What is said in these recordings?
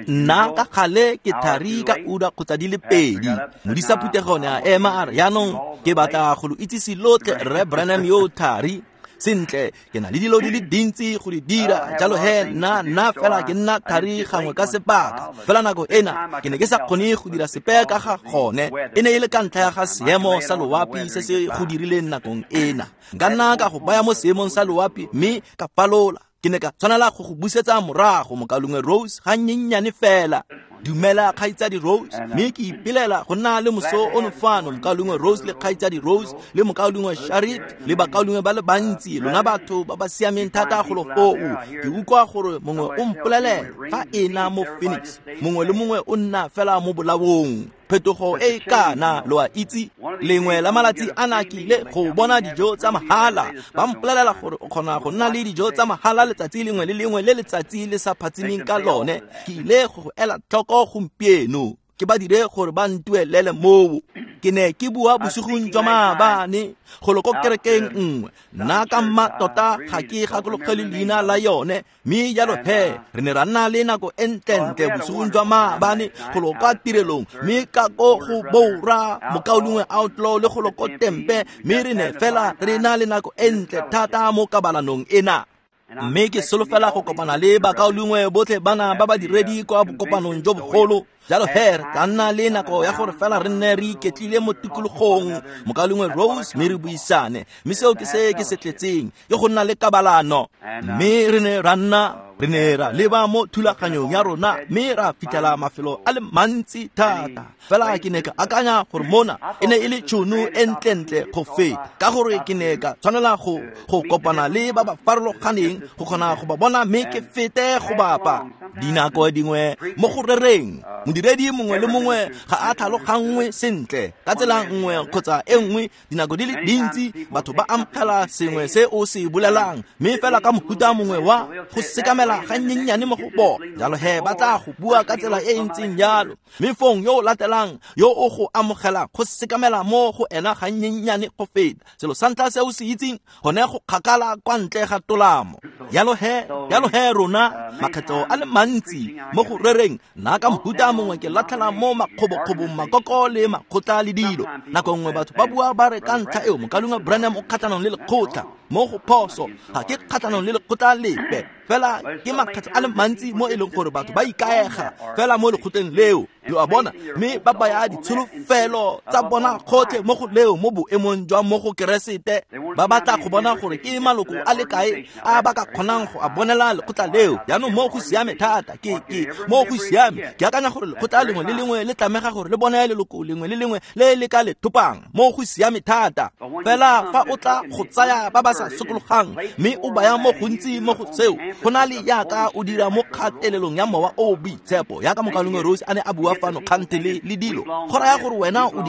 Nna ka gale ke thari ka ura kgotsa di le pedi. Modisa phuthego ne a ema a re, jaanong ke batla go lo itsise lotlhe Rre Branham yo thari. Sentle, ke na le dilo di le dintsi go di dira, jalo he nna fela ke nna thari gangwe ka sebaka. Fela nako ena ke ne ke sa kgone go dira sepe ka ga gone. E ne e le ka ntlha ya ga seemo sa loapi se se go dirileng nakong ena. Nka nna ka go baya mo seemong sa loapi mme ka falola. Ke ne ka tshwanela go go busetsa morago mokaulengwe Rose ga nnyennyane fela. Dumela kgaitsadi Rose, mme ke ipelela go nna le moso ono fano mokaulengwe Rose le kgaitsadi Rose le mokaulengwe Sharit le bakaulengwe ba le bantsi, lona batho ba ba siameng thata golo foo. Ke utlwa gore mongwe o mpolelela fa ena mo Phoenix, mongwe le mongwe o nna fela mo bolaong. Phetogo e kana lo a itse, lengwe la malatsi a na ke ile go bona dijo tsa mahala. Ba mpolelela gore o kgona go nna le dijo tsa mahala letsatsi lengwe le lengwe le letsatsi le sa phatsimeng ka lone. Ke ile go ela tlhoko gompieno, ke ba dire gore ba ntuelele moo. Ke ne ke bua bosigong jwa maabane golo ko kerekeng nngwe. Nna ka mma tota ga ke gakologele leina la yone, mme jalo he re ne ra nna le nako e ntlentle bosigong jwa maabane golo kwa tirelong, mme ka ko go Bora mokaulengwe Outlaw le golo ko Tempe, mme re ne fela re na le nako e ntle thata mo kabalanong ena. Mme ke solofela go kopana le bakaulengwe botlhe bana ba badiredi kwa bokopanong jo bogolo. Jalo he re tla nna le nako ya gore fela re nne re iketlile mo tikologong mokaulengwe Rose, mme re buisane. Mme seo ke se ke se tletseng, ke go nna le kabalano. Mme re ne ra nna, re ne ra leba mo thulaganyong ya rona, mme ra fitlhela mafelo a le mantsi thata. Fela ke ne ka akanya gore mona e ne e le tšhono e ntlentle go feta, ka gore ke ne ka tshwanela go kopana le ba ba farologaneng go kgona go ba bona, mme ke fete go bapa. Dinako dingwe mo go rereng, modiredi mongwe le mongwe ga a tlhaloganngwe sentle ka tsela nngwe kgotsa e nngwe. Dinako di le dintsi batho ba amogela sengwe se o se bolelang, mme fela ka mohuta mongwe wa go sekamela ga nnyennyane mo go bona. Jalo he ba tla go bua ka tsela e e ntseng jalo, mme fong yo o latelang yo o go amogelang go sekamela mo go ena ga nnyennyane go feta. Selo sa ntlha se o se itseng gone go kgakala kwa ntle ga tolamo. Jalo he rona makgetlo a le mantsi mo go rereng, nna ka mohuta mongwe ke latlhela mo makgobokgobong makoko le makgotla le dilo. Nako nngwe batho ba bua ba re ka ntlha eo mokaulengwe Branham o kgatlhanong le lekgotla. Mo go phoso, ga ke kgatlhanong le lekgotla lepe, fela ke makgetlo a le mantsi mo e leng gore batho ba ikaega fela mo lekgotleng leo, lo a bona, mme ba baya ditsholofelo tsa bona gotlhe mo go leo mo boemong jwa mo go Keresete. Ba batla go bona gore ke maloko a le kae a ba ka kgonang go a bonela lekgotla leo. Jaanong mo go siame thata, ke mo go siame. Ke akanya gore lekgotla lengwe le lengwe le tlamega gore le bone leloko lengwe le lengwe le le ka le thopang. Mo go siame thata. Fela fa o tla go tsaya ba ba sa sokologang mme o baya mo gontsi mo go seo, go na le yaka o dira mo kgatelelong ya mowa o boitshepo, yaka mokaulengwe Rose a ne a bua fano kgante le dilo. Go raya gore wena o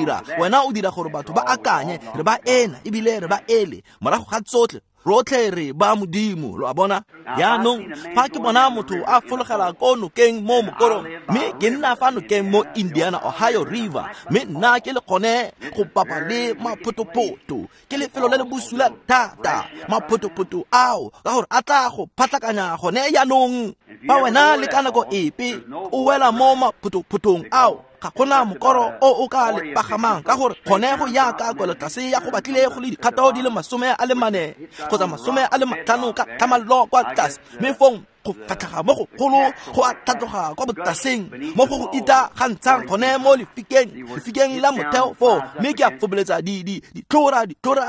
dira gore batho ba akanye re ba ena ebile re ba ele. Morago ga tsotlhe rotlhe re ba Modimo, lo a bona. Jaanong fa ke bona motho a fologela ko nokeng mo mokorong, mme ke nna fa nokeng mo Indiana Ohio River, mme nna ke le kgone go bapa le maphotophoto, ke lefelo le le bosula thata maphotophoto ao, ka gore a tla go phatlakanya gone jaanong. Fa wena le ka nako epe o wela mo maphotophothong ao, ga gona mokoro o o ka le pagamang, ka gore kgone go yaka kwelotlase ya go batlile go le dikgato di le 44 kgotsa 50 ka tlhamallo kwa tlase, mme fong go fatlhaga mo go golo go a tlhatloga kwa botlaseng mo go go ita ga ntshang gone mo lefikeng la motheo foo, mme ke a foboletsa ditlhora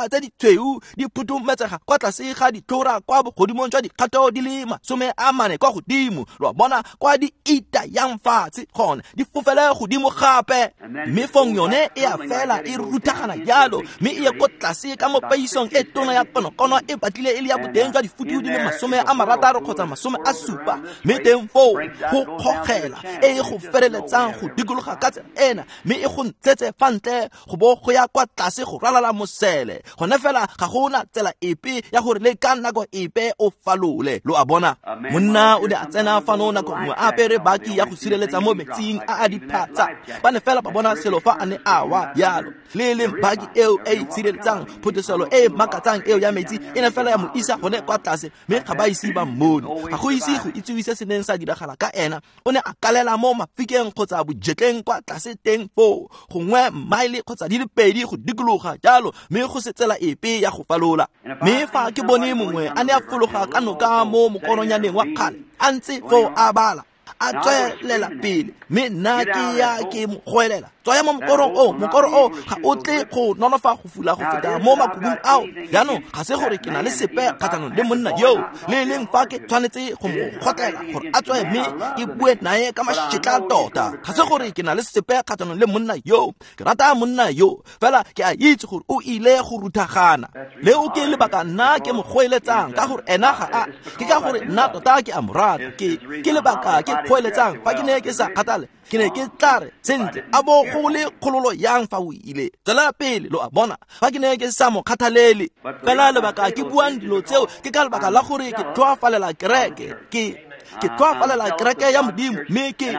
tse di tshweu di phuthumetsega kwa tlase ga ditlhora kwa bogodimong jwa dikgato di le 40 kwa godimo, lo a bona, kwa di ita yang fatshe gone di fofele godimo gape, mme fong yone e a fela e ruthagana jalo, mme e ye ko tlase ka mo peisong e tona ya konokono e batlile e le ya boteng jwa difutu di le 60 kgotsa 70, mme teng foo go kgogela e go feleletsang go dikologa ka tsela ena, mme e go ntshetse fa ntle go bo go ya kwa tlase go ralala mosele. Gone fela ga gona tsela epe ya gore le ka nako epe o falole, lo a bona. Monna o ne a tsena fano nako nngwe a apere baki ya go sireletsa mo metsing a a diphatsa, ba ne fela ba bona selo fa a ne a wa jalo. Le leng baki eo e itshireletsang photoselo e makatsang eo ya metsi e ne fela ya mo isa gone kwa tlase, mme ga ba ise ba mmone. Ga go ise go itsiwe se se neng sa diragala ka ena. O ne a kalela mo mafikeng kgotsa bojetleng kwa tlase teng foo, gongwe maele kgotsa di le pedi go dikologa jalo, mme go se tsela epe ya go falola. Mme fa ke bone mongwe a ne a fologa ka noka mo mokoronyaneng wa kgale, a ntse foo a bala, a tswelela pele, mme nna ke ya ke mo goelela, tswaya mo mokorong o, mokoro o ga o tle go nonofa go fula go feta mo makubung ao. Jaanong ga se gore ke na le sepe kgatlhanong le monna yo, le leng fa ke tshwanetse go mo gotlela gore a tswe mme ke bue naye ka mašetla tota. Ga se gore ke na le sepe kgatlhanong le monna yo, ke rata monna yo, fela ke a itse gore o ile go ruthagana. Leo ke lebaka nna ke mo goeletsang, ka gore ena ga a, ke ka gore nna tota ke a mo rata. Ke lebaka ke goeletsang. Fa ke ne ke sa kgathale, ke ne ke tla re, sentle, a bo go le kgololo yang fa o ile, tswela pele, lo a bona. Fa ke ne ke sa mo kgathalele, fela lebaka ke buang dilo tseo ke ka lebaka la gore ke tlhoafalela kereke, ke tlhoafalela kereke ya Modimo, mme ke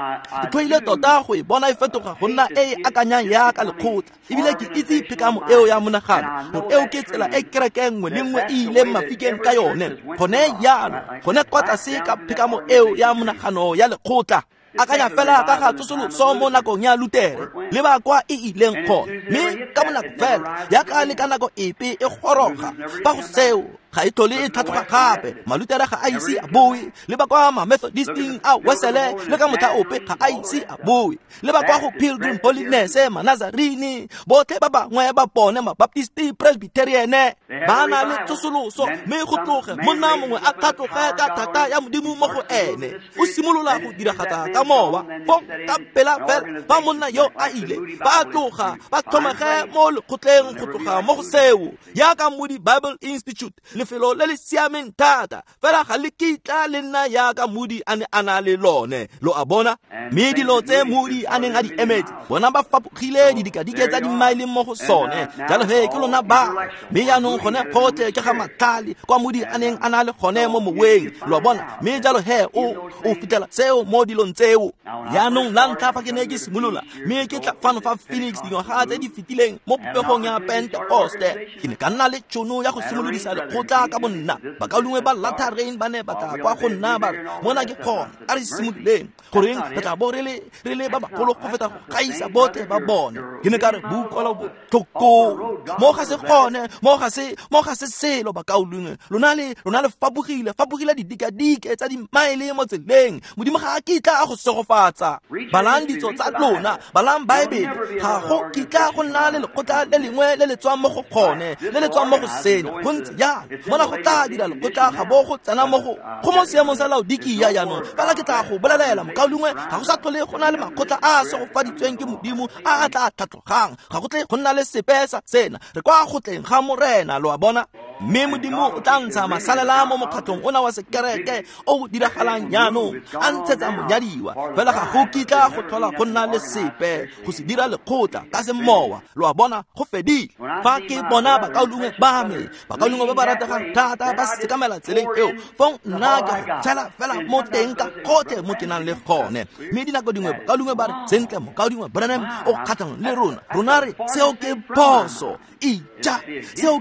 tlhoile tota go e bona e fetoga go nna e e akanyang yaka lekgotla. Ebile ke itse phekamo eo ya monagano, gore eo ke tsela e kereke nngwe le nngwe e ileng mafikeng ka yone gone jalo, gone kwa tlase ka phekamo eo ya monagano ya lekgotla. Akanya fela ka ga tsosoloso mo nakong ya Lutere, le ba kwa e ileng gone, mme ka bonako fela yaka le ka nako epe e goroga fa go seo, ga e tlhole e tlhatlhoga gape. Malutere ga a ise a boe, le ba kwa ma-Methodisting a Wesele le ka motlha ope ga a ise a boe, le ba kwa go Pilgrim Holiness, Manazarini, botlhe ba bangwe ba bone, Mabaptisti, Presbyteriane, ba na le tsosoloso, mme go tloge monna mongwe a tlhatloge ka thata ya Modimo mo go ene, o simolola go diragatsa ka mowa. Fong ka pela fela fa monna yo a ile, ba tloga ba tlhomege mo lekgotleng go tloga mo go seo, yaka Moody Bible Institute, lefelo le le siameng thata, fela ga le kitla le nna yaka Moody a ne a na le lone, lo a bona. Mme dilo tse Moody a neng a di emetse, bona ba fapogile didikadike tsa dimaele mo go sone. Jalo he ke lona ba, mme jaanong gone gotlhe ke ga matlhale kwa Moody a neng a na le gone mo moweng, lo a bona. Mme jalo he o fitlhela seo mo dilong tseo. Jaanong la ntlha fa ke ne ke simolola, mme ke tla fano fa Phoenix dingwaga tse di fetileng mo popegong ya Pentekoste, ke ne ka nna le tšhono ya go simolodisa lekgotla ka bonna. Bakaulengwe ba Latter Rain ba ne ba tla kwa go nna ba re, mona ke gone, a re simololeng, goreng re tla bo re le ba bagolo go feta go gaisa botlhe ba bone. Ke ne ka re, bukwala botlhoko mo ga se gone, mo ga se selo bakaulengwe, lona le fapogile didikadike tsa dimaele mo tseleng. Modimo ga a kitla a go segofatsa. Balang ditso tsa lona, balang Baebele, ga go kitla go nna le lekgotla le lengwe le le tswang mo go gone, le le tswang mo go sena. Go ntse jalo, mona go tla dira lekgotla ga bo go tsena mo go mo seemong sa Laodikia jaanong. Fela ke tla go bolelela mokaulengwe, ga go sa tlhole go na le makgotla a a segofaditsweng ke Modimo a a tla tlhatlogang. Ga go tle go nna le sepe sa sena. Re kwa go tleng ga Morena, lo a bona. Mme Modimo o tla ntsha masalela mo mokgatlhong ona wa sekereke o o diragalang jaanong, a ntshetsa monyadiwa. Fela ga go kitla go tlhola go nna le sepe go se dira lekgotla ka semowa, lo a bona, go fedile. Fa ke bona bakaulengwe ba me, bakaulengwe ba ba rategang thata ba sekamela tseleng eo, fong nna ke go tshela fela mo teng ka gotlhe mo ke nang le gone. Mme dinako dingwe bakaulengwe ba re, sentle mokaulengwe Branham o kgatlhanong le rona, rona re seo ke phoso. Ija, seo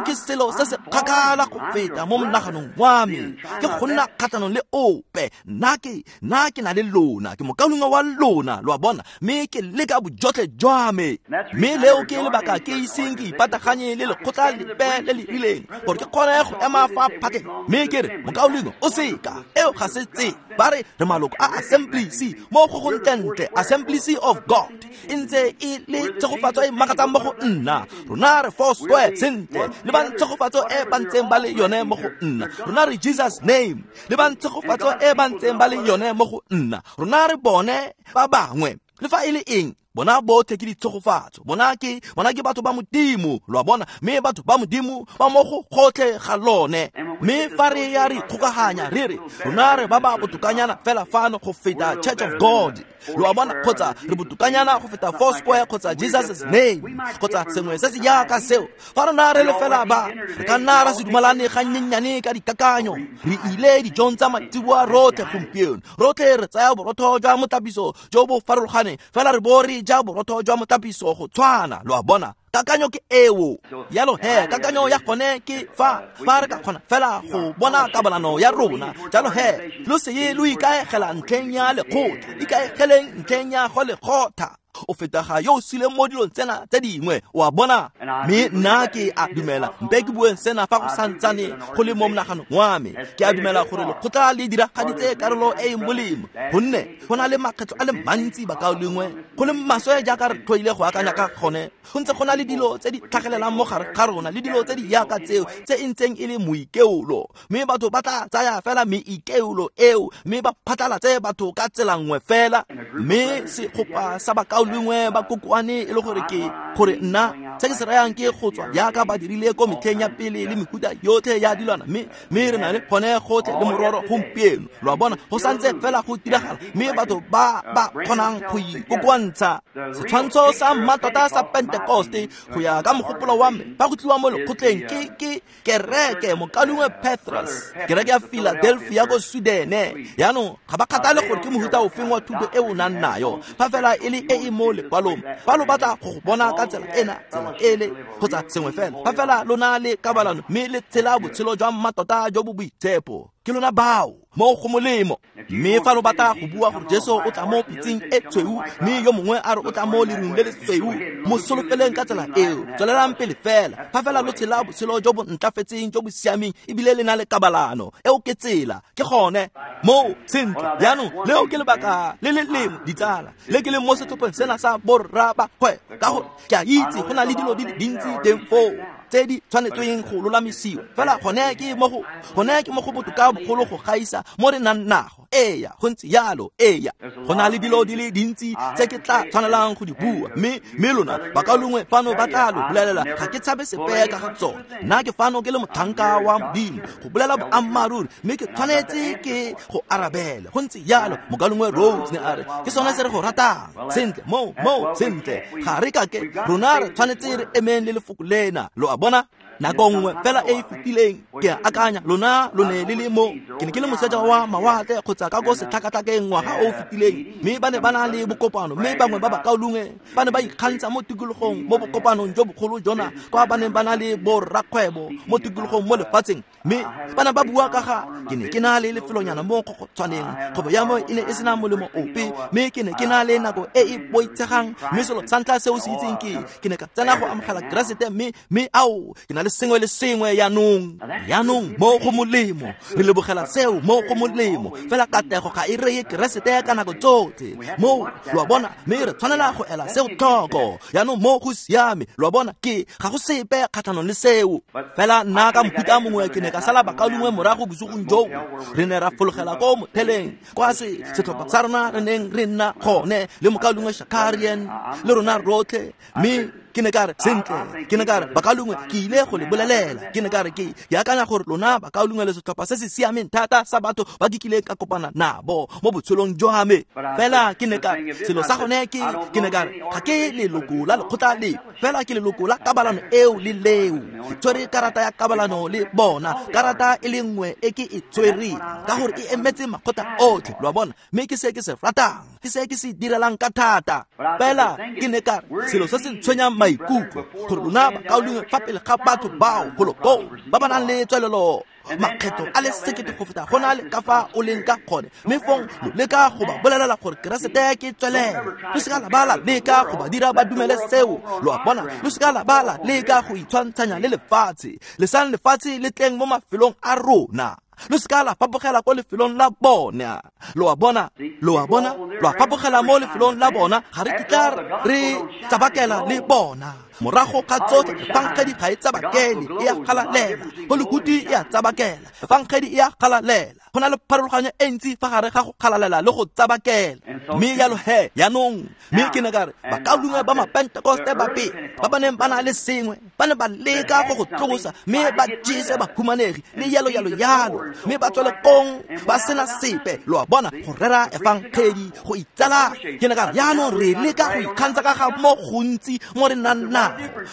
ke selo se se kgakala go feta mo monaganong wa me, ke go nna kgatlhanong le ope. Nna ke na le lona, ke mokaulengwe wa lona, lo a bona, mme ke leka bojotlhe jwa me. Mme leo ke lebaka ke iseng ke ipataganye le lekgotla lepe le le rileng, gore ke kgone go ema fa phatleng mme ke re, mokaulengwe o seka, eo ga se tse. Ba re re maloko a Assemblies mo go go ntlentle, Assemblies of God, e ntse e le tshegofatso e makatsang mo go nna. Rona re Four Square, sentle, le ba ntshegofatso e ba ntseng ba le yone mo go nna. Rona re Jesus Name, le ba ntshegofatso e ba ntseng ba le yone mo go nna. Rona re bone ba bangwe, le fa e le eng, bona botlhe ke ditshegofatso, bona ke batho ba Modimo, lo a bona. Mme batho ba Modimo ba mo go gotlhe ga lone. Mme fa re ya re ikgokaganya re re rona re ba ba botokanyana fela fano go feta Church of God, lo a bona, kgotsa re botokanyana go feta Four Square kgotsa Jesus Name kgotsa sengwe se se jaaka seo. Fa rona re le fela ba, re ka nna ra se dumalane gannyenyane ka dikakanyo. Re ile dijong tsa maitseboa rotlhe gompieno, rotlhe re tsaya borotho jwa motlapiso jo bo farologaneng, fela re bo re ja borotho jwa motlapiso go tshwana, lo a bona. Kakanyo ke eo. Jalo he, kakanyo ya gone ke fa re ka kgona fela go bona kabalano ya rona. Jalo he, lo se ye lo ikaegela ntlheng ya lekgotla, ikaegeleng ntlheng ya go lekgotha. O fetaga yo o sileng mo dilong tsena tse dingwe, o a bona. Mme nna ke a dumela, mpe ke bueng sena fa go santsane go le mo monaganong wa me. Ke a dumela gore lekgotla le diragaditse karolo e e molemo, gonne go na le makgetlho a le mantsi bakaulengwe go le maswe jaaka re tlhoile go akanya ka gone. Go ntse go na le dilo tse di tlhagelelang mo gare ga rona le dilo tse di yaka tseo tse e ntseng e le moikeolo, mme batho ba tla tsaya fela meikeolo eo mme ba phatlalatse batho ka tsela nngwe fela. Mme segopa sa bakaulengwe ba kokoane e le gore ke gore nna se ke se rayang ke go tswa jaaka ba dirile ko metlheng ya pele le mehuta yotlhe ya dilwana, mme re na le gone gotlhe le mororo gompieno. Lo a bona, go santse fela go diragala, mme batho ba ba kgonang go ikokoantsha. Setshwantsho sa mmatota sa Pentecoste go ya ka mogopolo wa me fa go tliwa mo lekgotleng ke kereke mokaulengwe Petrus, kereke ya Philadelphia ko Sweden. Jaanong ga ba kgathale gore ke mohuta ofeng wa thuto e o nang nayo, fa fela e le e e mo lekwalong. Fa lo batla go bona ka tsela ena, tsela ele, kgotsa sengwe fela, fa fela lo na le kabalano mme le tshela botshelo jwa mmatota jo bo boitshepo, ke lona bao mo go molemo. Mme fa lo batla go bua gore Jesu o tla mo pitseng e tshweu, mme yo mongwe a re o tla mo lerung le le sweu, mo solofeleng ka tsela eo. Tswelelang pele fela, fa fela lo tshela botshelo jo bo ntlafetseng, jo bo siameng, ebile le na le kabalano. Eo ke tsela, ke gone mo sentle. Jaanong leo ke lebaka le le lengwe, ditsala, le ke leng mo setlhopheng sena sa borra ba kgwebo, ka gore ke a itse go na le dilo di le dintsi teng foo tse di tshwanetsweng go lolamisiwa. Fela gone ke mo go botoka bogolo go gaisa mo re nang nago. Eya, go ntse jalo. Eya, go na le dilo di le dintsi tse ke tla tshwanelang go di bua, mme lona bakaulengwe fano ba tla lo bolelela ga ke tshabe sepe ka ga tsone. Nna ke fano ke le motlhanka wa Modimo go bolela boammaaruri, mme ke tshwanetse ke go arabela. Go ntse jalo. Mokaulengwe Rose ne a re ke sone se re go ratang. Sentle, mo sentle, ga re ka ke rona re tshwanetse re emeng le lefoko lena. Lo a bona? Nako nngwe fela e e fetileng ke a akanya lona lo ne le le mo, ke ne ke le moseja wa mawatle kgotsa ka ko setlhakatlhakeng ngwaga o o fetileng, mme ba ne ba na le bokopano, mme bangwe ba bakaulengwe ba ne ba ikgantsha mo tikologong mo bokopanong jo bogolo jona, kwa ba neng ba na le borrakgwebo mo tikologong mo lefatsheng. Mme ba ne ba bua ka ga ke ne ke na le lefelonyana mo go tshwaneng, kgwebo ya mo e ne e sena molemo ope, mme ke ne ke na le nako e e boitshegang. Mme selo sa ntlha seo se itseng ke ne ka tsena go amogela Keresete, mme ao ke na le sengwe le sengwe jaanong. Jaanong mo go molemo, re lebogela seo mo go molemo. Fela katlego ga e reye Keresete ka nako tsotlhe mo, lo a bona, mme re tshwanela go ela seo tlhoko. Jaanong mo go siame, lo a bona, ke ga go sepe kgatlhanong le seo. Fela nna ka mohuta mongwe ke ne ka sala bakaulengwe morago bosigong joo. Re ne ra fologela ko motheleng kwa setlhopha sa rona re neng re nna gone le mokaulengwe Shakarian le rona rotlhe. Mme ke ne ka re sentle, ke ne ka re bakaulengwe ke ile go le bolelela, ke ne ka re ke akanya gore lona bakaulengwe le setlhopha se se siameng thata sa batho ba ke kileng ka kopana nabo mo botshelong jwa me. Fela ke ne ka re selo sa gone ke ne ka re ga ke leloko la lekgotla le, fela ke leloko la kabalano eo le leo. Ke tshwere karata ya kabalano le bona, karata e le nngwe e ke e tshwereng ka gore e emetse makgotla otlhe, lo a bona, mme ke se ke se ratang, ke se ke se direlang ka thata. Fela ke ne ka re selo se se ntshwenyang maikutlo gore lona bakaulengwe fa pele ga batho bao golo koo ba ba nang le tswelelo makgetho a le sekete go feta go na le ka fa o leng ka gone, mme fong lo leka go ba bolelela gore Keresete ke tswelelo. Lo seka la ba la leka go ba dira ba dumele seo, lo a bona. Lo seka la ba la leka go itshwantshanya le lefatshe. Lesang lefatshe le tleng mo mafelong a rona. Lo seka la fapogela ko lefelong la bona, lo a bona, lo a bona, lo a fapogela mo lefelong la bona. Ga re kitla re tsabakela le bona. Morago ga tsotlhe, efangedi ga e tsabakele, e a galalela. Holikuti e a tsabakela, efangedi e a galalela. Go na le pharologanyo e ntsi fa gare ga go galalela le go tsabakela. Mme jalo he, jaanong, mme ke ne ka re bakaulengwe ba mapentekoste ba pele ba ba neng ba na le sengwe, ba ne ba leka go go tlosa, mme ba jese bahumanegi le jalo jalo jalo, mme ba tswele kong ba sena sepe, lo a bona, go rera efangedi, go itsala. Ke ne ka re jaanong re leka go ikgantsha ka ga mo gontsi mo re nang nago.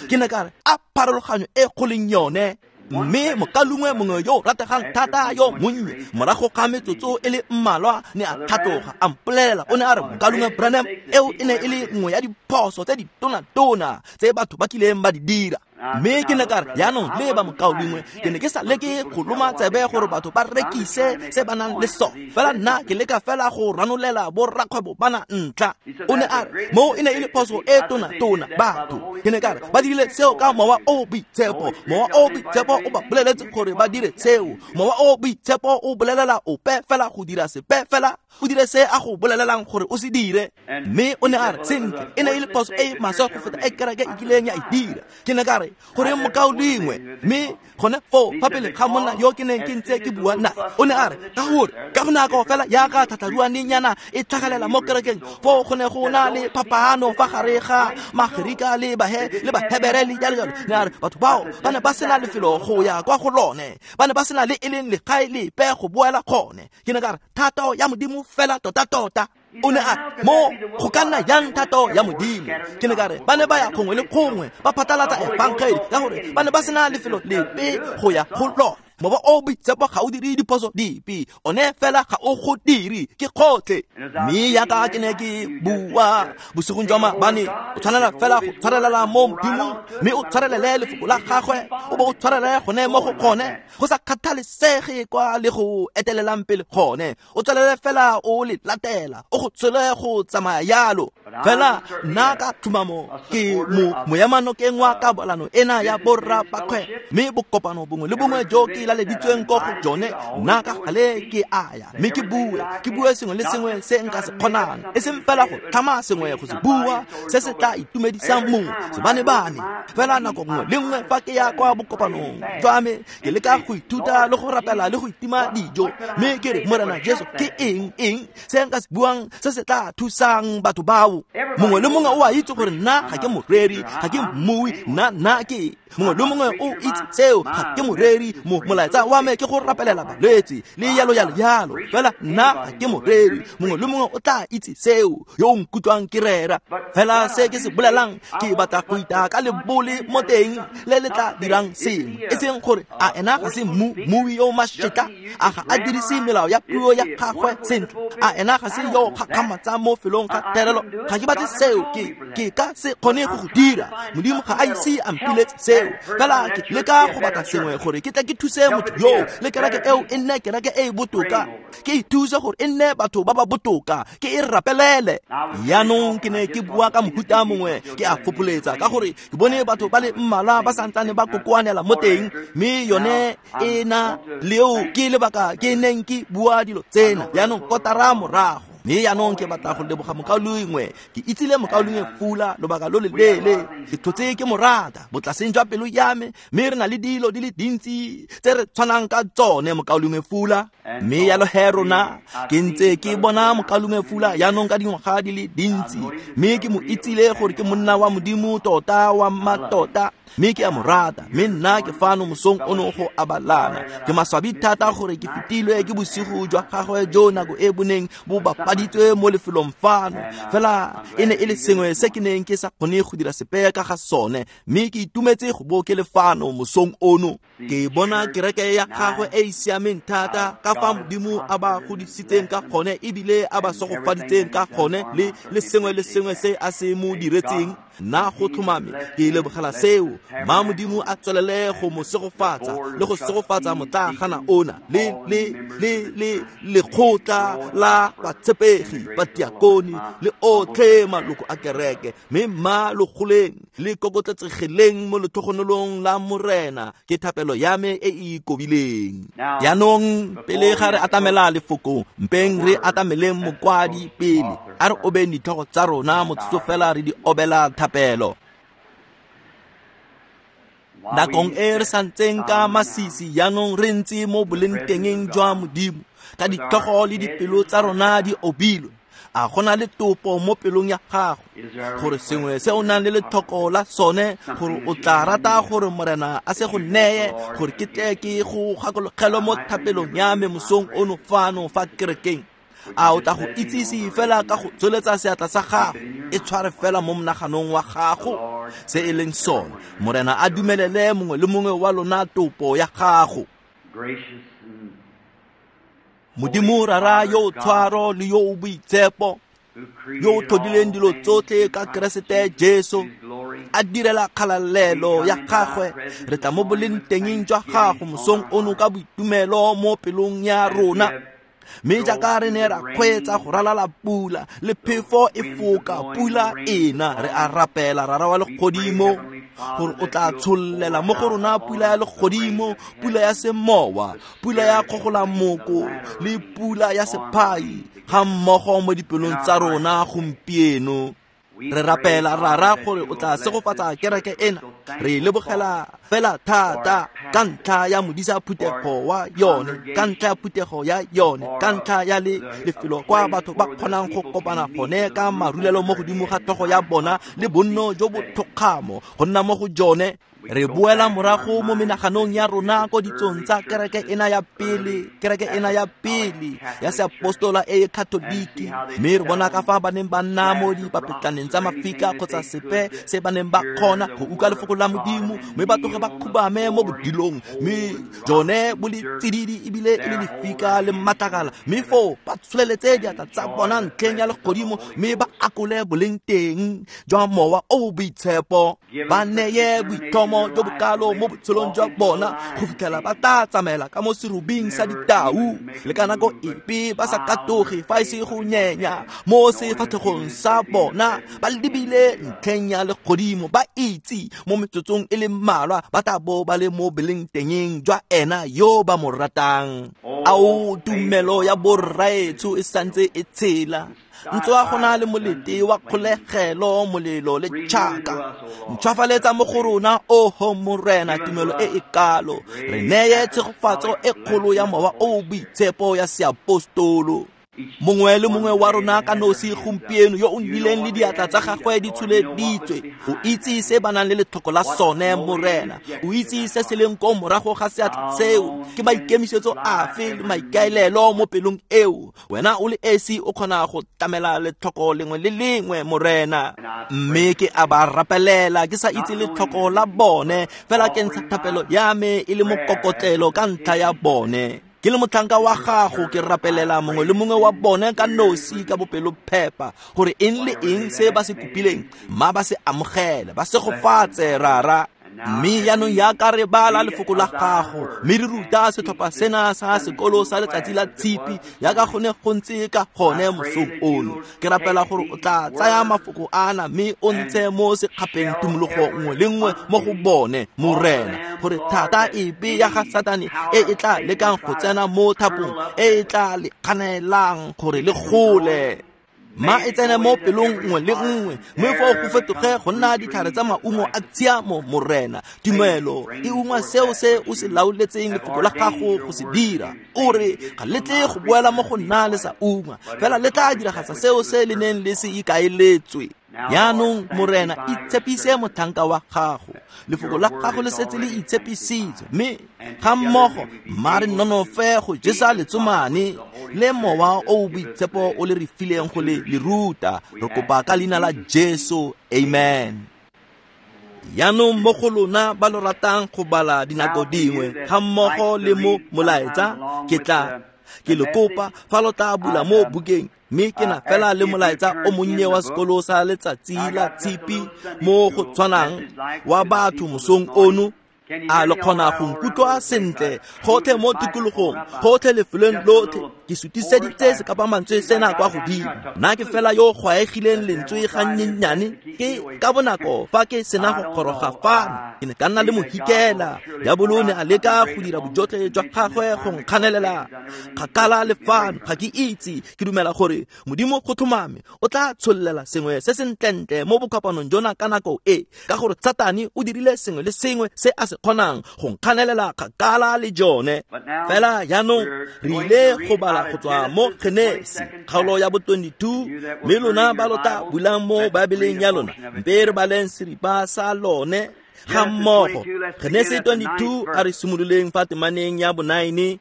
Ke ne ka re a pharologanyo e go leng yone. Mme mokalungwe mongwe yo rategang thata yo monnye morago ga metsotso e le mmalwa ne a tlhatloga a mpolelela, o ne a re, mokalungwe Branham, eo e ne e le nngwe ya diphoso tse ditona-tona tse batho ba kileng ba di dira. Mme ke ne ka re, jaanong leba mokaulengwe, ke ne ke sa leke go loma tsebe gore batho ba rekise se ba nang le sone, fela nna ke leka fela go ranolela borrakgwebo bana ntlha. O ne a re, moo e ne e le phoso e tona-tona batho. Ke ne ka re, ba dirile seo ka mowa o boitshepo. Mowa o boitshepo o ba boleletse gore ba dire seo. Mowa o boitshepo o bolelela ope fela go dira sepe fela, o dire se a go bolelelang gore o se dire. Mme o ne a re, sentle, e ne e le phoso e maswe go feta e kereke e kileng ya e dira. Ke ne ka re, gore mokaulengwe, mme gone foo fa pele ga monna yo ke neng ke ntse ke bua nae, o ne a re, ka gore ka bonako fela jaaka tlhatlharuanenyana e tlhagelela mo kerekeng, foo go ne go na le phapano fa gare ga Magerika le Bahebere le jalo jalo. Ne a re, batho bao ba ne ba sena lefelo go ya kwa go lone, ba ne ba sena le e leng legae lepe go boela gone. Ke ne ka re, thato ya Modimo fela tota-tota. O ne a re, mo go ka nna jang thato ya Modimo? Ke ne ka re, ba ne ba ya gongwe le gongwe ba phatlalatsa efangeli ka gore ba ne ba sena lefelo lepe go ya go lone. Mowa o boitshepo ga o dire diphoso dipe, one fela ga o go dire, ke kgotlhe. Mme jaaka ke ne ke bua bosigong jwa maabane, o tshwanela fela go tshwarelela mo Modimong, mme o tshwarelele lefoko la gagwe, o bo o tshwarelele gone mo go gone, go sa kgathalesege kwa le go etelelang pele gone, o tswelele fela o le latela, o go tswele go tsamaya yalo. Fela nna ka tlhomamo ke moemanokeng wa kabalano ena ya borra bakgwebo, mme bokopano bongwe le bongwe jo ke laleditsweng ko go jone, nna ka gale ke a ya, mme ke bue sengwe le sengwe se nka se kgonang, e seng fela go tlhama sengwe go se bua se se tla itumedisang mongwe sebane-bane. Fela nako nngwe le nngwe fa ke ya kwa bokopanong jwa me, ke leka go ithuta le go rapela le go itima dijo, mme ke re, Morena Jesu, ke eng se nka se buang se se tla thusang batho bao? Mongwe le mongwe o a itse gore nna ga ke moreri, ga ke mmui, nna ke mongwe le mongwe o itse seo, ga ke moreri. Molaetsa wa me ke go rapelela balwetse le yalo yalo yalo, fela nna ga ke moreri. Mongwe le mongwe o tla itse seo yo o nkutlwang ke rera. Fela se ke se bolelang, ke batla go ita ka lebole mo teng le le tla dirang sengwe, e seng gore a ena ga se mmui yo mašetla, a ga a dirise melao ya puo ya gagwe sentle, a ena ga se yo gakgamatsang mo felong ga terelo. Ga ke batle seo, ke ka se kgone go go dira. Modimo ga a ise a mpiletse seo. Fela ke leka go batla sengwe gore ke tle ke thuse motho yo, le kereke eo e nne kereke e e botoka, ke ithuse gore e nne batho ba ba botoka, ke e rapelele. Jaanong ke ne ke bua ka mohuta mongwe, ke a fopholetsa ka gore ke bone batho ba le mmalwa ba santsane ba kokoanela mo teng, mme yone e na leo ke lebaka ke neng ke bua dilo tsena jaanong kotara morago. Mme jaanong ke batla go leboga mokaulengwe. Ke itsile mokaulengwe Fula lobaka lo leleele, ke tlhotse ke mo rata botlaseng jwa pelo ya me, mme re na le dilo di le dintsi tse re tshwanang ka tsone, mokaulengwe Fula. Mme yalo he rona, ke ntse ke bona mokaulengwe Fula jaanong ka dingwaga di le dintsi, mme ke mo itsile gore ke monna wa Modimo tota wa mmatota, mme ke a mo rata. Mme nna ke fano mosong ono go abalana. Ke maswabi thata gore ke fetilwe ke bosigo jwa gagwe jo nako e boneng bo bapaditswe mo lefelong fano, fela e ne e le sengwe se ke neng ke sa kgone go dira sepe ka ga sone, mme ke itumetse go bo ke le fano mosong ono. Ke bona kereke ya gagwe e e siameng thata, ka fa Modimo a ba godisitseng ka gone ebile a ba segofaditseng ka gone, le sengwe le sengwe se a se mo diretseng. Nna go tlhomame ke lebogela seo. Ma Modimo a tswelele go mo segofatsa le go segofatsa motlaagana ona le le le le lekgotla la batshepegi, badiakoni le otlhe maloko a kereke. Mme mma lo goleng le kokotletsegeleng mo letlhogonolong la Morena, ke thapelo ya me e e ikobileng. Jaanong pele ga re atamela lefoko, mpeng re atameleng mokwadi pele. A re obeng ditlhogo tsa rona motsotso fela re di obela thapelo. Nakong e re santseng ka masisi jaanong re ntse mo bolengtengeng jwa Modimo, ka ditlhogo le dipelo tsa rona di obilwe. A go na le topo mo pelong ya gago gore sengwe se o nang le letlhoko la sone, gore o tla rata gore Morena a se go neye, gore ke tle ke go gakologelwe mo thapelong ya me mosong ono fano fa kerekeng? A o tla go itsise fela ka go tsweletsa seatla sa gago, e tshware fela mo monaganong wa gago se e leng sone. Morena a dumelele mongwe le mongwe wa lona topo ya gago. Modimo Rara yo o tshwaro le yo o boitshepo, yo o tlhodileng dilo tsotlhe ka Keresete Jesu, a direla kgalalelo ya gagwe, re tla mo bolengtengeng jwa gago mosong ono ka boitumelo mo pelong ya rona. Mme jaaka re ne ra kgweetsa go ralala pula le phefo e foka pula ena, re a rapela Rara wa legodimo gore o tla tshollela mo go rona pula ya legodimo, pula ya semowa, pula ya kgogolamoko le pula ya sephai ga mmogo mo dipelong tsa rona gompieno. Re rapela Rara gore o tla segofatsa kereke ena. Re lebogela fela thata ka ntlha ya modisa phuthego wa yone, ka ntlha ya phuthego ya yone, ka ntlha ya le lefelo kwa batho ba kgonang go kopana gone ka marulelo mo godimo ga tlhogo ya bona le bonno jo bo thokgamo go nna mo go jone. Re boela morago mo menaganong ya rona ko ditsong tsa kereke ena ya pele, kereke ena ya pele ya seapostola e e katoliki, mme re bona ka fa ba neng ba nna mo dipapetlaneng tsa mafika kgotsa sepe se ba neng ba kgona go utlwa lefoko la Modimo, mme ba tloge ba khubame mo bodilong, mme jone bo le tsididi ebile e le lefika le matlakala, mme foo ba tsholeletse diatla tsa bona ntlheng ya legodimo, mme ba akole boleng teng jwa mowa o o boitshepo, ba neye boithomo jo bokalo mo botshelong jwa bona go fitlhela ba tla tsamaela ka mo serubing sa ditau, le ka nako epe ba sa katoge fa e se go nyenya mo sefatlhegong sa bona, ba lebile ntlheng ya legodimo, ba itse mo metsotsong e le mmalwa ba tla bo ba le mo bolengtengeng jwa ena yo ba mo ratang. Ao, tumelo ya borraetsho e santse e tshela, ntswa go na le molete wa kgolegelo, molelo le tšhaka. Ntšhwafaletsa mo go rona, oho Morena, tumelo e e kalo. Re neye tshegofatso e kgolo ya mowa o boitshepo ya seapostolo. Mongwe le mongwe wa rona ka nosi gompieno yo o nnileng le diatla tsa gagwe di tsholeditswe, o itse se ba nang le letlhoko la sone, Morena. O itse se se leng ko morago ga seatla seo, ke maikemisetso afe le maikaelelo mo pelong eo. Wena o le esi o kgona go tlamela letlhoko lengwe le lengwe, Morena. Mme ke a ba rapelela ke sa itse letlhoko la bone, fela ke ntsha thapelo ya me e le mokokotlelo ka ntlha ya bone. Ke le motlhanka wa gago, ke rapelela mongwe le mongwe wa bone ka nosi ka bopelophepa, gore eng le eng se ba se kopileng mma ba se amogele, ba segofatse Rara. Mme jaanong jaaka re bala lefoko la gago, mme re ruta setlhopha sena sa sekolo sa letsatsi la tshipi jaaka go ne go ntse ka gone mosong ono, ke rapela gore o tla tsaya mafoko ana mme o ntshe mo sekgapeng tumologo nngwe le nngwe mo go bone, Morena, gore thata epe ya ga Satane e e tla lekang go tsena mo thapong e e tla le kganelang gore le gole, ma e tsene mo pelong nngwe le nngwe, mme foo go fetoge go nna ditlhare tsa maungo a tshiamo, Morena. Tumelo e ungwa seo se o se laoletseng lefoko la gago go se dira. O re ga le tle go boela mo go nna le sa ungwa, fela le tla diragatsa seo se le neng le se ikaeletswe. Jaanong Morena, itshepise motlhanka wa gago. Lefoko la gago le setse le itshepisitswe, mme ga mmogo mma re nonofe go jesa letsomane le mowa o o boitshepo o le re fileng go le le ruta. Re kopa ka leina la Jesu, amen. Jaanong mo go lona ba lo ratang go bala dinako dingwe ga mmogo le mo molaetsa, ke tla ke le kopa fa lo tla bula mo bukeng, mme ke na fela le molaetsa o monnye wa sekolo sa letsatsi la tshipi mo go tshwanang wa batho mosong ono. A le kgona go nkutlwa sentle gotlhe mo tikologong, gotlhe lefelong lotlhe? Ke sutiseditse sekapamantswe sena kwa godimo. Nna ke fela yo gwaegileng lentswe gannyennyane, ke ka bonako fa ke sena go goroga fano, ke ne ka nna le mohikela. Diabolo ne a leka go dira bojotlhe jwa gagwe go nkganelela kgakala le fano. Ga ke itse, ke dumela gore Modimo go tlhomame o tla tshollela sengwe se sentlentle mo bokopanong jona ka nako e, ka gore Satane o dirile sengwe le sengwe se a se kgonang go nkganelela kgakala le jone. Fela jaanong re ile go bala go tswa mo Genesi kgaolo ya bo 22, mme lona ba lo tla bulang mo Baebeleng ya lona, mpe re baleng seripa sa lone ga mmogo. Genesi 22, a re simololeng fa temaneng ya bo 9.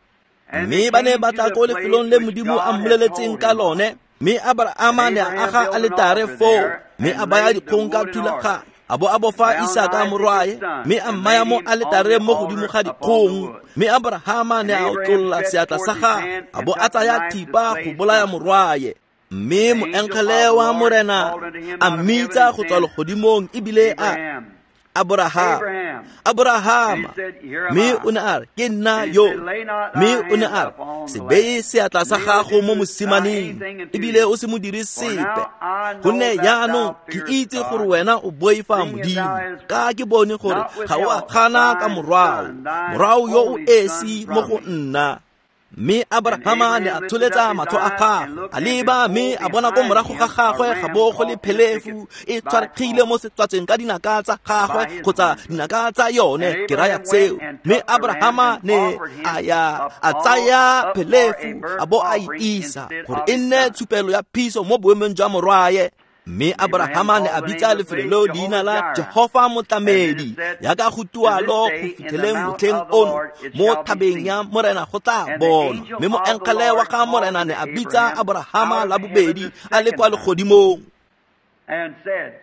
Mme ba ne ba tla ko lefelong le Modimo a mmoleletseng ka lone, mme Abrahama ne a aga aletare foo, mme a baya dikgong ka thulaganyo, a bo a bofa Isaka morwae, mme a mmaya mo aletareng mo godimo ga dikgong. Mme Abrahama ne a otlolla seatla sa gagwe, a bo a tsaya thipa go bolaya morwae. Mme moengele wa Morena a mmitsa go tswa legodimong ebile a Abraham, Abrahama. Mme o ne a re, ke nna yo. Mme o ne a re, se beye seatla sa gago mo mosimaneng, ebile o se mo dire sepe, gonne jaanong ke itse gore wena o boifa Modimo, ka ke bone gore ga o a gana ka morwao, morwao yo o esi mo go nna. Mme Abrahama ne a tsholetsa matlho a gagwe, a leba mme a bona ko morago ga gagwe ga bo go le phelefu e tshwaregile mo setswatseng ka dinaka tsa gagwe kgotsa dinaka tsa yone, ke raya tseo. Mme Abrahama ne a ya a tsaya phelefu a bo a e isa gore e nne tshupelo ya phiso mo boemong jwa morwae. Mme Abrahama ne a bitsa lefelo leo leina la Jehofa Motlamedi, yaka go tualo go fitlheleng motlheng ono mo thabeng ya Morena go tla bonwa. Mme moengele wa ga Morena ne a bitsa Abrahama la bobedi a le kwa legodimong, and said,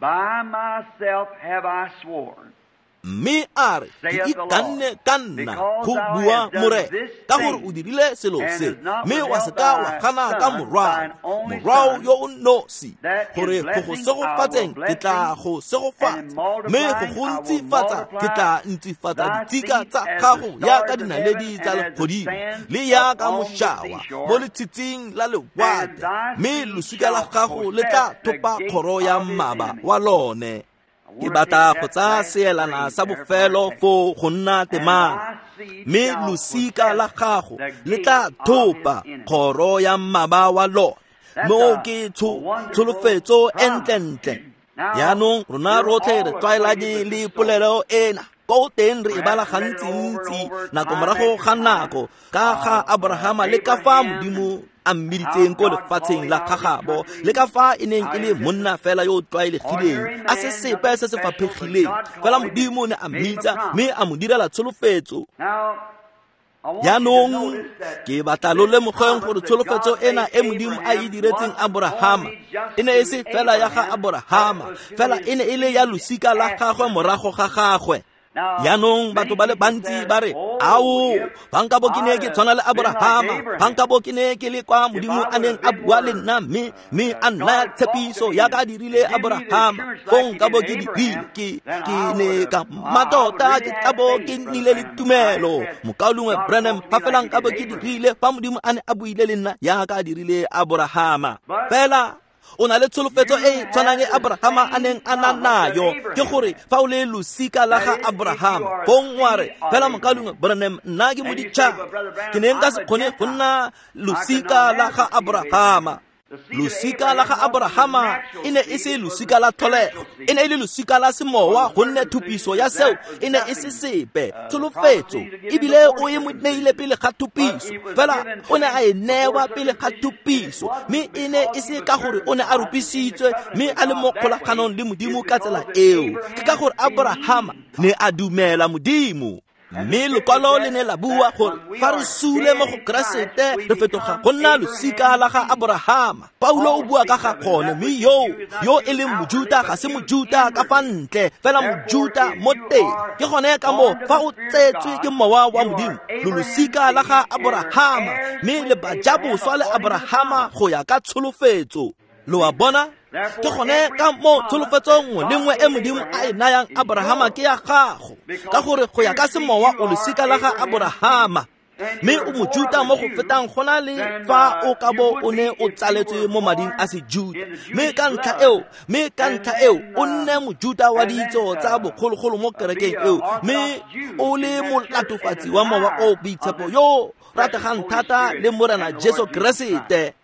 By myself have I sworn, mme a re, ke ikanne ka nna go bua Morena, ka gore o dirile selo se, mme wa se ka wa gana ka morwao, morwao yo o nosi, gore go go segofatseng ke tla go segofatsa, mme go go ntsifatsa ke tla ntsifatsa ditshika tsa gago yaka dinaledi tsa legodimo le yaka mošawa mo letshitsing la lewatle, mme losika la gago le tla thopa kgoro ya mmaba wa lone. Ke batla go tsaya seelana sa bofelo foo go nna temana, mme losika la gago le tla thopa kgoro ya mmaba wa lone. Moo ke tsholofetso e ntlentle. Jaanong rona rotlhe re tlwaelane le polelo ena, ko teng re e bala gantsintsi nako morago ga nako ka ga Abrahama le ka fa Modimo a mmiditseng ko lefatsheng la gagabo, le ka fa e neng e le monna fela yo o tlwaelegileng, a se sepe se se faphegileng, fela Modimo ne a mmitsa mme a mo direla tsholofetso. Jaanong ke batla lo lemogeng gore tsholofetso ena e Modimo a e diretseng Abrahama e ne e se fela ya ga Abrahama, fela e ne e le ya losika la gagwe morago ga gagwe. Jaanong batho ba le bantsi ba re, ao, fa nka bo ke ne ke tshwana le Abrahama, fa nka bo ke ne ke le kwa Modimo a neng a bua le nna mme a nnaya tshepiso yaka a dirile Abrahama, fong nka bo ke dirile, ke ne ka mmatota ke tla bo ke nnile le tumelo. Mokaulengwe Branham, fa fela nka bo ke dirile fa Modimo a ne a buile le nna yaka a dirile Abrahama. Fela o na le tsholofetso e tshwanang e Abrahama a neng a na nayo, ke gore fa o le losika la ga Abrahama, fong wa re, fela mokaulengwe Branham, nna ke moditšhaba, ke ne nka se kgone go nna losika la ga Abrahama. Losika la ga Abrahama e ne e se losika la tlholego, e ne e le losika la semowa, gonne thupiso ya seo e ne e se sepe. Tsholofetso ebile o e mo neile pele ga thupiso, fela o ne a e newa pele ga thupiso, mme e ne e se ka gore o ne a rupisitswe mme a le mo kgolaganong le Modimo ka tsela eo. Ke ka gore Abrahama ne a dumela Modimo. Mme lekwalo le ne la bua gore fa re sule mo go Keresete re fetoga go nna losika la ga Abrahama. Paulo o bua ka ga gone, mme yo e leng Mojuta ga se Mojuta ka fa ntle, fela Mojuta mo teng. Ke gone ka moo fa o tsetswe ke mowa wa Modimo, lo losika la ga Abrahama, mme le bajaboswa le Abrahama go ya ka tsholofetso. Lo a bona? Ke gone ka mo tsholofetso nngwe le nngwe e Modimo a e nayang Abrahama ke ya gago, ka gore go ya ka semowa o losika la ga Abrahama, mme o Mojuta mo go fetang go na le fa o ka bo o ne o tsaletswe mo mading a Sejuta. Mme ka ntlha eo o nne Mojuta wa ditso tsa bogologolo mo kerekeng eo, mme o le molatofatsi wa mowa o boitshepo yo rategang thata le Morena Jesu Keresete.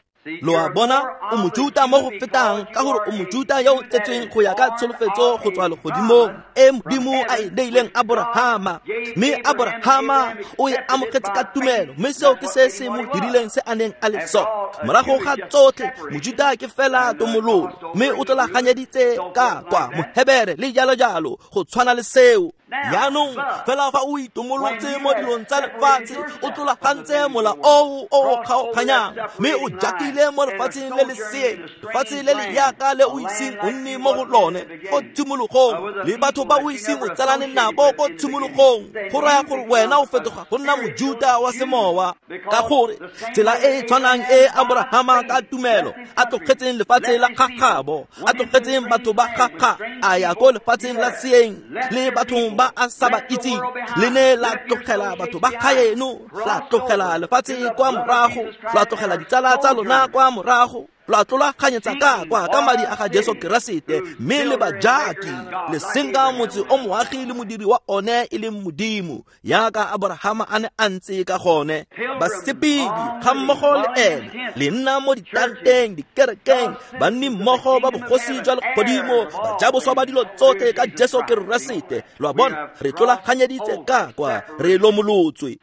Lo a bona, o Mojuta mo go fetang ka gore o Mojuta yo o tsetsweng go ya ka tsholofetso go tswa legodimong e Modimo a e neileng Abrahama, mme Abrahama o e amogetse ka tumelo, mme seo ke se se mo dirileng se a neng a le sone. Morago ga tsotlhe, Mojuta ke fela tomololo, mme o tlolaganyeditse ka kwa Mohebere le jalo jalo go tshwana le seo. Jaanong fela fa o itomolotse mo dilong tsa lefatshe, o tlolagantse mola oo o o kgaoganyang, mme o jakile mo lefatsheng le le seeng, lefatshe le le yaka le o iseng o nne mo go lone ko tshimologong, le batho ba o iseng o tsalane nabo ko tshimologong. Go raya gore wena o fetoga go nna Mojuta wa semowa, ka gore tsela e e tshwanang e Abrahama ka tumelo a tlogetseng lefatshe la gagabo, a tlogetseng batho ba gaga, a ya ko lefatsheng la seeng le bathong ba a sa ba itseng, le ne la tlogela batho ba gaeno, la tlogela lefatshe kwa morago, la tlogela ditsala tsa lona kwa morago, la tlolaganyetsa ka kwa ka madi a ga Jesu Keresete, mme le bajaki le senka motse o moagi le modiri wa one e leng Modimo, yaka Abrahama a ne a ntse ka gone. Basepedi ga mmogo le ene, le nna mo ditanteng, dikerekeng, banni mmogo ba bogosi jwa legodimo, bajaboswa ba dilo tsotlhe ka Jesu Keresete. Lo a bona, re tlolaganyeditse ka kwa, re lomolotswe.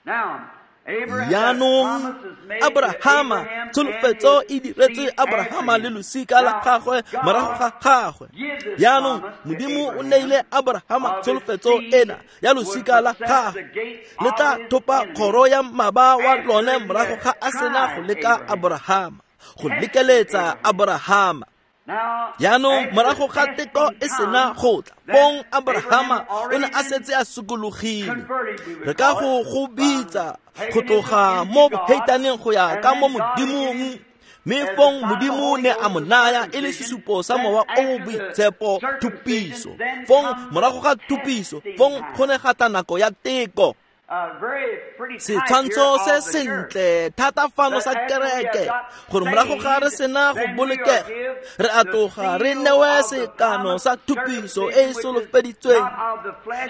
Jaanong Abrahama, tsholofetso e diretswe Abrahama le losika la gagwe morago ga gagwe. Jaanong Modimo o neile Abrahama tsholofetso ena ya losika la gagwe, le tla thopa kgoro ya mmaba wa lone morago ga a sena go leka Abrahama, go lekeletsa Abrahama. Jaanong morago ga teko e sena go tla, fong Abrahama o ne a setse a sokologile. Re ka go bitsa go tloga mo boheitaneng go ya ka mo Modimong, mme fong Modimo ne a mo naya e le sesupo sa mowa o o boitshepo, thupiso. Fong morago ga thupiso, fong go ne ga tla nako ya teko. Setshwantsho se sentle thata fano sa kereke, gore morago ga re sena go bolokega, re a tloga re newe sekano sa thupiso e e solofeditsweng,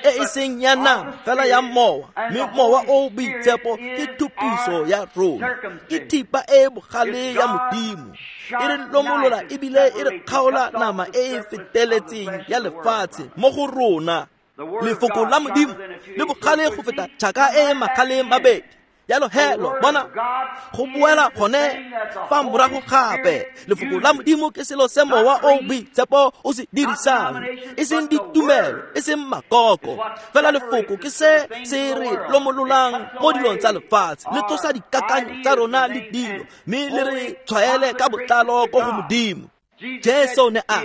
e e seng ya nama fela ya mowa, mme mowa o boitshepo ke thupiso ya rona, ke thipa e bogale ya Modimo, e re lomolola ebile e re kgaola nama e e feteletseng ya lefatshe mo go rona. Lefoko la Modimo le bogale go feta tšhaka e e magale mabedi. Jalo he lo bona go boela gone fa morago gape. Lefoko la Modimo ke selo se mowa o boitshepo o se dirisang, e seng ditumelo, e seng makoko, fela lefoko ke se se re lomololang mo dilong tsa lefatshe, le tlosa dikakanyo tsa rona le dilo, mme le re tshwaele ka botlalo ko go Modimo. Jesu ne a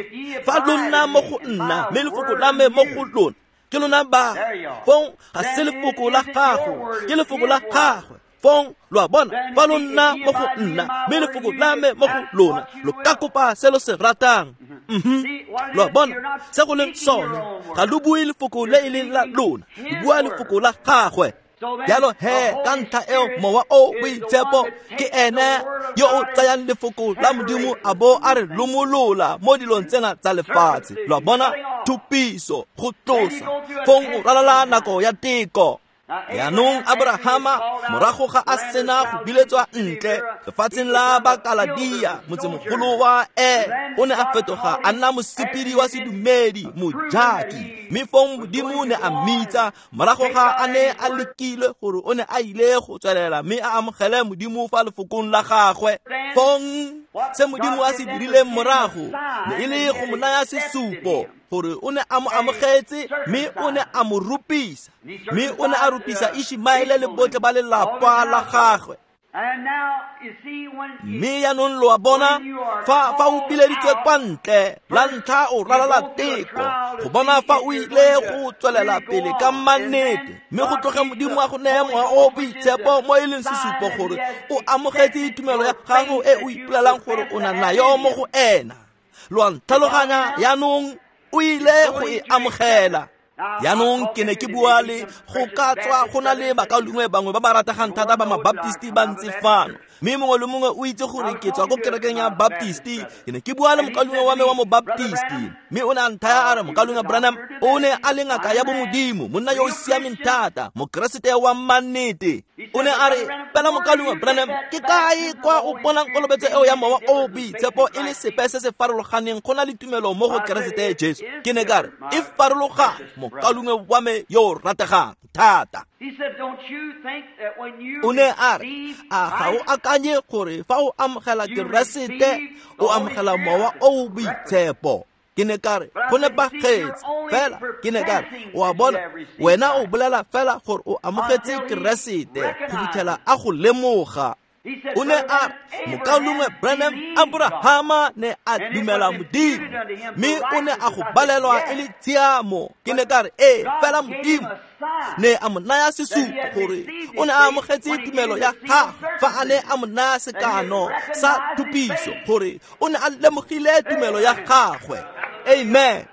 fa lo nna mo go nna, mme lefoko la me mo go lona, ke lona ba. Fong ga se lefoko la gago, ke lefoko la gagwe. Fong lo a bona, fa lo nna mo go nna, mme lefoko la me mo go lona, lo ka kopa se lo se ratang. Lo a bona se go leng sone, ga lo bue lefoko le e leng la lona, lo bua lefoko la gagwe. Jalo he ka ntlha eo mowa o boitshepo ke ene yo o tsayang lefoko la Modimo a bo a re lomolola mo dilong tsena tsa lefatshe. Lo a bona, thupiso, go tlosa, fong o ralala nako ya teko. Jaanong Abrahama morago ga a sena go biletswa ntle lefatsheng la Bakaladia, motsemogolo wa o ne a fetoga a nna mosepedi wa sedumedi, mojaki. Mme fong Modimo ne a mmitsa morago ga a ne a lekile gore o ne a ile go tswelela mme a amogele Modimo fa lefokong la gagwe. Fong se Modimo a se dirileng morago ne e le go mo naya sesupo gore o ne a mo amogetse, mme o ne a mo rupisa, mme o ne a rupisa Ishmaele le botlhe ba lelapa la gagwe. Mme jaanong lo a bona, fa o bileditswe kwa ntle la ntlha o ralala teko go bona fa o ile go tswelela pele ka mannete, mme go tloge Modimo a go neye mowa o boitshepo mo e leng sesupo gore o amogetse tumelo ya gago e o ipolelang gore o na nayo mo go ena. Lo a ntlhaloganya jaanong, o ile go e amogela. Jaanong ke ne ke bua le go ka tswa go na le bakaulengwe bangwe ba ba rategang thata ba mabaptisti ba ntse fano, mme mongwe le mongwe o itse gore ke tswa ko kerekeng ya Baptisti. Ke ne ke bua le mokaulengwe wa me wa mobaptisti, mme o ne a nthaya a re, mokaulengwe Branham o ne a le ngaka ya bomodimo, monna yo o siameng thata, mokeresete wa mannete. O ne a re, fela mokaulengwe Branham, ke kae kwa o bonang kolobetso eo ya mowa o boitshepo e le sepe se se farologaneng go na le tumelo mo go Keresete Jesu? Ke ne ka re, e farologane, mokaulengwe wa me yo o rategang thata. O ne a re, a ga o akanye gore fa o amogela Keresete o amogela mowa o boitshepo? Ke ne ka re go nepagetse fela ke ne ka re o a bona wena o bolela fela gore o amogetse Keresete go fitlhela a go lemoga. O ne a mokaulengwe Branham, Abrahama ne a dumela Modimo mme o ne a go balelwa e le tshiamo. Ke ne ka re ee, fela Modimo ne a mo naya sesupo gore o ne a amogetse tumelo ya gagwe fa a ne a mo naya sekano sa thupiso gore o ne a lemogile tumelo ya gagwe. Amen.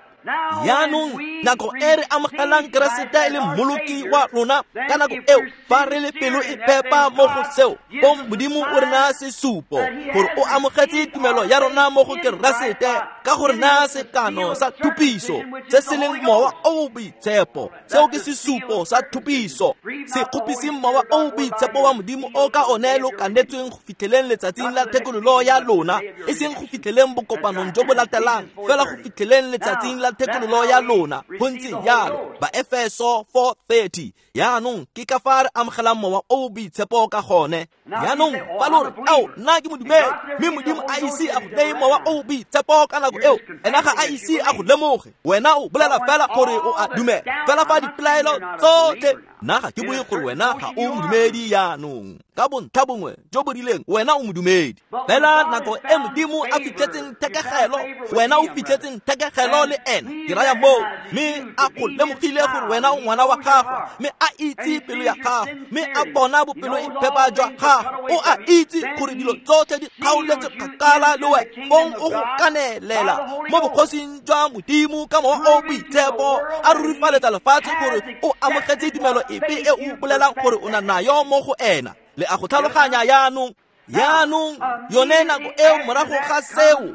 Yaanong nako e re amogelang Keresete e le mmoloki wa rona, ka nako eo fa re le pelo e phepa mo go seo, fong Modimo o re naya sesupo gore o amogetse tumelo ya rona mo go Keresete ka go re naya sekano sa thupiso se se leng Mowa o o Boitshepo. Seo ke sesupo sa thupiso. Se kgopiseng Mowa o o Boitshepo wa Modimo o ka one lo kanetsweng go fitlheleng letsatsing la thekololo ya lona, e seng go fitlheleng bokopanong jo bo latelang, fela go fitlheleng letsatsing la thekololo ya lona. Go ntse jalo. Baefeso 4:30. Yaanong ke ka fa re amogelang Mowa o o Boitshepo ka gone. Yaanong fa lo re ao nna ke modumedi mme Modimo a ise a go neye Mowa o o Boitshepo ka nako eo, ena ga a ise a go lemoge. Wena o bolela fela gore o a dumela fela fa dipelaelo tsotlhe. Nna ga ke bue gore wena ga o modumedi yaanong, ka bontlha bongwe jo bo rileng wena o modumedi. Fela nako e Modimo a fitlhetseng thekegelo, wena o fitlhetseng thekegelo le ena, ke raya moo, mme a go lemogile gore wena o ngwana wa gagwe, mme a itse pelo ya gago, mme a bona bopelo e phepa jwa gago, o a itse gore dilo tsotlhe di kgaoletswe kgakala le wena, fong o go kanelela mo bogosing jwa Modimo ka Mowa o o Boitshepo, a rurifaletsa lefatshe gore o amogetse tumelo epe e o bolelang gore o na nayo mo go ena. Le a go tlhaloganya yaanong. Yaanong yone nako eo morago ga seo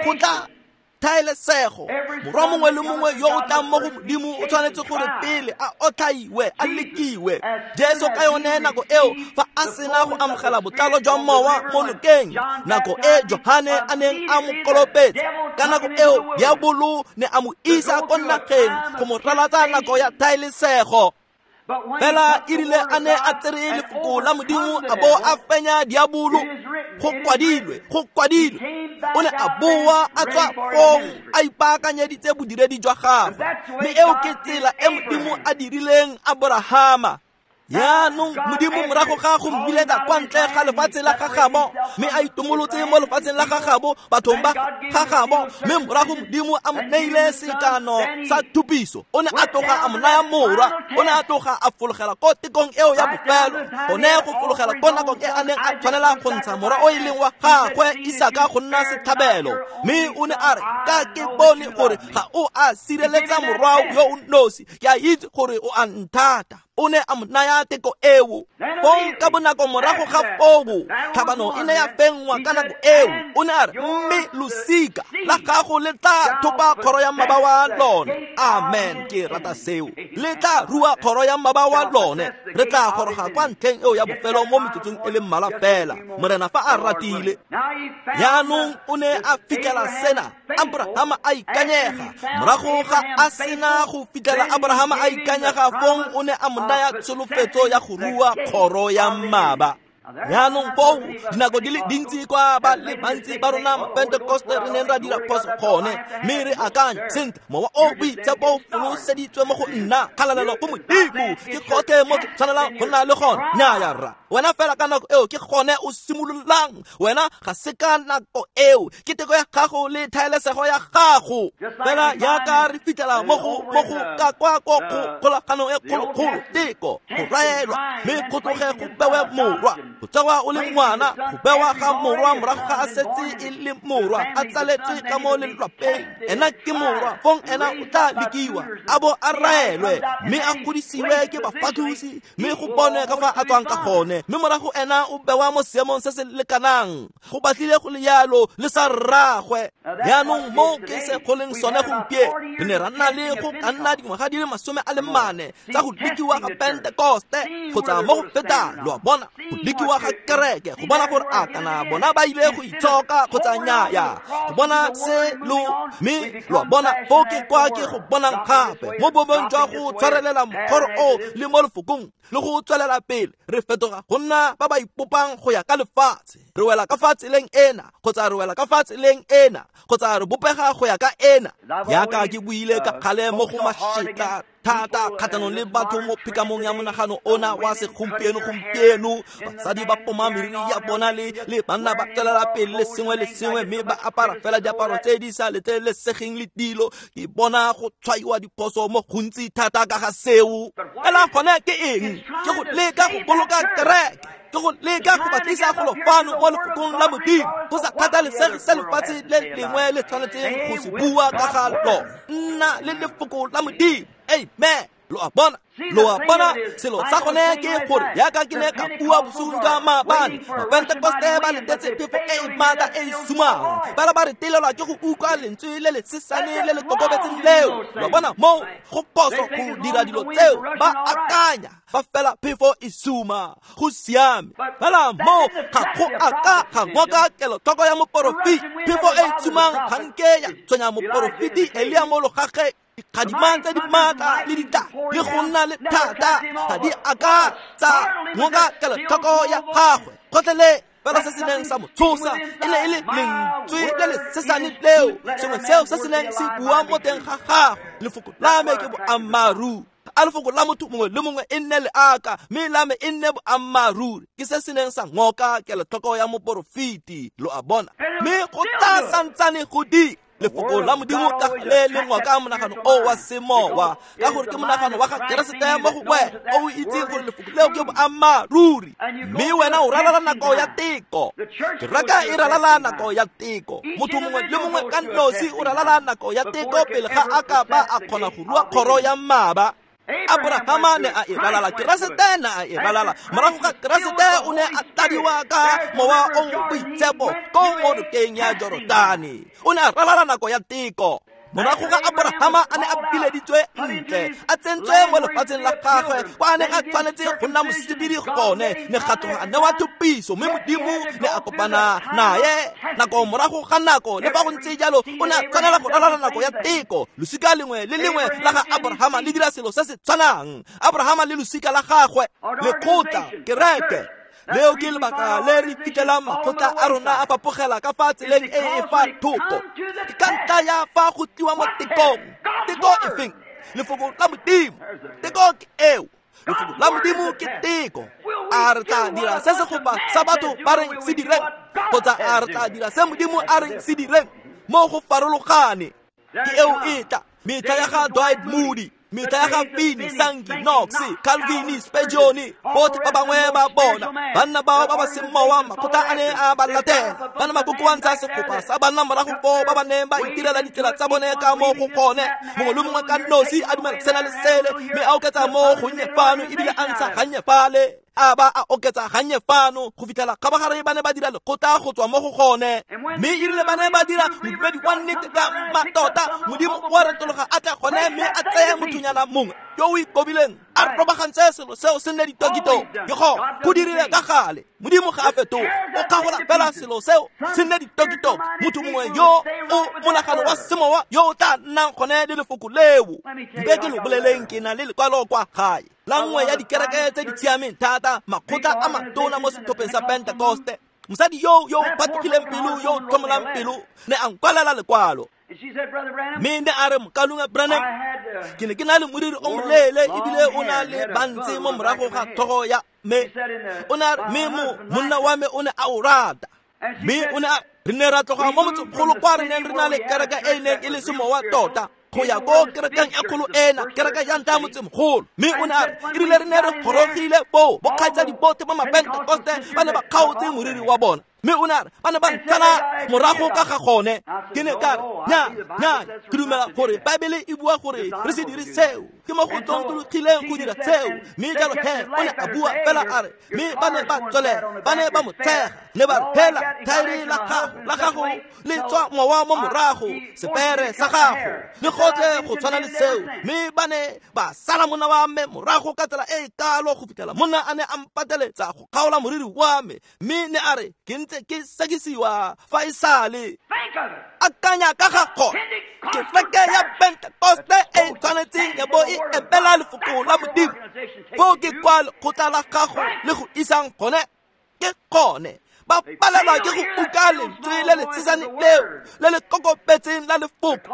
go tla thaelesego. Morwa mongwe le mongwe yo o tlang mo go Modimo o tshwanetse gore pele a otlhaiwe, a lekiwe. Jesu ka yone nako eo fa a sena go amogela botlalo jwa Mowa mo nokeng, nako e Johane a neng a mo kolobetsa, ka nako eo diabolo ne a mo isa ko nageng go mo ralatsa nako ya thaelesego. Fela e rile a ne a tsere lefoko la Modimo a bo a fenya diabolo, go kwadilwe, go kwadilwe. O ne a boa a tswa fong a ipaakanyeditse bodiredi jwa gagwe. Mme eo ke tsela e Modimo a dirileng Aborahama. Yaanong Modimo morago ga go mmiletsa kwa ntle ga lefatshe la gagabo, mme a itomolotse mo lefatsheng la gagabo, bathong ba gagabo, mme morago Modimo a mo neile sekano sa thupiso. O ne a tloga a mo naya morwa, o ne a tloga a fologela ko tekong eo ya bofelo, gone go fologela ko nakong e a neng a tshwanela go ntsha morwa o e leng wa gagwe Isaka go nna setlhabelo. Mme o ne a re, ka ke bone gore ga o a sireletsa morwa yo o nosi, ke a itse gore o a nthata. O ne a mo naya teko eo. Fong ka bonako morago ga foo, tlhabano e ne ya fenngwa ka nako eo. O ne a re, mme losika la gago le tla thopa kgoro ya mmaba wa lone. Amen, ke rata seo. Le tla rua kgoro ya mmaba wa lone. Re tla goroga kwa ntlheng eo ya bofelo mo metsotsong e le mmalwa fela, Morena fa a ratile. Yaanong o ne a fitlhela sena, Abrahama a ikanyega. Morago ga a sena go fitlhela Abrahama a ikanyega, fong o ne a mo naya tsholofetso ya go rua kgoro ya mmaba. Yaanong foo dinako di le dintsi kwa ba le bantsi ba rona Mapentekoste re neng ra dira phoso gone, mme re akanya sentle Mowa o Boitshepo o foloseditswe mo go nna, kgalalelo go Modimo, ke gotlhe mo ke tshwanelang go nna le gone. Nnyaya rra, wena fela ka nako eo ke gone o simololang. Wena ga se ka nako eo, ke teko ya gago le thaelesego ya gago. Fela jaaka re fitlhela mo go ka kwa ko kgolaganong e kgolokgolo, teko, go raelwa, mme go tloge go bewe morwa. Go tsewa o le ngwana, go bewa ga morwa morago ga a setse e le morwa, a tsaletswe ka mo lelwapeng. Ena ke morwa, fong ena o tla lekiwa, a bo a raelwe, mme a godisiwe ke bafathusi, mme go bonwe ka fa a tswang ka gone. Mme morago ena o bewa mo seemong se se lekanang, go batlile go le yalo le sa rraagwe. Yaanong mo ke se go leng sone gompieno, re ne ra nna le go ka nna dingwaga di le 40 tsa go lekiwa ga Pentekoste kgotsa mo go fetang, lo a bona, go lekiwa ga kereke, go bona gore a kana bona ba ile go itshoka kgotsa nnyaya, go bona se lo, mme lo a bona foo ke kwa ke go bonang gape mo boemong jwa go tshwarelela mokgoro o le mo lefokong le go tswelela pele, re fetoga go nna ba ba ipopang go ya ka lefatshe. Re wela ka fa tseleng ena kgotsa re wela ka fa tseleng ena kgotsa re bopega go ya ka ena. Yaka ke buile ka kgale mo go mašetla thata kgatlhanong le batho mo phikamong ya monagano ona wa segompieno gompieno. Basadi ba poma meriri ya bona le banna ba tswelela pele le sengwe le sengwe, mme ba apara fela diaparo tse di sa letlelesegeng le dilo. Ke bona go tshwaiwa diphoso mo gontsi thata ka ga seo. Fela gone ke eng? Ke go leka go boloka kereke, ke go leka go batlisa golo fano mo lefokong la Modimo, go sa kgathalesege se lefatshe le lengwe le tshwanetseng go se bua ka ga lona. Nna le lefoko la Modimo. Amen. Lo a bona, lo a bona. Selo sa gone ke gore yaka ke ne ka bua bosigo jwa maabane, Mapentekoste ba letetse phefo e e maatla e e sumang, fela ba retelelwa ke go utlwa lentswe le le sesane le le kokobetseng leo. Lo a bona, moo go phoso go dira dilo tseo. Ba akanya fa fela phefo e suma, go siame. Fela moo ga go a ka ga ngoka kelotlhoko ya moporofeti. Phefo e e sumang ga nke ya tshwenya moporofeti Elia mo logageng. Dikgadima tse di maatla le ditla le go nna le thata ga di a ka tsa ngoka kelotlhoko ya gagwe gotlhelele. Fela se se neng sa mo tshosa e ne e le lentswe le le sesane leo, sengwe seo se se neng se bua mo teng ga gagwe. Lefoko la me ke boammaaruri. A lefoko la motho mongwe le mongwe e nne leaka, mme la me e nne boammaaruri. Ke se se neng sa ngoka kelotlhoko ya moporofeti. Lo a bona, mme go tla santsane go dira. Lefoko la Modimo ka le le ngoka monagano o wa semowa, ka gore ke monagano wa ga Keresete mo go wena o itseng gore lefoko leo ke boammaaruri. Mme wena o ralala nako ya teko. Kereke e ralala nako ya teko. Motho mongwe le mongwe ka nosi o ralala nako ya teko pele ga a ka ba a kgona go rua kgoro ya mmaba. Abrahama ne a e ralala, Keresete ne a e ralala. Morago ga Keresete o ne a tladiwa ka mowa o boitshepo ko mo nokeng ya Jorodane. O ne a ralala nako ya teko. Morago ga Abrahama a ne a bileditswe ntle, a tsentswe mo lefatsheng la gagwe kwa a neng a tshwanetse go nna mosebedi gone, ne ga tloga a newa thupiso, mme Modimo ne a kopana naye nako morago ga nako. Le fa go ntse jalo, o ne a tshwanela go ralala nako ya teko. Losika lengwe le lengwe la ga Abrahama le dira selo se se tshwanang. Abrahama le losika la gagwe, lekgotla, kereke. Leo ke lebaka le re fitlhelang makgotla a rona a fapogela ka fa tseleng e e fa thoko. Ke ka ntlha ya fa go tliwa mo tekong. Teko e feng? Lefoko la Modimo. Teko ke eo. Lefoko la Modimo ke teko. A re tla dira se segopa sa batho ba reng se direng, kgotsa a re tla dira se Modimo a reng se direng? Mo go farologane. Ke eo e tla metlha ya ga Dwight Moody, metlha ya ga Finney, Sankey, Knox, Calvin, Spurgeon, botlhe ba bangwe ba bona banna bao ba ba seng mowa, makgotla a ne a ba latela. Ba ne ba kokoantsha segopa sa banna morago foo ba ba neng ba itirela ditsela tsa bone ka mo go gone. Mongwe le mongwe ka nosi a dumela sena le sele, mme a oketsa mo gonnye fano ebile a ntsha gannye fale, a ba a oketsa gannye fano, go fitlhela kgabagare ba ne ba dira lekgotla go tswa mo go gone. Mme erile ba ne ba dira modumedi wa nnete ka mmatota, Modimo wa retologa a tla gone mme a tseye mothonyana mongwe yo o ikobileng, a robagantse selo seo se nne ditokito. Ke go dirile ka gale. Modimo ga a fetoge, o kgagola fela selo seo se nne ditokito. Motho mongwe yo o monagano wa semowa yo o tla nnang gone le lefoko leo. Mpe ke lo boleleng, ke na le lekwalo kwa gae la nngwe ya dikereke tse di siameng thata, makgotla a matona mo setlhopheng sa Pentekoste. Mosadi yo yo phatlogileng pelo, yo o tlhomolang pelo, ne a nkwalela lekwalo. Mme ne a re, Mokaulengwe Branham, ke ne ke na le moriri o moleele ebile o na le bantse mo morago ga tlhogo ya me. O ne a re, mme monna wa me o ne a o rata. Mme o ne a re ne ra tloga mo motsemogolo kwa re neng re na le kereke e e neng e le semowa tota, go ya ko kerekeng e kgolo ena, kereke ya ntlha ya motsemogolo. Mme o ne a re, erile re ne re gorogile foo, bokgaitsadi botlhe ba Mapentekoste ba ne ba kgaotse moriri wa bona. Mme o ne a re ba ne ba ntsala morago ka ga gone. Ke ne ka re, nya nya, ke dumela gore Baebele e bua gore re se dire seo, ke mo go tlontlologileng go dira seo. Mme jalo he o ne a bua fela a re, mme ba ne ba tswelela, ba ne ba mo tshega, ne ba re, hela thaere la gago le tswa mowa mo morago, sepere sa gago le gotlhe go tshwana le seo. Mme ba ne ba sala monna wa me morago ka tsela e e kalo go fitlhela monna a ne a mpateletsa go kgaola moriri wa me. Mme ne a re, ke ntse ke sekisiwa fa e sale. Akanya ka ga gone. Kereke ya Pentekoste e tshwanetseng ya bo e Ke epela lefoko la Modimo. Foo ke kwa lekgotla la gago le go isang gone. Ke gone. Ba palelwa ke go uka lentswe le le tshesane leo le le kokobetseng la lefoko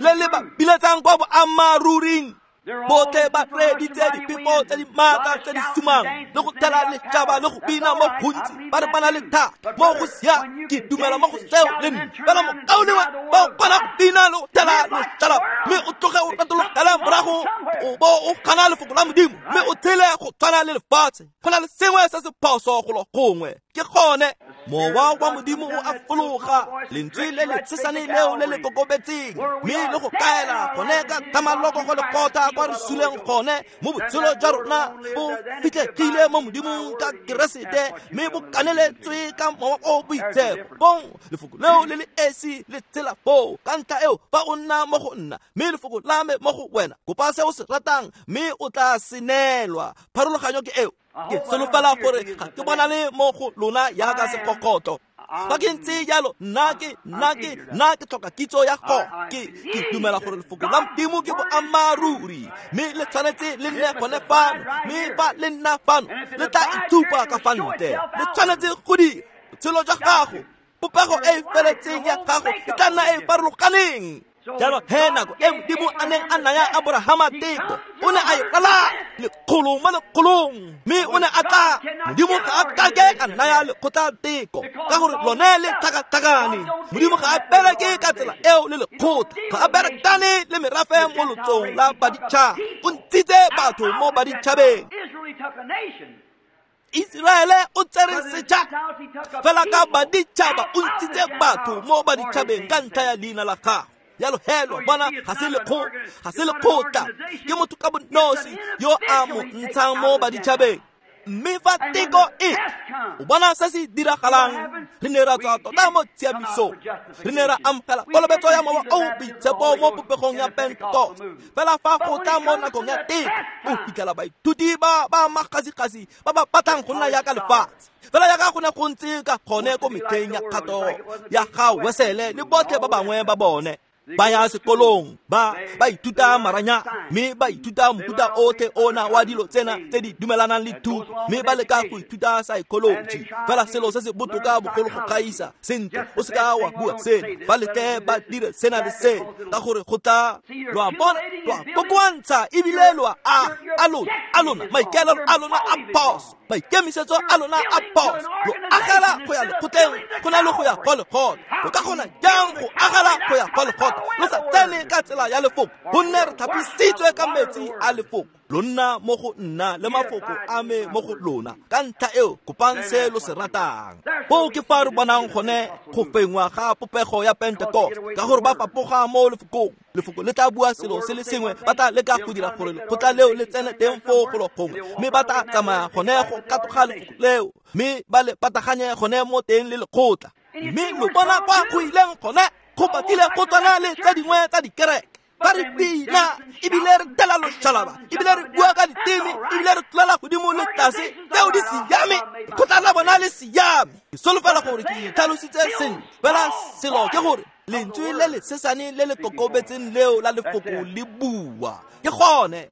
le le ba biletsang kwa boammaaruring. Botlhe ba reeditse diphefo tse di maatla tse di sumang le go thela letšhaba le go bina mo gontsi ba re ba na le thata mo go siame. Ke dumela mo go seo le nna. Fela mokaulengwe ba o kgona go bina le go thela letšhaba mme o tloge o retologele morago o bo o gana lefoko la Modimo mme o tshele go tshwana le lefatshe. Go na le sengwe se se phoso golo gongwe. Ke gone mowa wa Modimo o a fologa, lentswe le le tshesane leo le le kokobetseng mme le go kaela gone ka thamaloko go lekgotla kwa re suleng gone mo botshelo jwa rona bo fitlhegile mo Modimong ka Keresete mme bo kaneletswe ka mowa o boitshepo. Bong lefoko leo le le esi le tsela foo. Ka ntlha eo fa o nna mo go nna mme lefoko la me mo go wena, kopa se o se ratang mme o tla se neelwa. Pharologanyo ke eo. Ke solofela gore ga ke bonale mo go lona jaaka sekgokgotlo. Fa ke ntse jalo, nna ke tlhoka kitso ya go. Ke dumela gore lefoko la Modimo ke boammaaruri mme le tshwanetse le nne gone fano, mme fa le nna fano le tla itshupa ka fa ntle. Le tshwanetse go dira botshelo jwa gago, popego e e feletseng ya gago e tla nna e e farologaneng. Jalo he nako e Modimo a neng a naya Aborahama teko, o ne a e ralala lekgolo mo lekgolong mme o ne a tla. Modimo ga a kake a naya lekgotla teko ka gore lone le tlhakatlhakane. Modimo ga a bereke ka tsela eo le lekgotla, ga a berekane le merafe mo lotsong la baditšhaba. O ntshitse batho mo baditšhabeng. Iseraele o tsere setšhaba fela ka baditšhaba, o ntshitse batho mo baditšhabeng ka ntlha ya leina la gagwe. Jalo he lo bona ga se lekgotla, ke motho ka bonosi yo a mo ntshang mo baditšhabeng. Mme fa teko e o bona se se diragalang, re ne ra tswa tota mo tshiamisong, re ne ra amogela kolobetso ya mowa o boitshepo mo popegong ya Pentekoste. Fela fa go tla mo nakong ya teko, o fitlhela baithuti ba ba magasigasi ba ba batlang go nna jaaka lefatshe, fela jaaka go ne go ntse ka gone ko metlheng ya kgato ya ga Wesele le botlhe ba bangwe ba bone. Ba ya sekolong, ba ithuta maranya mme ba ithuta mofuta otlhe ona wa dilo tsena tse di dumelanang le thuto mme ba leka go ithuta psychology. Fela selo se se botoka bogolo go gaisa, sentle o se ka wa bua sena, ba letle ba dire sena le sena ka gore go tla. Lo a bona, lo a kokoantsha ebile lo a aga. A lona maikaelelo a lona a phoso, maikemisetso a lona a phoso. Lo agela go ya lekgotleng go na le go ya kwa lekgotla. Lo ka kgona jang go agela go ya kwa lekgotla lo sa tsene ka tsela ya lefoko? Gonne re tlhapisitswe ka metsi a lefoko. Lo nna mo go nna le mafoko a me mo go lona. Ka ntlha eo kopang se lo se ratang. Foo ke fa re bonang gone go fengwa ga popego ya Pentekoste ka gore ba fapoga mo lefokong. Lefoko le tla bua selo se le sengwe, ba tla leka go dira gore lekgotla leo le tsene teng foo golo gongwe, mme ba tla tsamaya gone go katoga lefoko leo mme ba le pataganye gone mo teng le lekgotla. Mme lo bona kwa go ileng gone go batlile go tswana le tse dingwe tsa dikereke. Ba re bina ebile re tela loshalaba ebile re bua ka diteme ebile re tlolela godimo le tlase. Tseo di siame, lekgotla la bona le siame. Ke solofela gore ke itlhalositse sentle. Fela selo ke gore lentswe le le sesane le le kokobetseng leo la lefoko le bua. Ke gone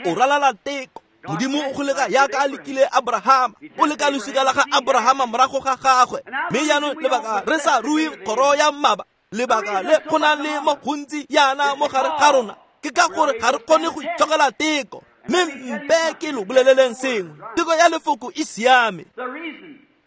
o ralala teko. Modimo o go leka jaaka a lekile Abrahama, o leka losika la ga Abrahama morago ga gagwe. Mme jaanong lebaka re sa rue kgoro ya mmaba, lebaka le go nang le mo gontsi jaana mo gare ga rona, ke ka gore ga re kgone go itshokela teko. Mme mpe ke lo boleleleng sengwe, teko ya lefoko e siame.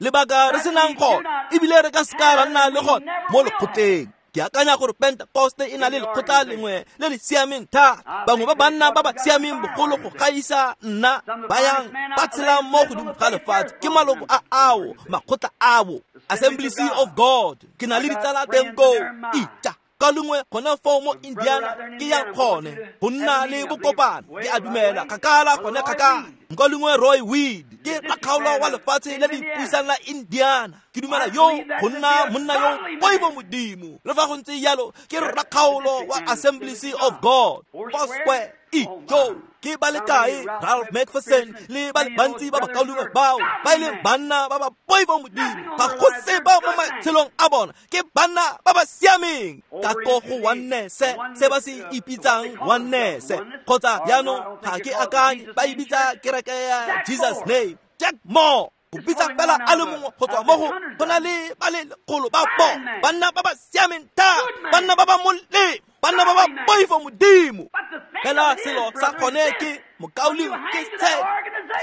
Lebaka re senang gone ebile re ka seka ra nna le gone mo lekgotleng. Ke akanya gore Pentekoste e na le lekgotla lengwe le le siameng thata. Bangwe ba banna ba ba siameng bogolo go gaisa nna ba yang ba tshelang mo godimo ga lefatshe ke maloko a ao makgotla ao Assemblies of God. Ke na le ditsala teng koo. Ija ka lengwe gone foo mo Indiana ke ya gone go nna le bokopano. Ke a dumela kgakala gone kgakala. Nka lengwe Roy Weed ke rakgaolo wa lefatshe le le ipusang la Indiana. Ke dumela yo go nna monna yo poifo Modimo. Le fa go ntse jalo ke rakgaolo wa Assemblies of God. Foursquare ijo. Ke ba le kae Ralph McPherson le ba le bantsi ba bakaulengwe bao ba e leng banna ba ba poifo Modimo, ga go sepe mo matshelong a bona, ke banna ba ba siameng. Ka ko go oneness, se ba se ipitsang oneness, kgotsa jaanong ga ke akanye ba e bitsa kereke ya Jesus Name. Jack Moore go bitsa fela a le mongwe go tswa mo go na le ba le lekgolo ba bona, banna ba ba siameng thata, banna ba ba molemo, banna ba ba poifo Modimo. Fela selo sa gone ke mokaulengwe ke se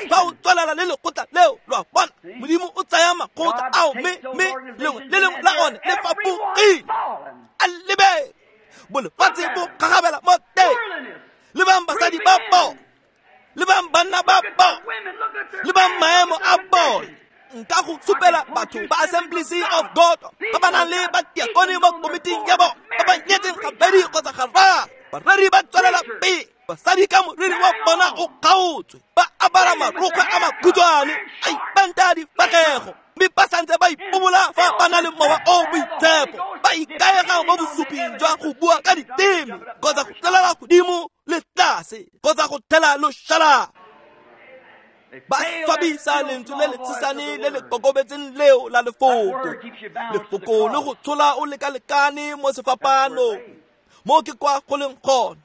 fa o tswelela le lekgotla leo, lo a bona, Modimo o tsaya makgotla ao mme lengwe le lengwe la one le fapogile. A lebe bolefatshe bo gagabela mo teng. Lebang basadi ba bona, lebang banna ba bona, lebang maemo a bona. Nka go supela batho ba Assemblies of God ba ba nang le batiakone mo komiting ya bona ba ba nyetseng gabedi kgotsa gararo. Bareri ba tswelela pele, basadi ka moriri wa bona o kgaotswe, ba apara marokgwe a makhutshwane, a ipenta difatlhego, mme ba santse ba ipobola fa ba na le mowa o boitshepo, ba ikaega mo bosuping jwa go bua ka diteme kgotsa go tlolela godimo le tlase kgotsa go thela loshalaba. Ba swabisa lentswe le le tshesane le le kokobetseng leo la lefoko. Lefoko le go tshola o lekalekane mo sefapanong, mo ke kwa go leng gone.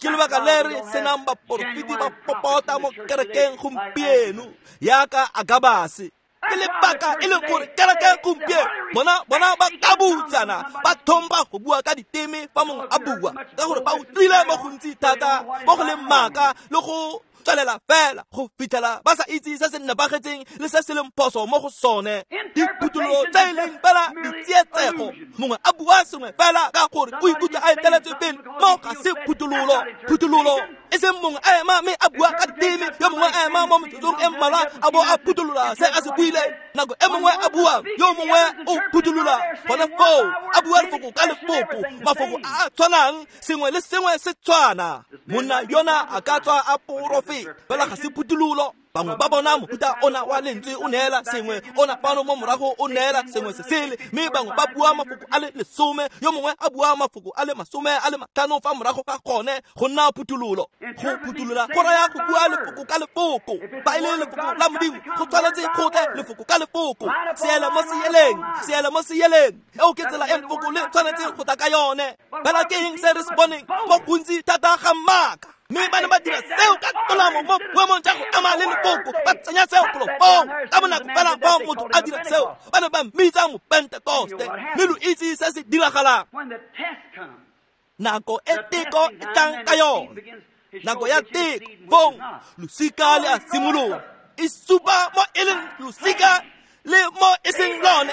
Ke lebaka le re senang baporofeti ba popota mo kerekeng gompieno yaka Agabase. Ke lebaka e leng gore kereke gompieno bona ba kabutsana, ba thomba go bua ka diteme fa mongwe a bua, ka gore ba utlwile mo gontsi thata mo go leng maaka le go tswelela fela go fitlhela ba sa itse se se nepagetseng le se se leng phoso mo go sone. Diphuthololo tse e leng fela ditsietsego, mongwe a bua sengwe fela ka gore o ikutlwa a eteletswe pele, mo ga se phuthololo. Phuthololo e seng mongwe a ema mme a bua ka diteme, yo mongwe a ema mo metsotsong e mmalwa a bo a phutolola se a se buileng. Nako e mongwe a bua, yo mongwe o phutolola gone foo, a bua lefoko ka lefoko, mafoko a a tshwanang, sengwe le sengwe se tshwana. Monna yona a ka tswa a porofeta, fela ga se phuthololo. Bangwe ba bona mofuta ona wa lentswe o neela sengwe, ona fano mo morago o neela sengwe se sele, mme bangwe ba bua mafoko a le 10, yo mongwe a bua mafoko a le 55 fa morago ga gone go nna phuthololo. Go phutolola go raya go bua lefoko ka lefoko. Fa e le lefoko la Modimo, go tshwanetse go tle lefoko ka lefoko, seele mo seeleng, seele mo seeleng. Eo ke tsela e lefoko le tshwanetseng go tla ka yone. Fela ke eng se re se boneng mo gontsi thata ga maaka? Mme ba ne ba dira seo ka tolamo mo boemong jwa go ema le lefoko, ba tsenya seo golo foo ka bonako fela fa motho a dira seo, ba ne ba mmitsa Mopentekoste. Mme lo itse se se diragalang nako e teko e tlang ka yone, nako ya teko, fong losika le a simolola, e supa mo e leng losika le mo e seng lone.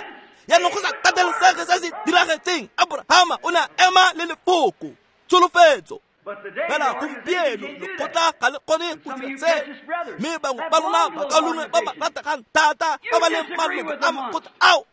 Jaanong go sa kgathalesege se se diragetseng, Abrahama o ne a ema le lefoko, tsholofetso. Fela gompieno lekgotla ga le kgone go dira se, mme bangwe ba lona bakaulengwe ba ba rategang thata ba ba leng maloko a makgotla ao,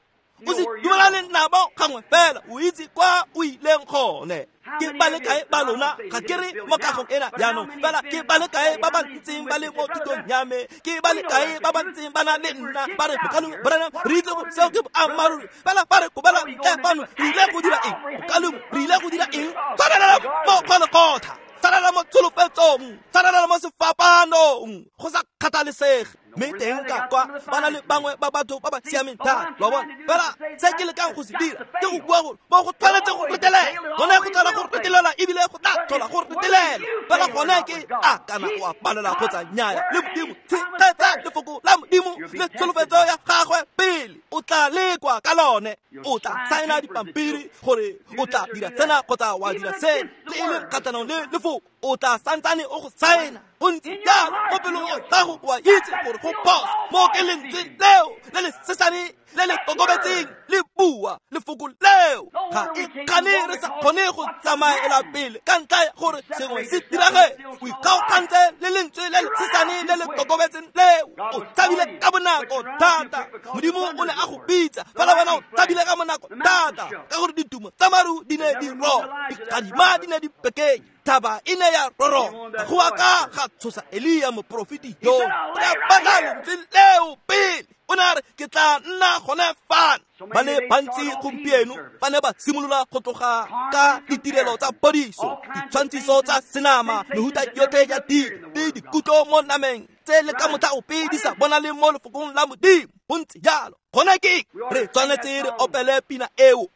o se dumelane nabo gangwe fela, o itse kwa o ileng gone. Ke ba le kae ba lona, ga ke re mo kagong ena jaanong, fela ke ba le kae ba ba ntseng ba le mo thutong ya me, ke ba le kae ba ba ntseng ba na le nna ba re mokaulengwe Branham, re itse gore seo ke boammaaruri, fela fa re kobela ntle fano re ile go dira eng? Mokaulengwe, re ile go dira eng? Tshwarelela mo Golgotha, tshwarelela mo tsholofetsong, tshwarelela mo sefapanong, go sa kgathalesege. Mme teng ka kwa ba na le bangwe ba batho ba ba siameng thata, lo a bona. Fela se ke lekang go se dira ke go bua gore mo go tshwanetse go retelela, gone go tlhola go retelela, ebile go tla tlhola go retelela. Fela gone ke a kana o a palela kgotsa nnyaya le Modimo. Tshegetsa lefoko la Modimo le tsholofetso ya gagwe pele, o tla lekwa ka lone. O tla saena dipampiri gore o tla dira sena kgotsa wa dira se, le e leng kgatlhanong le lefoko, o tla santsane o go saena. O ntse jalo mo pelong ya gago, o a itse gore go phoso. Mo ke lentswe leo le le sesane le le kokobetseng le bua lefoko leo, ga e kgane re sa kgone go tsamaela pele ka ntlha ya gore sengwe se diragetse. O ikgaogantse le lentswe le le sesane le le kokobetseng leo, o tshabile ka bonako thata. Modimo o ne a go bitsa, fela wena o tshabile ka bonako thata, ka gore ditumo tsa maru di ne di roba, dikgadima di ne di dipekeng thaba e ne ya roroma go aka ga tshosa Elia moprofeti yo o ne a batla lentswe leo pele o ne a re ke tla nna gone fano. Ba le bantsi gompieno ba ne ba simolola go tloga ka ditirelo tsa podiso, ditshwantshiso tsa senama, mehuta yotlhe ya dilo le dikutlo mo nameng tse le ka motlha ope di sa bonale mo lefokong la Modimo. Go ntse jalo gone ke re tshwanetse re opele pina eo.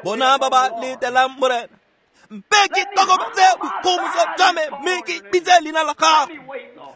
Bona ba ba letelang Morena, mpe ke tokobetse boikgomoso jwa me mme ke bitse leina la gago.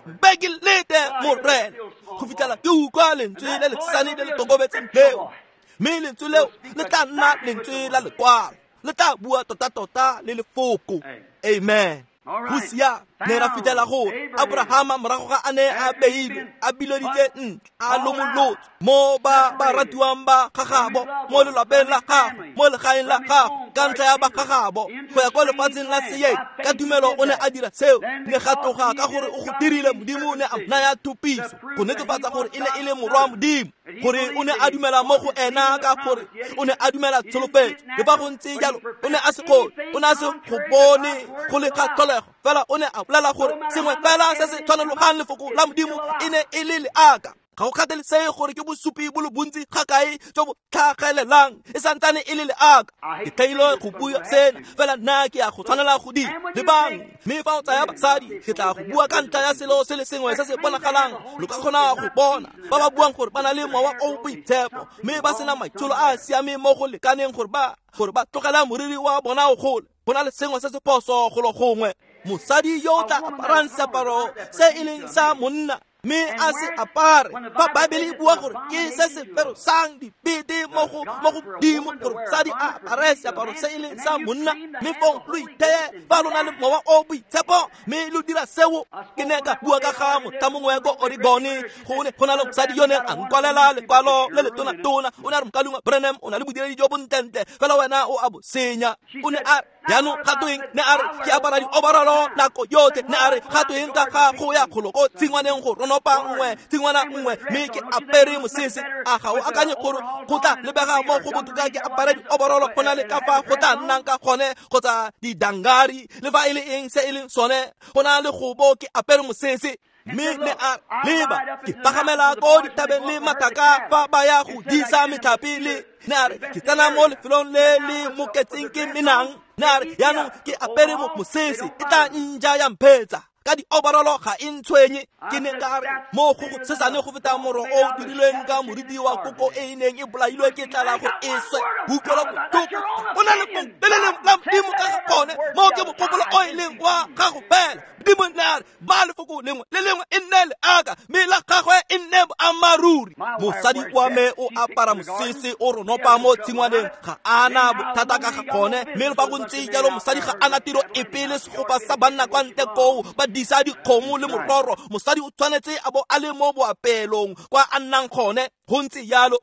Mpe ke lete Morena go fitlhela ke utlwa lentswe le lesane le le tokobetseng leo, mme lentswe leo le tla nna lentswe la lekwalo, le tla bua tota-tota le lefoko. Amen. Go sia ne ra fitlhela gore Abrahama morago ga a ne a beilwe a bileditse ntle a lomolotswe mo ba ba ratiwang ba gagabo mo lelapeng la gagwe mo legaeng la gagwe ka ntlha ya ba gagabo go ya kwa lefatsheng la Seeng ka tumelo o ne a dira seo. Ne ga tloga ka gore o go dirile Modimo ne a naya thupiso go netefatsa gore e ne e le morwa Modimo, gore o ne a dumela mo go ena ka gore o ne a dumela tsholofetso. Le fa go ntse jalo o ne a se kgone, o ne a se go bone go le ga tlholego, fela o ne a bolela gore sengwe fela se se tshwanologang lefoko la Modimo e ne e le leaka. Ga go kgathalesege gore ke bosupi bo le bontsi ga kae jo bo tlhagelelang, e santsane e le leaka. Ke tlaile go bua sena fela nna ke ya go tshwanela go dira lebang. Mme fa o tsaya basadi, ke tla go bua ka ntlha ya selo se le sengwe se se bonagalang. Lo ka kgona go bona ba ba buang gore ba na le mowa o boitshepo mme ba sena maitsholo a a siameng mo go lekaneng gore ba tlogela moriri wa bona o gole. Go na le sengwe se se phoso golo gongwe. Mosadi yo o tla aparang seaparo se e leng sa monna mme a se apare, fa Baebele e bua gore ke se se ferosang dibete mo go Modimo gore mosadi a apare seaparo se e leng sa monna, mme fong lo itheye fa lo na le mowa o boitshepo mme lo dira seo. Ke ne ka bua ka ga motho mongwe ko Oregon, go ne go na le mosadi yo neng a nkwalela lekwalo le le tona-tona. O ne a re, Mokaulengwe Branham, o na le bodiredi jo bontlentle, fela wena o a bo senya. O ne a re, jaanong ga tweng? Ne a re, ke apara dioborolo nako yotlhe. Ne a re, ga tweng ka ga go ya kgolo ko tshingwaneng go ronopa nngwe tshingwana nngwe mme ke apere mosese? A ga o akanye gore go tla lebega mo go botoka ke apare dioborolo go na le ka fa go tla nnang ka gone, kgotsa didangari le fa e le eng se e leng sone, go na le go bo ke apere mosese? Mme ne a leba ke pagamela ko dithabeng le mathaka fa ba ya go disa metlhape le. Ne a re, ke tsena mo lefelong le le moketseng ke menang. Ne a re, jaanong ke apere mosese, e tla nja ya mphetsa ka dioborolo ga e ntshwenye. Ke ne ka re, mo go sesane go feta moro o dirilweng ka moriti wa koko e e neng e bolailwe ke tlala gore e swe. Utlwela botlhoko o na le le lengwe la Modimo ka ga gone, mo ke mogopolo o e leng wa gago fela. Modimo ne a re, ba lefoko lengwe le lengwe e nne leaka, mme la gagwe e nne boammaaruri. Mosadi wa me o apara mosese o ronopa mo tshingwaneng, ga a na bothata ka ga gone. Mme le fa go ntse jalo mosadi ga a na tiro epe le segopa sa banna kwa ntle koo ba disa dikgomo le mororo. Mosadi o tshwanetse a bo a le mo boapelong kwa a nnang gone. Go ntse jalo.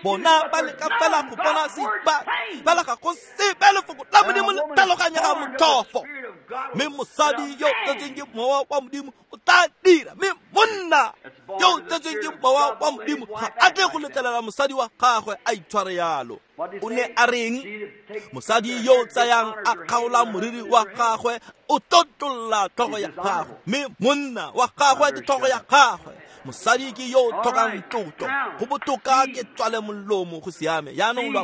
Bona ba leka fela go bona sepa, fela ga go sepe lefoko la Modimo le tlhaloganyega motlhofo. Mme mosadi yo o tsetsweng ke mowa wa Modimo o tla dira, mme monna yo o tsetsweng ke mowa wa Modimo ga a tle go letlelela mosadi wa gagwe a itshware yalo. O ne a reng? Mosadi yo o tsayang a kgaola moriri wa gagwe o tlotlolla tlhogo ya gagwe, mme monna wa gagwe ke tlhogo ya gagwe. Mosadi ke yo o tlhokang tlotlo, go botoka ke tswale molomo go siame. Jaanong lo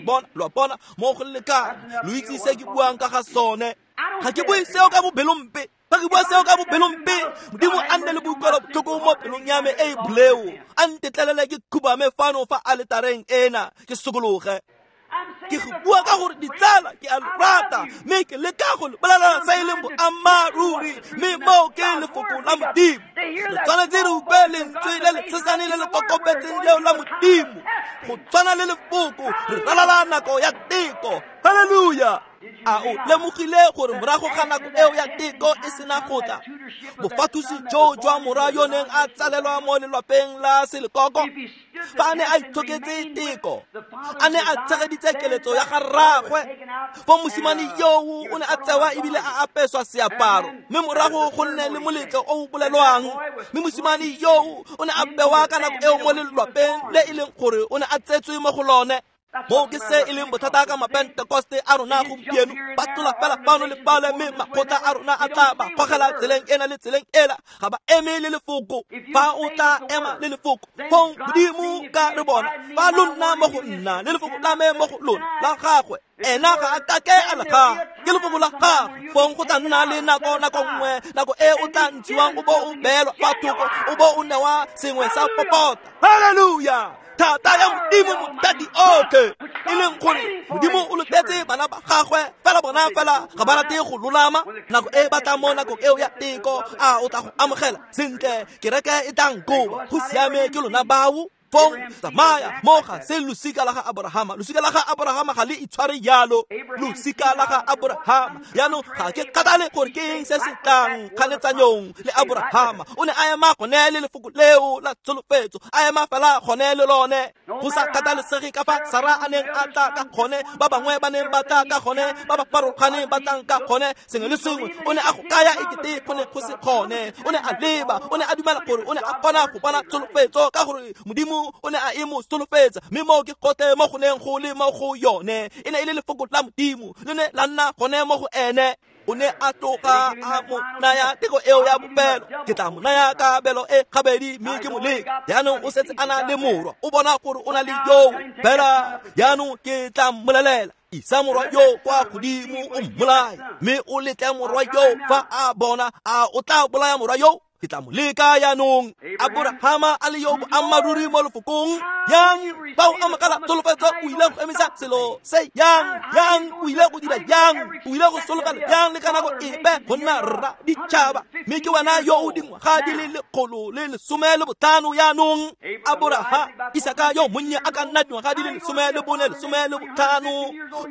a bona mo go lekane, lo itse se ke buang ka ga sone. Ga ke bue seo ka bopelompe, fa ke bua seo ka bopelompe, Modimo a nne le boikuelo botlhoko mo pelong ya me e e boleo, a ntetlelele ke khubame fano fa aletareng ena ke sokologe. Ke go bua ka gore ditsala ke a lo rata, mme ke leka go le bolelela se e leng boammaaruri, mme moo ke lefoko la Modimo. Re tshwanetse re utlwe lentswe le le tshesane le le kokobetseng leo la Modimo go tshwana le lefoko. Re ralala nako ya teko. Halleluja! A o lemogile gore morago ga nako eo ya teko e sena go tla, bofathusi jo jwa morwa yo neng a tsalelwa mo lelapeng la selekoko, fa a ne a itshoketse teko, a ne a tshegeditse keletso ya ga rraagwe, fo mosimane yoo o ne a tsewa ebile a apeswa seaparo, mme morago go nne le moletlo o o bolelwang. Mme mosimane yoo o ne a bewa ka nako eo mo lelapeng le e leng gore o ne a tsetswe mo go lone. Moo ke se e leng bothata ka mapentekoste a rona gompieno, ba tlola fela fano le fale, mme makgotla a rona a tla ba gogela tseleng ena le tseleng ela, ga ba eme le lefoko. Fa o tla ema le lefoko, fong Modimo ka re bona, fa lo nna mo go nna le lefoko la me mo go lona la gagwe, ena ga a kake a le gagwe, ke lefoko la gagwe. Fong go tla nna le nako nngwe, nako e o tla ntshiwang o bo o beelwa fa thoko, o bo o newa sengwe sa popota. Haleluya! Thata ya Modimo motadi otlhe, e leng gore Modimo o lotetse bana ba gagwe, fela bona fela ga ba rate go lolama. Nako e ba tla mo nakong eo ya teko, a o tla go amogela sentle, kereke e tla nkoba, go siame ke lona bao. Fong tsamaya mo ga se losika la ga Abrahama, losika la ga Abrahama ga le itshware jalo, losika la ga Abrahama. Jaanong ga ke kgathale gore ke eng se se tlang kganetsanyong le Abrahama, o ne a ema gone le lefoko leo la tsholofetso, a ema fela gone le lone, go sa kgathalesege ka fa Sara a neng a tla ka gone, ba bangwe ba neng ba tla ka gone, ba ba farologaneng ba tlang ka gone, sengwe le sengwe o ne a go kaya ekete go ne go se gone. O ne a leba, o ne a dumela gore o ne a kgona go bona tsholofetso, ka gore Modimo o ne a e mo solofetsa, mme moo ke gotlhe mo go neng go le mo go yone. E ne e le lefoko la Modimo, le ne la nna gone mo go ene. O ne a tloga a mo naya teko eo ya bofelo, ke tla mo naya kabelo e gabedi mme ke mo leka. Jaanong o setse a na le morwa, o bona gore o na le yoo fela. Jaanong ke tla mmolelela, isa morwa yo kwa godimo o mmolaye, mme o letle morwa yo fa a bona, a o tla bolaya morwa yo? Ke tla mo leka jaanong. Abrahama a le yo boammaaruri mo lefokong, yang fa o amogela tsholofetso, o ile go emisa selo se yang, yang o ile go dira yang, o ile go solofela yang le ka nako epe go nna rra ditšhaba, mme ke wena yo o dingwaga di le 115 jaanong. Abrahama, Isaka yo monnye a ka nna dingwaga di le 14, 15,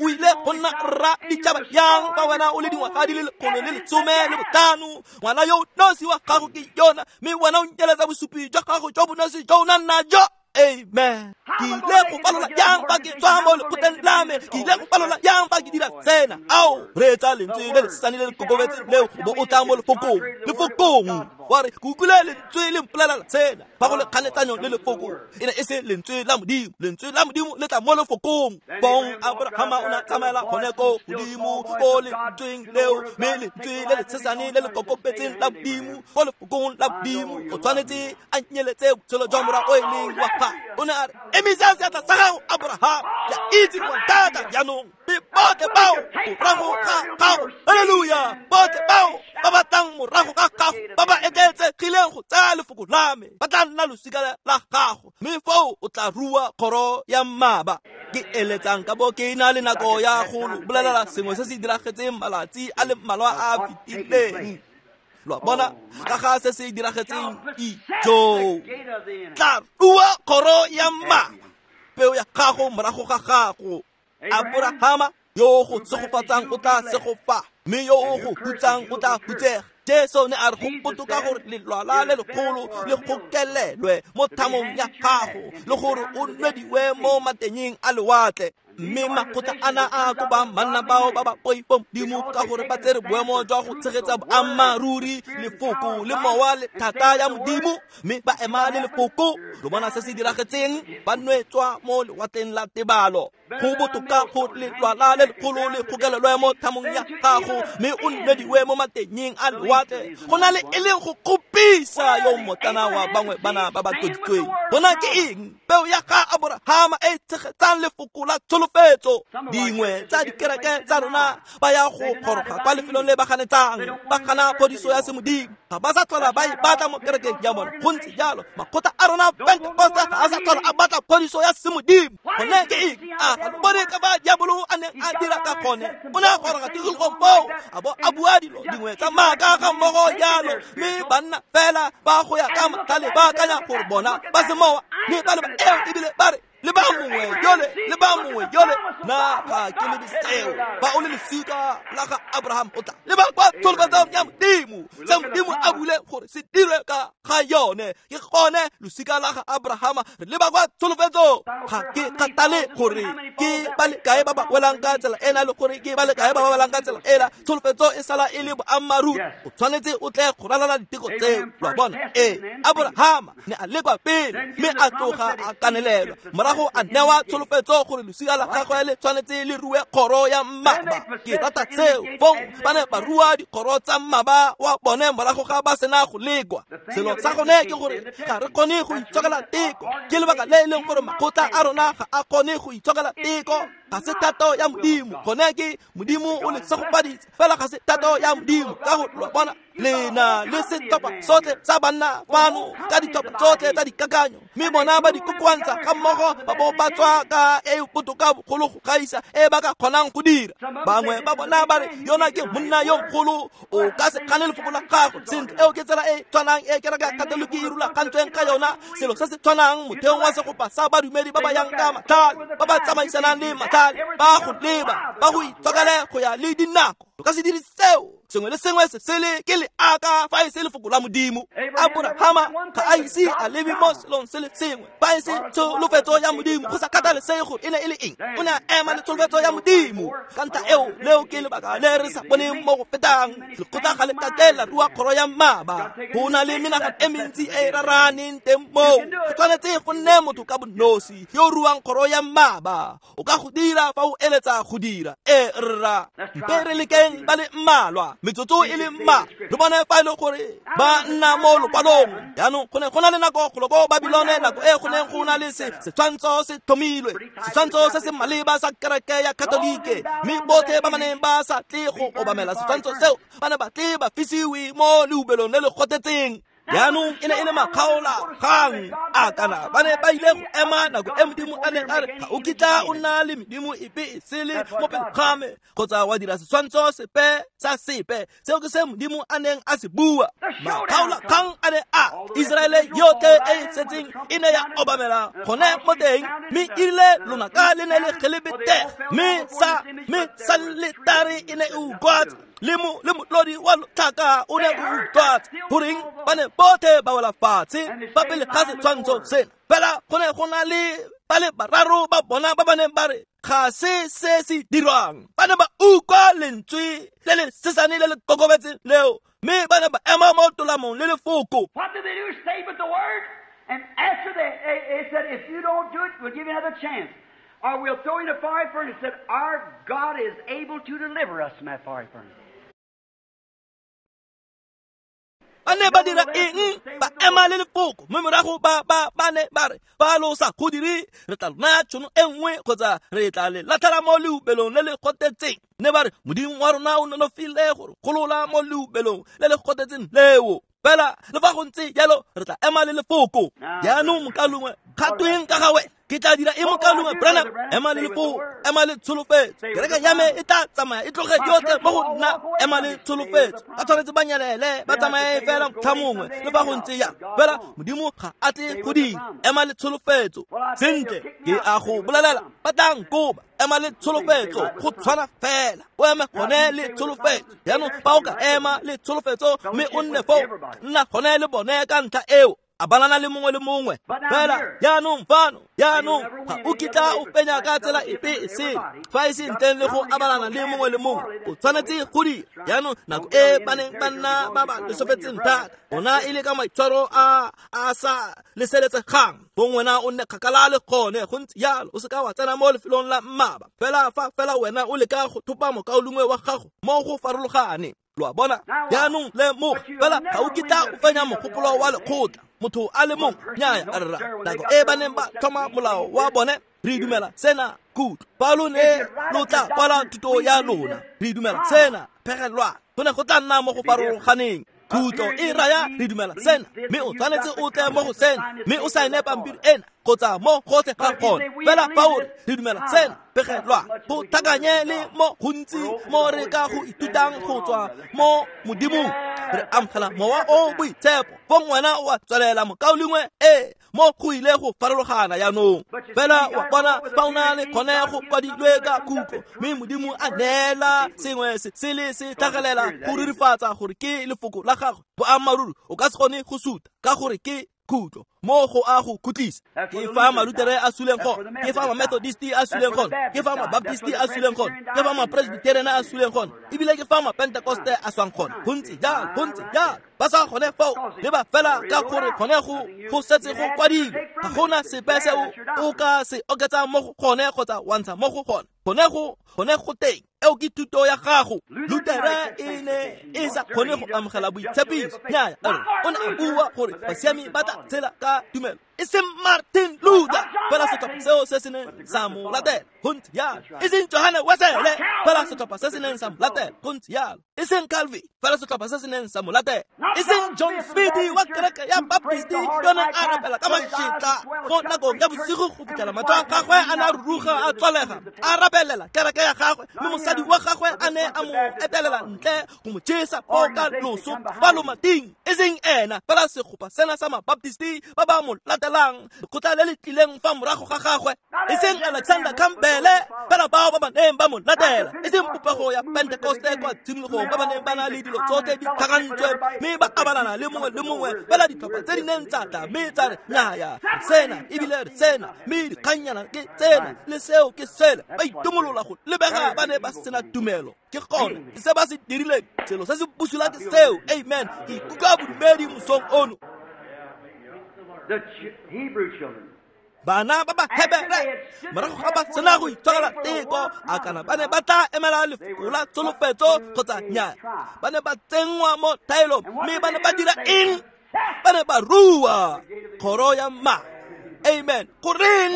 o ile go nna rra ditšhaba yang fa wena o le dingwaga di le 115? Ngwana yo nosi wa gago ke yona, mme wena o nkeletsa bosupi jwa gago jo bonosi jo o nang najo. Amen. Ke ile go falola yang fa ke tswa mo lekgotleng la me, ke ile go falola yang fa ke dira tsena. Ao, reetsa lentswe le lesesane le le kokobetseng leo, o bo o tla mo lefokong, lefokong. Wa re, ke utlwile lentswe le mpolelela tsena, fa go le kganetsanyong le lefoko, e ne e se lentswe la Modimo, lentswe la Modimo le tla mo lefokong. Fong Abrahama o ne a tsamaela gone ko godimo ko lentsweng leo, mme lentswe le lesesane le le kokobetseng la Modimo ko lefokong la Modimo, o tshwanetse a nyeletse botshelo jwa morwa o e leng wa gagwe. O ne a re, emisa seatla sa gago Abrahama, ke a itse gore thata jaanong, mme botlhe bao morago ga gago, haleluya, botlhe bao ba ba tlang morago ga gago, ba ba etleetsegileng go tsaya lefoko la me, ba tla nna losika la gago, mme foo o tla rua kgoro ya mmaba. Ke eletsang ka bo ke na le nako ya go lo bolelela sengwe se se diragetseng malatsi a le mmalwa a a fetileng. Lo a bona ka ga se se diragetseng ijo, tla rua kgoro ya mmaba, peo ya gago morago ga gago. Abrahama yo go segofatsang o tla segofa, mme yo o go hutsang o tla hutsega. Jesu ne a re go botoka gore lelwala le legolo le gokelelwe mo thamong ya gago, le gore o nwediwe mo matenyeng a lewatle. Mme makgotla ana a koba banna bao ba ba poifo Modimo, ka gore ba tsere boemo jwa go tshegetsa boammaaruri, lefoko le mowa le thata ya Modimo, mme ba ema le lefoko. Lo bona se se diragetseng, ba nwetswa mo lewatleng la tebalo. Go botoka go lelwala le legolo le gokelelwe mo thamong ya gago, mme o nwediwe mo matenyeng a lewatle, go na le e leng go kgopisa yo mmotlana wa bangwe bana ba ba tloditsweng. Bona ke eng? Peo ya ga Abrahama e tshegetsang lefoko la tsholofetso. Dingwe tsa dikereke tsa rona ba ya go goroga kwa lefelong le ba ganetsang, ba gana phodiso ya semodimo, ga ba sa tlhola ba e batla mo kerekeng ya bona. Go ntse jalo, makgotla a rona Pentekoste ga a sa tlhola a batla phodiso ya semodimo. Gone ke eng? A ga lo bone ka fa diabolo a neng a dira ka gone? O ne a goroga tikologong foo, a bo a bua dilo dingwe tsa maaka ga mmogo jalo, mme banna fela ba go ya ka matlhale ba akanya gore bona ba semowa, mme ba leba eo ebile ba re, le ba mongwe yole, le ba mongwe yole. Na ga ke lebe seo? Fa o le losika la ga Abraham, o tla leba kwa tsholofetsong ya Modimo, se Modimo a bule gore se dirwe ka ga yone. Ke gone losika la ga Abrahama, re leba kwa tsholofetsong. Ga ke kgathale gore ke ba le kae ba ba welang ka tsela ena, le gore ke ba le kae ba ba welang ka tsela ela, tsholofetso e sala e le boammaaruri. O tshwanetse o tle go ralala diteko tseo. Lo a bona? Ee, Abrahama ne a lekwa pele, mme a tloga a kanelelwa. Morago a newa tsholofetso gore losika la gagwe le tshwanetse le rue kgoro ya mmaba. Ke rata seo. Fong ba ne ba rua dikgoro tsa mmaba wa bone morago ga ba sena go lekwa. Selo sa gone ke gore ga re kgone go itshokela teko. Ke lebaka le e leng gore makgotla a rona ga a kgone go itshokela teko. Ga se thato ya Modimo. Gone ke Modimo o le segofaditse, fela ga se thato ya Modimo. Ka go lo bona lena le setlhopha sotlhe sa banna fano ka ditlhopha tsotlhe tsa dikakanyo, mme bona ba di kokoantsha ga mmogo ba bo ba tswa ka e botoka bogolo go gaisa e ba ka kgonang go dira. Bangwe ba bona ba re yona ke monna yo mogolo, o ka se gane lefoko la gagwe. Sentle, eo ke tsela e tshwanang e kereke ya Katoliki e rulagantsweng ka yona. Selo se se tshwanang motheong wa segopa sa badumedi ba ba yang ka matlhale, ba ba tsamaisanang le matlhale, ba go leba, ba go itshokele go ya le dinako. O ka se dire seo. Sengwe le sengwe se sele ke leaka fa e se lefoko la Modimo. Aborahama ga a ise a lebe mo selong se le sengwe fa e se tsholofetso ya Modimo, go sa kgathalesege gore e ne e le eng. O ne a ema le tsholofetso ya Modimo. Ka ntlha eo, leo ke lebaka le re sa boneng mo go fetang. Lekgotla ga le kake la rua kgoro ya mmaba. Go na le menagano e mentsi e e raraneng teng moo. Go tshwanetse go nne motho ka bonosi yo o ruang kgoro ya mmaba. O ka go dira fa o eletsa go dira. E rra, mpe re lekeng ba le mmalwa, metsotso e le mma, re bone fa e le gore ba nna mo lokwalong. Jaanong go ne go na le nako golo ko Babilone, nako e go neng go na le setshwantsho se tlhomilwe, setshwantsho se se maleba sa kereke ya Katolike, mme botlhe ba ba neng ba sa tle go obamela setshwantsho seo ba ne ba tle ba fisiwe mo leubelong le le gotetseng. Jaanong e ne e le makgaola-kgang a kana ba ne ba ile go ema nako e Modimo a neng a re ga o kitla o nna le medimo epe e sele mo pele ga me kgotsa wa dira setshwantsho sepe sa sepe. Seo ke se Modimo a neng a se bua. Makgaola-kgang a ne a Iseraele yotlhe e e setseng e ne ya obamela gone mo teng, mme erile lonaka le ne le gelebetega, mme saletare e ne e utlwatsa, le motlodi wa lotlhaka o ne o utlwatsa. Goreng ba ne botlhe ba wela fatshe fa pele ga setshwantsho sena? Fela go ne go na le ba le bararo ba bona ba ba neng ba re ga se se se dirwang. Ba ne ba utlwa lentswe le le sesane le le kokobetseng leo, mme ba ne ba ema mo tolamong le lefoko. What did they do? Stay with the word. And after they said, if you don't do it, we'll give you another chance, or we'll throw you in a fiery furnace. Said, our God is able to deliver us from that fiery furnace. Ba ne ba dira eng? Ba ema le lefoko, mme morago ba ne ba re fa lo sa go dire re tla naya tšhono e nngwe kgotsa re tla le latlhela mo leubelong le le gotetseng. Ne ba re Modimo wa rona o nonofile gore golola mo leubelong le le gotetseng leo. Fela le fa go ntse jalo re tla ema le lefoko. Jaanong mokalongwe kgatweng ka ga wena, ke tla dira e mokalongwe Branham. Ema le lefoko, ema le tsholofetso. Kereke ya me e tla tsamaya e tloge yotlhe mo go nna. Ema le tsholofetso. Ba tshwanetse ba nyelele, ba tsamaye fela motlha mongwe le fa go ntse jang. Fela Modimo ga a tle go dira. Ema le tsholofetso. Sentle, ke a go bolelela, ba tla nkoba. Ema le tsholofetso, go tshwana fela. O eme gone le tsholofetso. Jaanong fa o ka ema le tsholofetso mme o nne foo, nna gone le bone ka ntlha eo. A balana le mongwe le mongwe. Fela jaanong fano, jaanong ga o kitla o fenya ka tsela epe e sele fa e se ntleng le go abalana le mongwe le mongwe. O tshwanetse go dira. Jaanong nako e ba neng ba nna ba ba lesofetseng thata, ona e le ka maitshwaro a a sa leseletsegang, gongwe wena o nne kgakala le gone. Go ntse jalo, o seka wa tsena mo lefelong la mmaba. Fela fa fela wena o leka go thopa mokaulengwe wa gago mo go farologane. Lo a bona? Jaanong lemoga, fela ga o kitla o fenya mogopolo wa lekgotla. Motho a le mongwe, nnyaya, rra. Nako e ba neng ba tlhoma molao wa bone, re dumela sena kutlo. Fa lo ne lo tla kwala thuto ya lona, re dumela sena phegelwa. Go ne go tla nna mo go farologaneng. Kutlo e raya re dumela sena, mme o tshwanetse o tle mo go sena, mme o saene pampiri ena kgotsa mo gotlhe ga gone. Fela fa o re re dumela sena phegelwa, go tlhakanye le mo gontsi mo re ka go ithutang go tswa mo Modimong. Re amogela mowa o boitshepo, fong wena o a tswelela mokaulengwe e mo go ile go farologana jaanong. Fela wa bona fa o na le kgone go kwadilwe ka kutlo, mme Modimo a neela sengwe se sele se tlhagelela go rurifatsa gore ke lefoko la gagwe boammaaruri, o ka se kgone go suta ka gore ke Khutlo mo go a go khutlisa. Ke fa Malutere a suleng gone, ke fa Mamethodisti a suleng gone, ke fa Mabaptisti a suleng gone, ke fa Mapresbyterian a suleng gone, ebile ke fa Mapentekoste a swang gone. Go ntse jalo, go ntse jalo. Ba sa gone fao le ba fela ka gore gone go setse go kwadilwe. Ga gona sepe se o ka se oketsang mo go gone kgotsa wa ntsha mo go gone. Gone go teng. Eo ke thuto ya gago. Lutere e ne e sa kgone go amogela boitshepiso. Nnyaya, o ne a bua gore basiami ba tla tshela ka tumelo, e seng Martin Luther fela setlhopha seo se se neng sa mo latela. Go ntse jalo. E seng Johane Wesele fela setlhopha se se neng sa mo latela. Go ntse jalo. E seng Calvin fela setlhopha se se neng sa mo latela. E seng John Smith wa kereke ya Baptist yo neng a rapela ka mašetla go nakong ya bosigo go fitlhela matlho a gagwe a ne a ruruga a tswalega, a rapelela kereke ya gagwe, mme mosadi wa gagwe a ne a mo etelela ntle go mo jesa foo ka loso fa lomating. E seng ena fela segopa sena sa Mabaptisti ba ba mo latelang, lekgotla le le tlileng fa morago ga gagwe. E seng Alexander Campbell fela bao ba ba neng ba mo latela, e seng popego ya Pentekoste kwa tshimologong ba ba neng ba na le dilo tsotlhe di tlhakantswe mme ba abalana le mongwe le mongwe fela ditlhopha tse di neng tsa tla mme tsa re nnyaya sena ebile re sena, mme dikgannyana ke tsena le seo ke sele. Ba itumolola go lebega ba ne ba sena tumelo. Ke gone ke se ba se dirileng, selo se se bosula ke seo. Amen. Ke ikutlwa bodumedi mosong ono. Bana ba ba Hebere morago ga ba sena go itshwarela teko, a kana ba ne ba tla emela lefoko la tsholofetso kgotsa nnyaa? Ba ne ba tsenngwa mo thaelong, mme ba ne ba dira eng? Ba ne ba rua kgoro ya ma. Amen. Goreng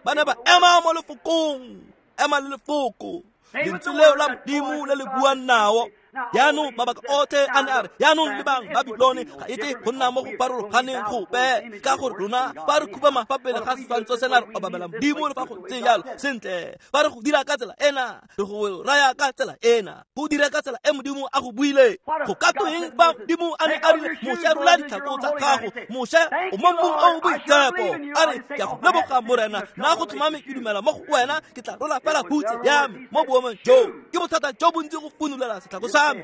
ba ne ba ema mo lefokong? Ema le lefoko, lentswe leo la Modimo le le buang nao. Jaanong mabaka otlhe a ne a re, jaanong lebang Babilone ga e tle go nna mo go farologaneng gope, ka gore rona fa re khubama fa pele ga setshwantsho sena re obamela Modimo le fa go ntse jalo. Sentle, fa re go dira ka tsela ena, re go raya ka tsela ena, go dira ka tsela e Modimo a go buile. Go ka tweng fa Modimo a ne a rile, Moshe, rola ditlhako tsa gago, Moshe o mo mmung o o boitshepo. A re, ke a go leboga Morena, nna go tlhomame ke dumela mo go wena, ke tla rola fela hutse ya me mo boemong joo. Ke bothata jo bontsi go funulela setlhako sa me.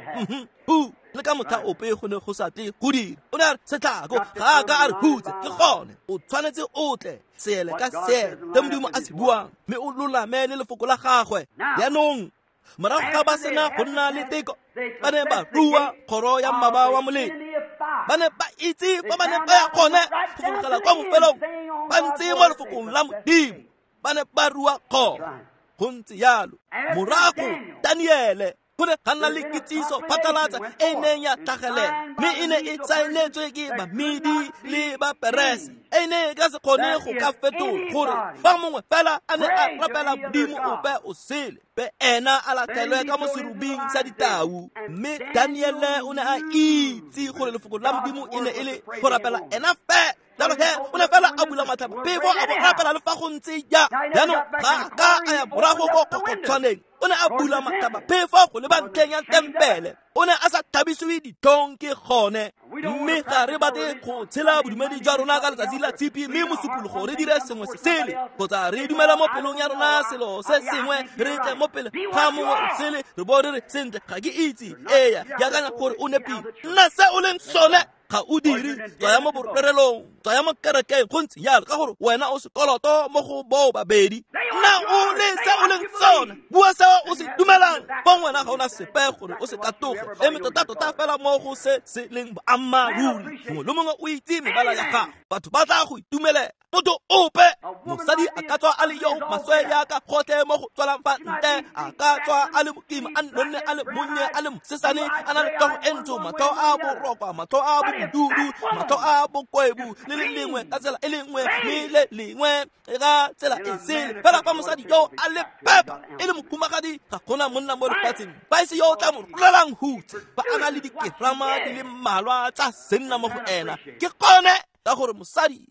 Le ka motlha ope go ne go sa tle go dira. O ne a re setlhako ga a ka a re hutse, ke gone o tshwanetse o tle seele ka seele se Modimo a se buang, mme o lolame le lefoko la gagwe. Jaanong morago ga ba sena go nna le teko, ba ne ba rua kgoro ya mmaba wa molelo. Ba ne ba itse fa ba ne ba ya gone go fologela kwa bofelong, ba ntse mo lefokong la Modimo, ba ne ba rua kgoro. Go ntse jalo. Morago Daniele go ne ga nna le kitsiso phatlalatsa e neng ya tlhagelela, mme e ne e saenetswe ke Bamedi le Baperese, e ne e ka se kgone go ka fetola gore fa mongwe fela a ne a rapela Modimo ope o sele, be ena a latlhelwe ka mo serubing sa ditau. Mme Daniele o ne a itse gore lefoko la Modimo e ne e le go rapela ena fela. Jalo he o ne fela a bula matlhapa phefo a bo rapela le fa go ntse ja. Jaanong ga ka a ya morago ko kgokgotshwaneng, o ne a bula matlhapa phefo go leba ntlheng ya tempele. O ne a sa tlhabisiwe ditlhong ke gone. Mme ga re batle go tshela bodumedi jwa rona ka letsatsi la tshipi, mme mosupologo re dire sengwe se sele, kgotsa re dumela mo pelong ya rona selo se sengwe, re tle mo pele ga mongwe o sele re bo re re sentle ga ke itse, eya ke akanya gore o nepile. Nna se o leng sone ga o dire, tswaya mo borerelong, tswaya mo kerekeng, go ntse jalo, ka gore wena o sekoloto mo go boo babedi. Nna o le se o leng sone, bua se o se dumelang, fong wena ga o na sepe gore o se katoge. Eme tota-tota fela mo go se se leng boammaaruri. Mongwe le mongwe o itse mebala ya gago, batho ba tla go itumelela. Motho ope, mosadi a ka tswa a le yo maswe yaka gotlhe mo go tswelang fa ntle, a ka tswa a le mokima, a nonne, a le monnye, a le mosesane, a na le tlhogo e ntsho, matlho a borokwa, matlho a bobodudu, matlho a bokwebu, le le lengwe ka tsela e le nngwe, mme le lengwe ka tsela e sele. Fela fa mosadi yo a le pepa e le mohumagadi, ga gona monna mo lefatsheng fa e se yo o tla mo rolelang hutse, fa a na le dikerama di le mmalwa tsa senna mo go ena. Ke gone ka gore mosadi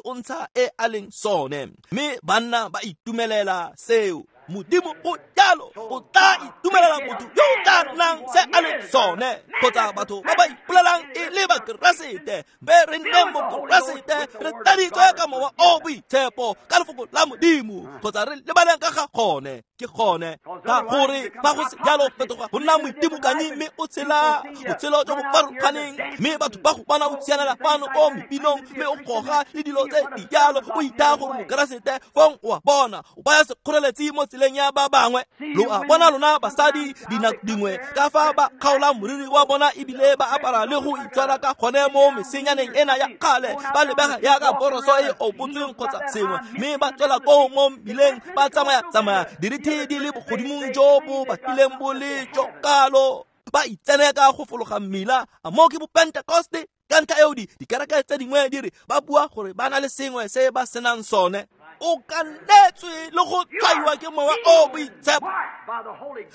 o ntsha e a leng sone, mme banna ba itumelela seo. Modimo o jalo o tla itumelela motho yo o tla nnang se a leng sone kgotsa batho ba ba ipolelang e le Bakeresete be re nne Mokeresete re tladitswe ka Mowa o Boitshepo ka lefoko la Modimo kgotsa re lebaleng ka ga gone ke gone ka gore fa go se jalo fetoga go nna moitimokanyi mme o tshela botshelo jo bo farologaneng mme batho ba go bona o sianela fano ko mepinong mme o goga le dilo tse di jalo o itaya gore Mokeresete fong o a bona o baya sekgoreletsi mo tseleng ya ba bangwe. Lo a bona lona basadi dinako dingwe ka fa ba kgaolang moriri wa bona ebile ba apara le go itshwara ka gone mo mesenyaneng ena ya kgale ba lebega yaka boroso e opotsweng kgotsa sengwe mme ba tswela koo mo mmileng ba tsamaya-tsamaya dirithi di le bogodimong jo bo batlileng bo le jo kalo ba itseneka go fologa mmila. A mo ke bopentekoste ka ntlha eo dikereke tse dingwe di re ba bua gore ba na le sengwe se ba senang sone. O kaletswe le go tshwaiwa ke Mowa o Boitshepo.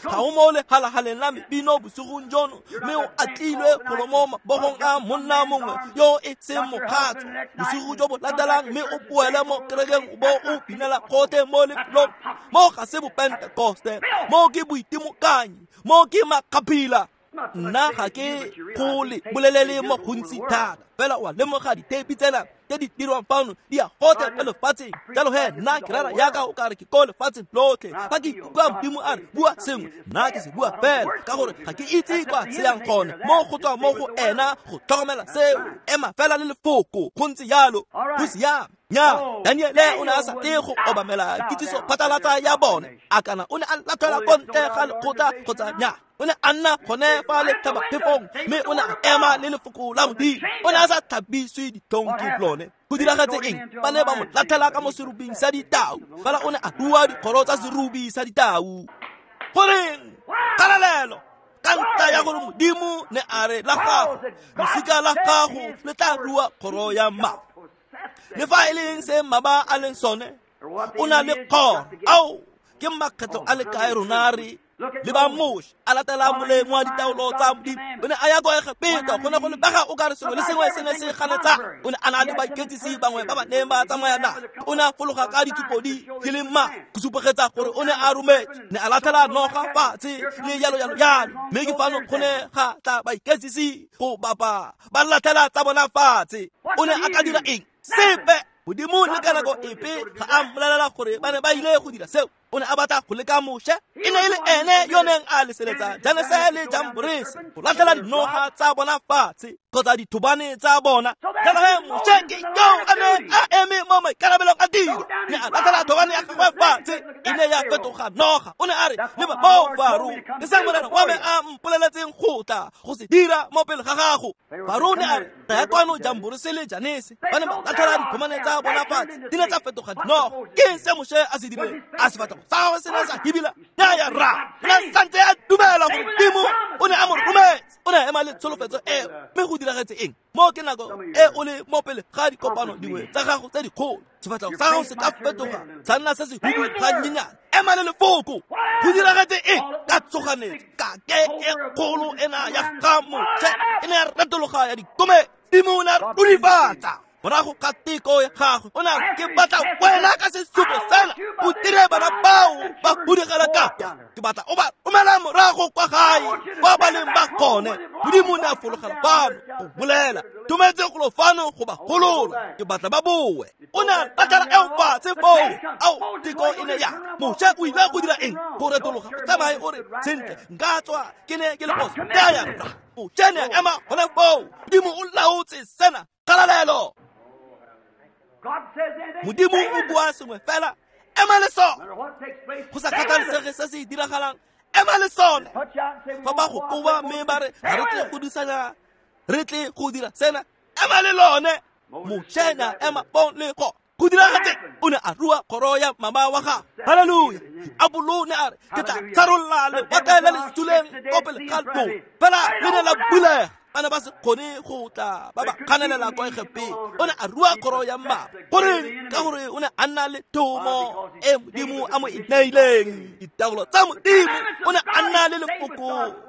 Ga o mo lehalahaleng la mebino bosigong jono mme o atlilwe golo mo mabogong a monna mongwe yo e seng mokgatlo bosigo jo bo latelang mme o boele mo kerekeng o bo o binela gotlhe mo lefelong. Mo ga se bopentekoste, mo ke boitimokanyi, mo ke makgaphila. Nna ga ke go le bolelele mo gontsi thata fela o a lemoga ditheipi tsena tse di dirwang fano di ya gotlhe mo lefatsheng. Jalo he nna ke rera yaka o kare ke ko lefatsheng lotlhe. Fa ke ikutlwa Modimo a re bua sengwe nna ke se bua fela ka gore ga ke itse kwa se yang gone mo go tswa mo go ena go tlhokomela seo. Ema fela le lefoko go ntse jalo go siame. Nya Daniele o ne a sa tle go obamela kitsiso phatlalatsa ya bone a kana o ne a latlhela ko ntle ga lekgotla kgotsa nya o ne a nna gone fa letlhabaphefong mme o ne a ema le lefoko la Modimo. O ne a sa tlhabiswe ditlhong ke lone. Go diragetse eng? Ba ne ba mo latlhela ka mo serubing sa ditau fela o ne a rua dikgoro tsa serubi sa ditau. Goreng? Kgalalelo ka ntlha ya gore Modimo ne a re la gago losika la gago le tla rua kgoro ya mmaba. Le fa e leng se mmaba a leng sone o na le kgoro. Ao ke makgetlo a le kae rona re le ba Moshe a latela moleng wa ditaolo tsa Modimo. O ne a ya kwa Egepeta go ne go lebega o kare sengwe le sengwe se ne se ganetsa. O ne a na le baiketsisi bangwe ba ba neng ba tsamaya nae. O ne a fologa ka ditshupo di le mmalwa go supegetsa gore o ne a rometse. Ne a latlhela noga fatshe le jalo jalo jalo mme ke fano go ne ga tla baiketsisi go bapa ba latlhela tsa bona fatshe. O ne a ka dira eng? Sepe. Modimo le ka nako epe ga a mmolelela gore ba ne ba ile go dira seo. O ne a batla go leka Moshe. E ne e le ene yo neng a leseletsa Janese le Jamborese go latlhela dinoga tsa bona fatshe kgotsa dithobane tsa bona. Jalo he Moshe ke yo a neng a eme mo maikarabelong a tiro ne a latlhela thobane ya gagwe fatshe e ne ya fetoga noga. O ne a re leba moo Faro ke se Morena wa me a mpoleletseng go tla go se dira mo pele ga gago. Faro ne a re ya kwano Jamborese le Janese ba ne ba latlhela dithobane tsa bona fatshe di ne tsa fetoga dinoga. Ke eng se Moshe a se dirileng? A se batla sa se ne sa hibila ya ya ra o ne santse a dumela gore Modimo o ne a mo rometse. O ne a ema le tsholofetso eo mme go diragetse eng? Mo ke nako e o le mo pele ga dikopano dingwe tsa gago tse dikgolo sefatlhego sa gago se ka fetoga sa nna se se hudu ga nnyenyane. Ema le lefoko. Go diragetse eng? Ka tsoganetso ka ke e kgolo ena ya ga Moshe e ne ya retologa ya dikome. Modimo o ne a rurifatsa morago ga teko ya gagwe. O ne a ke batla wena ka sesupo sena o dire bana bao ba hudigela ka kwa. Ke batla o ba romela morago kwa gae kwa ba leng ba gone. Modimo o ne a fologela fano go bolela tumetse golo fano go ba golola ke batla ba boe. O ne a latlhela eo fatshe foo. Ao teko e ne ya Moshe o ile go dira eng? Go retologa o tsamaye o re sentle nka tswa ke ne ke le phoso. Ya ya Moshe ne a ema gone foo. Modimo o laotse sena. Kgalalelo. Modimo o bua sengwe fela ema le sone. Go sa kgathalesege se se diragalang ema le sone. Fa ba go koba mme ba re ga re tle go disanya re tle go dira sena ema le lone. Moshe ne a ema fong le go go diragetse. O ne a rua kgoro ya mama wa gagwe. Halleluja. Diabolo ne a re ke tla tsharolla lewatle le le suleng ko pele ga lona fela le ne la bulega. Ba ne ba se kgone go tla ba ba kganelela kwa Egepeta. O ne a rua kgoro ya mmaba. Goreng? Ka gore o ne a nna le thomo e Modimo a mo e neileng. Ditaolo tsa Modimo. O ne a nna le lefoko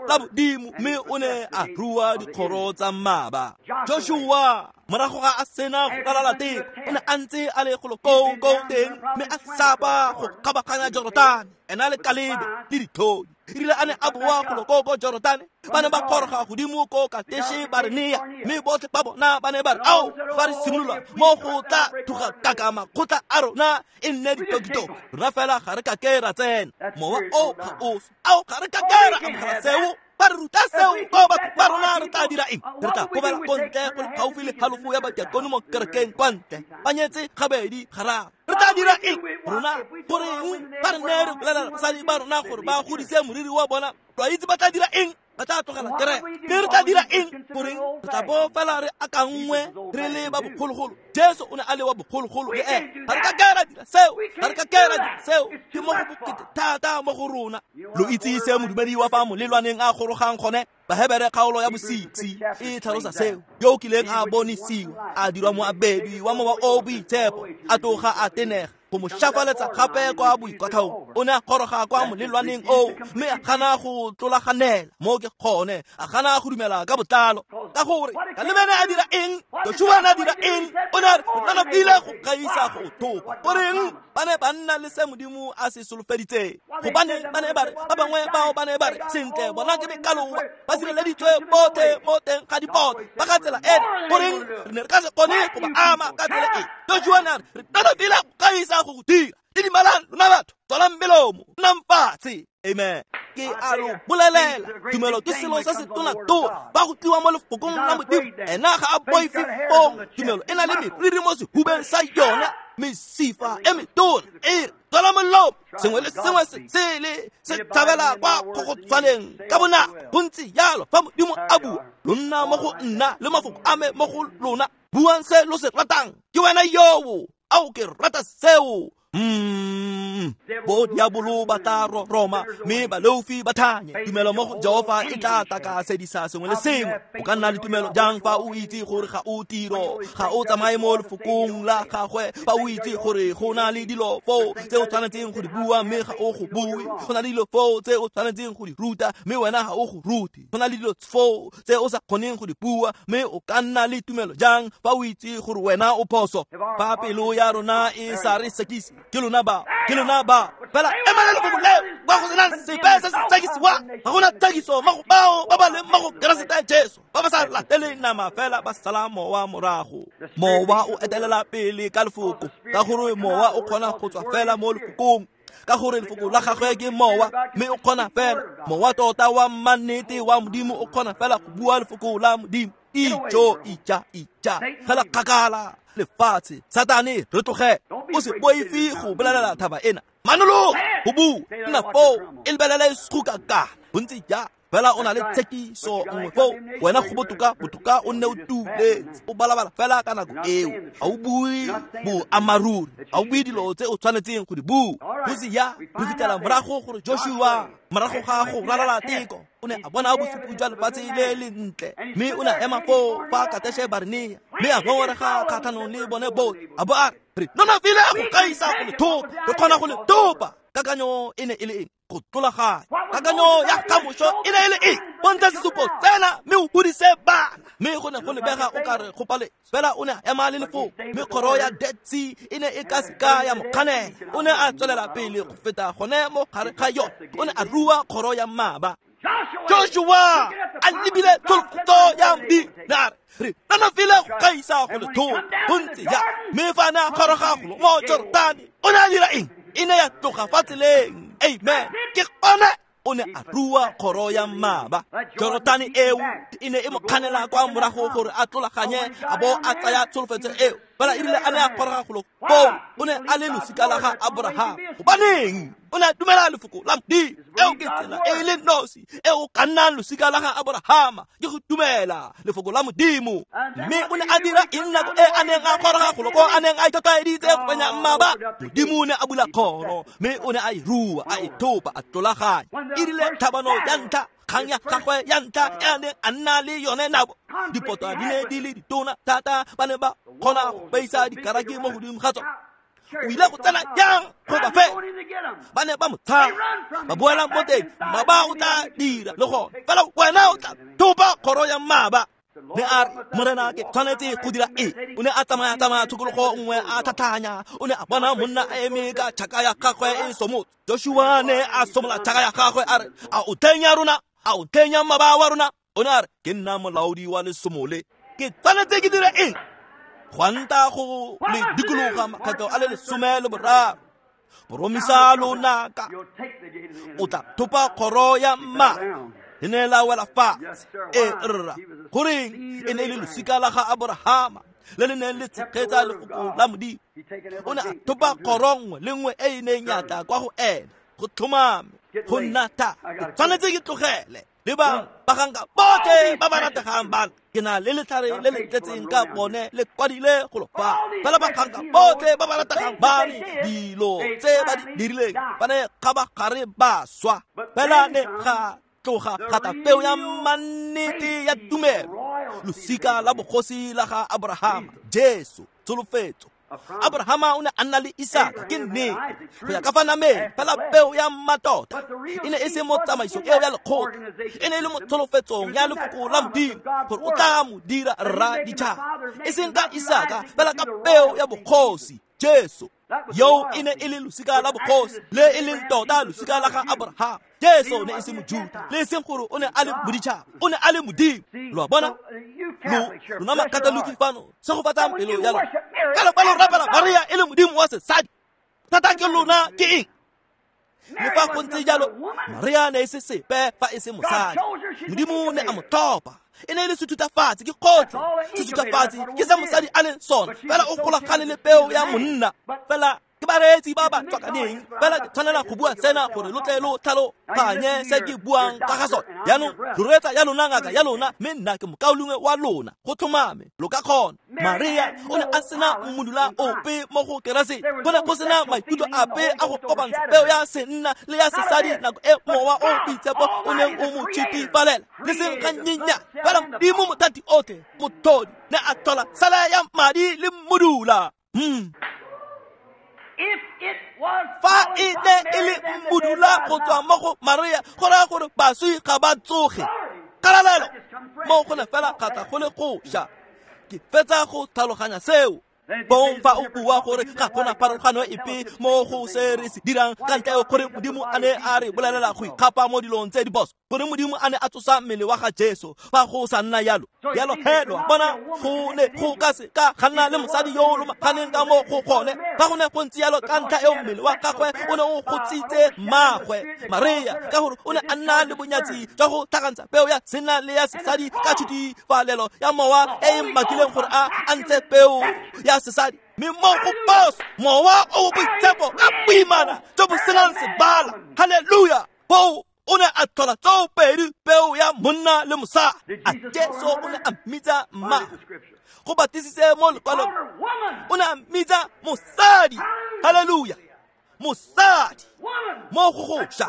la Modimo mme o ne a rua dikgoro tsa mmaba. Joshua Morago ga a sena go ralala teng, o ne a ntse a le golo koo koo teng, mme a sapa go kgabaganya Jorotane, ena le Kalebe le ditlhodi. Erile a ne a boa golo koo ko Jorotane, ba ne ba goroga godimo ko Kateshe Barenea, mme botlhe ba bona ba ne ba re, ao, fa re simolola mo go tla thuga kaka makgotla a rona e nne ditokitoki, rona fela ga re ka ke ra tsena. Mowa o ga o swe. Ao, ga re ka ke ra amogela seo. Ba re ruta seo ko batho ba rona, re tla dira eng? Re tla kobela ko ntle go le gaufi le halofo ya badiakone mo kerekeng kwa ntle, ba nyetse gabedi gararo. Re tla dira eng rona? Goreng ba re ne re bolelela basadi ba rona gore ba godise moriri wa bona, lo a itse ba tla dira eng? Ba tla tlogela kereke. Mme re tla dira eng? Goreng re tla bo fela re akanngwe re le ba bogologolo. Jesu o ne a le wa bogologolo le ene. Ga re ka ke ra dira seo, ga re ka ke ra dira seo. Ke mo go bokete thata mo go rona. Lo itse se modumedi wa fa molelwaneng a gorogang gone? Bahebere kgaolo ya bo-6 e tlhalosa seo. Yo o kileng a bonisiwa, a dirwa moabedi wa mowa o boitshepo, a tloga a tenega go mo shafaletsa gape kwa boikwatlhaong. O ne a goroga kwa molelwaneng oo, mme a gana go tlolaganela mo ke gone, a gana go dumela ka botlalo. Ka gore Kalebe ne a dira eng? Joshua ne a dira eng? O ne a re, re nonofile go gaisa go thopa. Goreng ba ne ba nna le se Modimo a se solofeditseng? Gobane ba ne ba re, ba bangwe bao ba ne ba re, sentle, bona ke mekaloba, ba sireleditswe botlhe mo teng ga dipota, ba ka tsela ena. Goreng re ne re ka se kgone go ba ama ka tsela e? Joshua ne a re, re nonofile go gaisa go go dira. Didimalang lona batho, tswalang melomo, nnang fatshe. Amen. Ke a lo bolelela, tumelo ke selo se se tona-tona. Ba go tliwa mo lefokong la Modimo, ena ga a boife foo. Tumelo e na le meriri mo sehubeng sa yona, mesifa e metona e re tswala molomo. Sengwe le sengwe se sele se tshabela kwa kgogotshwaneng ka bonako. Go ntse jalo fa Modimo a bua, lo nna mo go nna le mafoko a me mo go lona. Buang se lo se ratang. Ke wena yoo, ao ke rata seo. Bo diabolo ba tla roma, mme baleofi ba thanye. Tumelo mo go Jehofa e tla takasedisa sengwe le sengwe. O ka nna le tumelo jang fa o itse gore ga o tiro, ga o tsamaye mo lefokong la gagwe, fa o itse gore go na le dilo foo tse o tshwanetseng go di bua mme ga o go bue, go na le dilo foo tse o tshwanetseng go di ruta mme wena ga o go rute, go na le dilo foo tse o sa kgoneng go di bua, mme o ka nna le tumelo jang fa o itse gore wena o phoso? Fa pelo ya rona e sa re sekise, ke lona ba, ke lona ba. Fela ema le lefoko leo, kwa go senang sepe se se tsekisiwang. Ga gona tsekiso mo go bao ba ba leng mo go Keresete Jesu, ba ba sa lateleng nama fela ba sala mowa morago. Mowa o etelela pele ka lefoko, ka gore mowa o kgona go tswa fela mo lefokong, ka gore lefoko la gagwe ke mowa, mme o kgona fela, mowa tota wa mannete wa Modimo o kgona fela go bua lefoko la Modimo. Ijo, ija, ija, fela kgakala lefatshe. Satane, re tloge, o se boife go bolelela thaba ena. Manologo go bua, nna foo, e lebelele segukakana. Bontsi ja fela o na le tshekiso nngwe foo, wena go botoka botoka o nne o tuletse, o balabala fela ka nako eo. Ga o bue boammaaruri, ga o bue dilo tse o tshwanetseng go di bua. Go se ya re fitlhela morago gore Joshua, morago ga go ralala teko, o ne a bona bosupi jwa lefatshe le le ntle, mme o ne a ema foo fa Kateshe Barenea, mme a ngongorega kgatlhanong le bone botlhe, a bo a re, re nonofile go gaisa go le thopa, re kgona go le thopa. Kakanyo e ne e le eng? Go tlolaganya. Kakanyo ya kamoso e ne e le eng? Bontsha sesupo tsena mme o godise bana. Mme go ne go lebega o ka re go paletswe, fela o ne a ema le lefoko, mme kgoro ya Dead Sea e ne e ka seka ya mo kganela. O ne a tswelela pele go feta gone mo gare ga yone. O ne a rua kgoro ya mmaba. Joshua a lebile tsholofetso ya Modimo, ne a re, re nonofile go gaisa go le thopa. Go ntse ya. Mme fa a ne a goroga golo mo Jorotane, o ne a dira eng? E ne ya tloga fa tseleng. Amen. Ke gone o ne a rua kgoro ya mmaba. Jorotane eo e ne e mo kganela kwa morago gore a tlolaganye a bo a tsaya tsholofetso eo. Fela e rile a ne a goroga golo koo, o ne a le losika la ga Abraham. Gobaneng? O ne a dumela lefoko la Modimo. Eo ke tsela e le nosi e o ka nnang losika la ga Abrahama, ke go dumela lefoko la Modimo. Mme o ne a dira eng nako e a neng a goroga golo koo, a neng a itlhotlhaeditse go fenya mmaba? Modimo o ne a bula kgoro, mme o ne a e rua, a e thopa, a tlolaganya. E rile tlhabano ya ntlha, kgang ya gagwe ya ntlha e a neng a nna le yone nabo, dipotwa di ne di le ditona thata, ba ne ba kgona go beisa dikaraki mo godimo ga tsone. O ile go tsena jang go ba fe? Ba ne ba mo tshaba, ba boela mo teng, mmaba o tla dira le gone, fela wena o tla thopa kgoro ya mmaba. Ne a re, Morena ke tshwanetse go dira eng? O ne a tsamaya tshokologo nngwe a tlhatlhanya. O ne a bona monna a eme ka tšhaka ya gagwe e somotse. Joshua ne a somola tšhaka ya gagwe a re, a o ntlheng ya rona? A o ntlheng ya mmaba wa rona? O ne a re, ke nna molaodi wa lesomole. Ke tshwanetse ke dire eng? Gwanta go le dikologa makgetlo a le 13. Boromisa lonaka. O tla thopa kgoro ya mma. E ne la wela fatshe. E rra. Goreng e ne e le losika la ga Aborahama le le neng le tshegetsa lefoko la Modimo. O ne a thopa kgoro nngwe le nngwe e e neng ya tla kwa go ene. Go tlhomame go nna thata. Ke tshwanetse ke tlogele le ba baganka botlhe ba ba rategang bana. Ke na le letlhare le le tletseng ka bone le kwadile golo fa. Fela baganka botlhe ba ba rategang bane, dilo tse ba di dirileng ba ne kgabagare ba swa. Fela ne ga tloga ga tla peo ya mannete ya tumelo, losika la bogosi la ga Aborahama, Jesu, tsholofetso. Abrahama o ne a nna le Isaka, ke nnete, go ya ka fa nameng, fela peo ya mmatota e ne e se mo tsamaisong eo ya lekgotla, e ne e le mo tsholofetsong ya lefoko la Modimo gore o tla mo dira rra ditšhaba, e seng ka Isaka, fela ka peo ya bogosi, Jesu. Yo e ne e le losika la bogosi le e leng tota losika la ga Abrahama. Jesu ne e se Mojuta, le e seng gore o ne a le moditšhaba, o ne a le Modimo. Lo a bona? Lona Makatoliki fano, segofatsang pelo ya lona. Ka le fa lo rapela Maria e le modimo wa sesadi, thata ke lona ke eng? Le fa go ntse jalo, Maria ne e se sepe fa e se mosadi. Modimo ne a mo tlhopha. E ne e le sethutafatsi, ke kgotlhe. Sethutafatsi ke se mosadi a leng sona, fela o golagane le peo ya monna. Fela ke bareetsi ba ba tswakaneng, fela ke tshwanela go bua sena gore lo tle lo tlhaloganye se ke buang ka ga sone. Jaanong lo reetsa ya lona ngaka ya lona, mme nna ke mokaulengwe wa lona. Go tlhomame lo ka kgona. Maria o ne a sena mmodula ope mo go Keresete. Go ne go sena maikutlo ape a go kopantsha peo ya senna le ya sesadi nako e mowa o boitshepo o neng o mo tšhitifalela, le seng gannyenya. Fela Modimo mothati otlhe, mothodi, ne a tlhola sala ya madi le mmodula. Fa e ne e le mmodula go tswa mo go Maria, go raya gore baswi ga ba tsoge. Kgalalelo mo go ne fela ga tla go le goša. Ke fetsa go tlhaloganya seo. Bong fa o bua gore ga gona pharologano epe mo go se re se dirang ka ntle gore Modimo a ne a re bolelela go ikgapa mo dilong tse di boso, gore Modimo a ne a tsosa mmele wa ga Jesu fa go sa nna yalo. Jalo he lo a bona, go ne go ka se ka ga nna le mosadi yo o lomaganeng ka mo go gone. Fa go ne go ntse yalo, ka ntlha eo mmele wa gagwe o ne o gotsitse mmagwe Maria, ka gore o ne a nna le bonyatsi jwa go tlhakantsha peo ya senna le ya sesadi ka tshutifalelo ya mowa e e mmakileng gore a ntshe peo ya sesadi. Mme mo go boso mowa o boitshepo ka boimana jo bo senang sebala. Haleluya! Foo o ne a tlhola tsoopedi peo ya monna le mosadi. A Jesu o ne a mmitsa mma. Go batlisitse mo lekwalong, o ne a mmitsa mosadi. Haleluya! Mosadi mo go goša.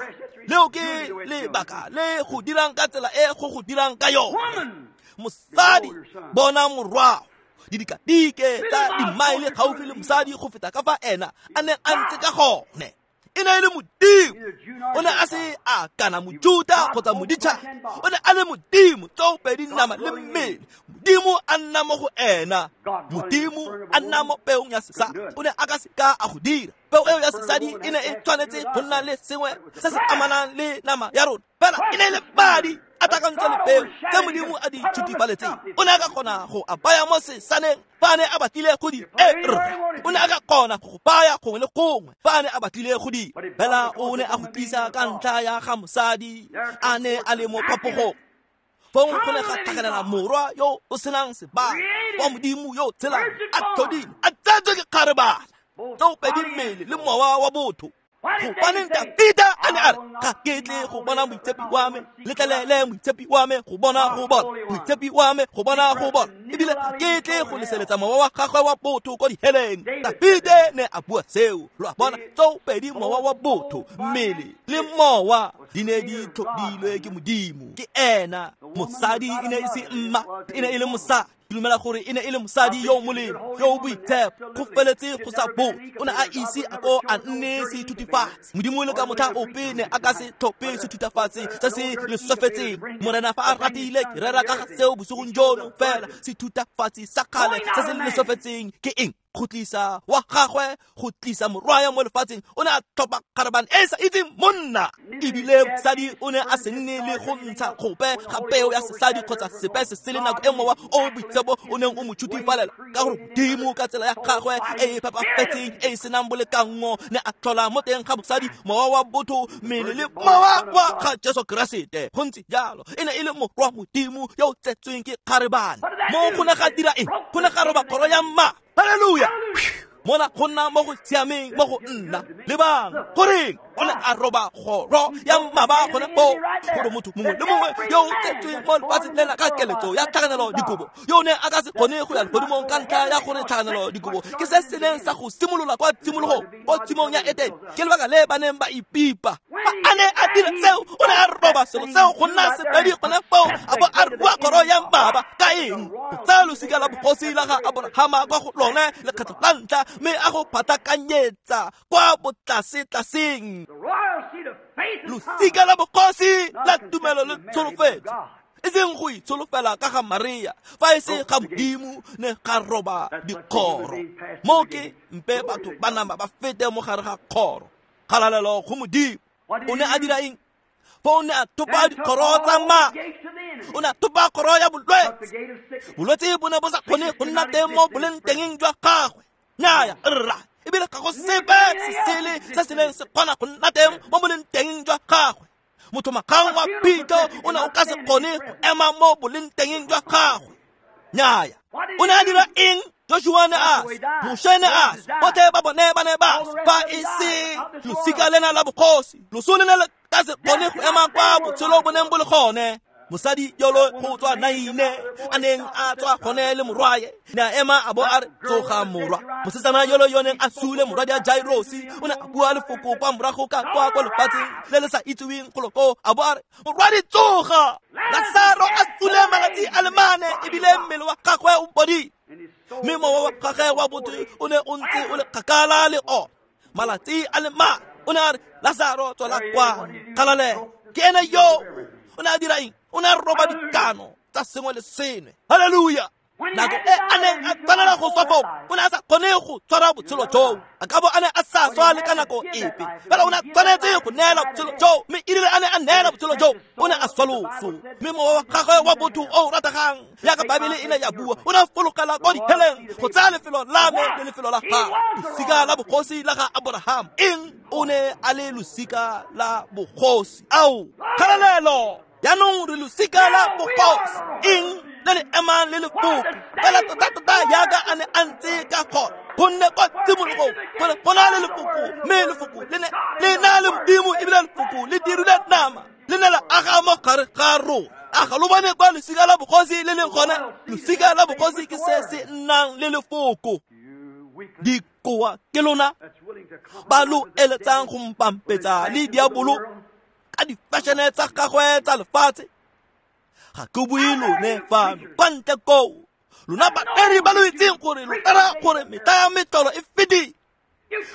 Leo ke lebaka le go dirang ka tsela e go go dirang ka yone. Mosadi, bona morwao. Didikadike tsa dimaele gaufi le mosadi go feta ka fa ena a neng a ntse ka gone. E ne e le Modimo. O ne a se a kana Mojuta kgotsa moditšhaba. O ne a le Modimo, tsoopedi nama le mmele. Modimo a nna mo go ena. Modimo a nna mo peong ya sesadi. O ne a ka se ka a go dira. Peo eo ya sesadi e ne e tshwanetse go nna le sengwe se se amanang le nama ya rona. Fela e ne e le madi a tlhakantse le peo tse Modimo a di tshutifaletseng. O ne a ka kgona go a baya mo sesaneng fa a ne a batlile go di O ne a ka kgona go baya gongwe le gongwe fa a ne a batlile go di. Fela o ne a go tlisa ka ntlha ya ga mosadi a ne a le mo phapogong. Fong go ne ga tlhagelela morwa yo o senang sebaka wa Modimo yo o tshelang, a tlhodile, a tsetswe ke kgarebana, tsoopedi mmele le mowa wa botho. Gobaneng Dafita a ne a re, ga ke tle go bona moitshepi wa me, letlelele moitshepi wa me go bona go bona, moitshepi wa me go bona go bona, ebile ga ke tle go leseletsa mowa wa gagwe wa botho ko diheleng. Dafite ne a bua seo. Lo a bona, tsoopedi mowa wa botho, mmele le mowa di ne di tlhodilwe ke Modimo. Ke ena. Mosadi e ne e se mma, e ne e le mosadi. Ke dumela gore e ne e le mosadi yo o molemo, yo o boitshepo, go feletse go sa bo. O ne a ise a ko a nne sethutafatsi. Modimo le ka motlha ope ne a ka se tlhophe sethutafatsi se se leswefetseng. Morena fa a ratile ke rera ka ga seo bosigong jono fela. Sethutafatsi sa kgale se se leswefetseng ke eng? Go tlisa wa gagwe, go tlisa morwaya mo lefatsheng. O ne a tlhopha kgarebane e sa itseng monna. Ebile mosadi o ne a se nne le go ntsha gope ga peo ya sesadi kgotsa sepe se sele nako e mowa o boitshepo o neng o mo tshutifalela, ka gore Modimo ka tsela ya gagwe e e phepafetseng e e senang bolekanngo ne a tlhola mo teng ga mosadi mowa wa botho, mmele le mowa wa ga Jesu Keresete. Go ntse jalo, e ne e le morwa Modimo yo o tsetsweng ke kgarebane. Mo go ne ga dira eng? Go ne ga roba kgoro ya mma. Hallelujah. Mona go nna mo go siameng mo go nna. Lebang goreng o ne a roba kgoro ya mmaba gone foo, gore motho mongwe le mongwe yo o tsetsweng mo lefatsheng lena ka keletso ya tlhakanelo dikobo, yo o ne a ka se kgone go ya legodimong ka ntlha ya gore tlhakanelo dikobo ke se se neng sa go simolola kwa tshimologong, kwa tshimong ya Etene. Ke lebaka le ba neng ba ipipa. Fa a ne a dira seo, o ne a roba selo seo go nna sepedi gone foo, a bo a rua kgoro ya mmaba. Ka eng? Go tsaya losika la bogosi la ga Aborahama kwa go lone lekgetlho la ntlha, mme a go phatakanyetsa kwa botlasetlaseng. Losika la bogosi la tumelo le tsholofetso, e seng go itsholofela ka ga Maria, fa e se ga Modimo, ne ga roba dikgoro. Mo ke mpe batho ba nama ba fete mo gare ga kgoro. Kgalalelo go Modimo. O ne a dira eng? Fa o ne a thopa dikgoro tsa mma, o ne a thopa kgoro ya bolwetse. Bolwetse bo ne bo sa kgone go nna teng mo boleng tengeng jwa gagwe. Nnyaya, rra, ebile ga go sepe se sele se se neng se kgona go nna teng mo boleng tengeng jwa gagwe. Motho magang wa phitlho o ne o ka se kgone go ema mo boleng tengeng jwa gagwe. Nnyaya. O ne a dira eng? Joshua ne a swa, Moshe ne a swa, botlhe ba bone ba ne ba swa, fa e se losika lena la bogosi. Loso le ne le ka se kgone go ema kwa botshelo bo neng bo le gone. Mosadi yolo go tswa Naine a neng a tswa gone le morwaye, ne a ema a bo a re, tsoga morwa. Mosetsana yolo yo neng a sule morwadi a Jairosi, o ne a bua lefoko kwa morago ka kwa kwa lefatsheng le le sa itseweng golo koo, a bo a re, morwadi tsoga. Lasaro a sule malatsi a le mane, ebile mmele wa gagwe o bodile, mme mowa wa gagwe wa botho o ne o ntse o le kgakala le ona malatsi a le mane. O ne a re, Lasaro tswela kwano. Kgalalelo. Ke ene yo. O ne a dira eng? O ne a roba dikano tsa sengwe le sengwe. Hallelujah. Nako e a neng a tshwanela go swa foo, o ne a sa kgone go tshwara botshelo joo. A ka bo a ne a sa swa le ka nako epe, fela o ne a tshwanetse go neela botshelo joo. Mme erile a ne a neela botshelo joo, o ne a swa loso. Mme mowa wa gagwe wa botho o o rategang, jaaka Baebele e ne ya bua, o ne a fologela kwa diheleng go tsaya lefelo la me le lefelo la gagwe, losika la bogosi la ga Aborahama. Eng? O ne a le losika la bogosi. Ao, kgalalelo! Jaanong re losika la bogosi. Eng? Le le emang le lefoko fela tota-tota jaaka a ne a ntse ka gone, gonne kwa tshimologong go ne go na le lefoko, mme lefoko le ne le na le Modimo, ebile lefoko le dirile nama, le ne la aga mo gare ga rona. A ga lo bone kwa losika la bogosi le leng gone? Losika la bogosi ke se se nnang le lefoko. Dikoa ke lona ba lo eletsang go mpampetsa le diabolo ka difešene tsa gagwe tsa lefatshe. Ga ke bue lone fano kwa ntle koo, lona badiri ba lo itseng gore lo rera gore metlha ya metlholo e fetile,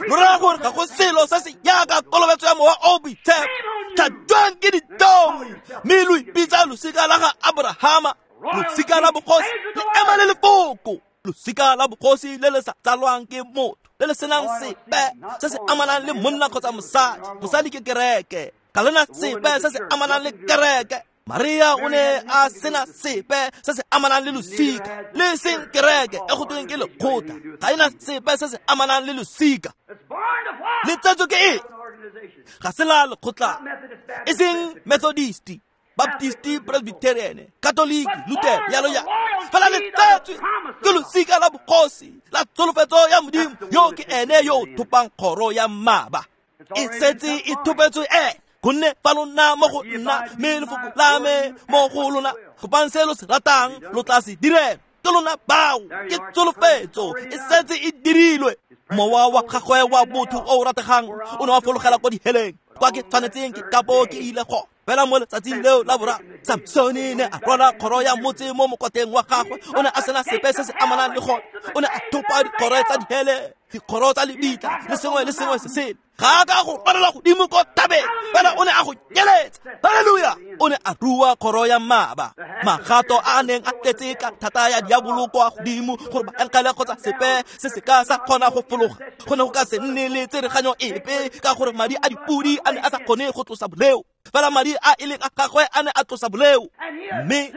lo rera gore ga go selo se se jaaka kolobetso ya mowa o boitshepo. Tlhajwang ke ditlhong, mme lo ipitsa losika la ga Aborahama, losika la bogosi le ema le lefoko. Losika la bogosi le le sa tsalwang ke motho, le le senang sepe se se amanang le monna kgotsa mosadi. Mosadi ke kereke, ga lena sepe se se amanang le kereke. Maria o ne a sena sepe se se amanang le losika, le seng kereke e go tweng ke lekgotla, ga ena sepe se se amanang le losika. Le tsetswe ke eng? Ga se la lekgotla, e seng Methodist, Baptist, Presbyterian, Catholic, Luther, yalo yalo. Fela le tsetswe ke losika la bogosi la tsholofetso ya Modimo, yo ke ene yo o thopang kgoro ya mmaba. E setse e thopetswe ene, gonne fa lo nna mo go nna, mme lefoko la me mo go lona, kopang se lo se ratang, lo tla se direla. Ke lona bao, ke tsholofetso e setse e dirilwe. Mowa wa gagwe wa botho o o rategang o ne wa fologela kwa diheleng, kwa ke tshwanetseng ke ka bo ke ile gone. Fela mo letsatsing leo la boraro, Samsone ne a rwala kgoro ya motse mo mokotleng wa gagwe. O ne a sena sepe se se amanang le gone. O ne a thopa dikgoro tsa dihele, dikgoro tsa lebitla, le sengwe le sengwe se sele. Ga a ka go rwalela godimo ko thabeng, fela o ne a go nyeletsa. Halleluja! O ne a rua kgoro ya mmaba. Magato a a neng a tletse ka thata ya diabolo kwa godimo gore baengele kgotsa sepe se se ka sa kgona go fologa. Go ne go ka se nne le tsereganyo epe ka gore madi a dipodi a ne a sa kgone go tlosa boleo. Fela madi a e leng a gagwe a ne a tlosa boleo. Mme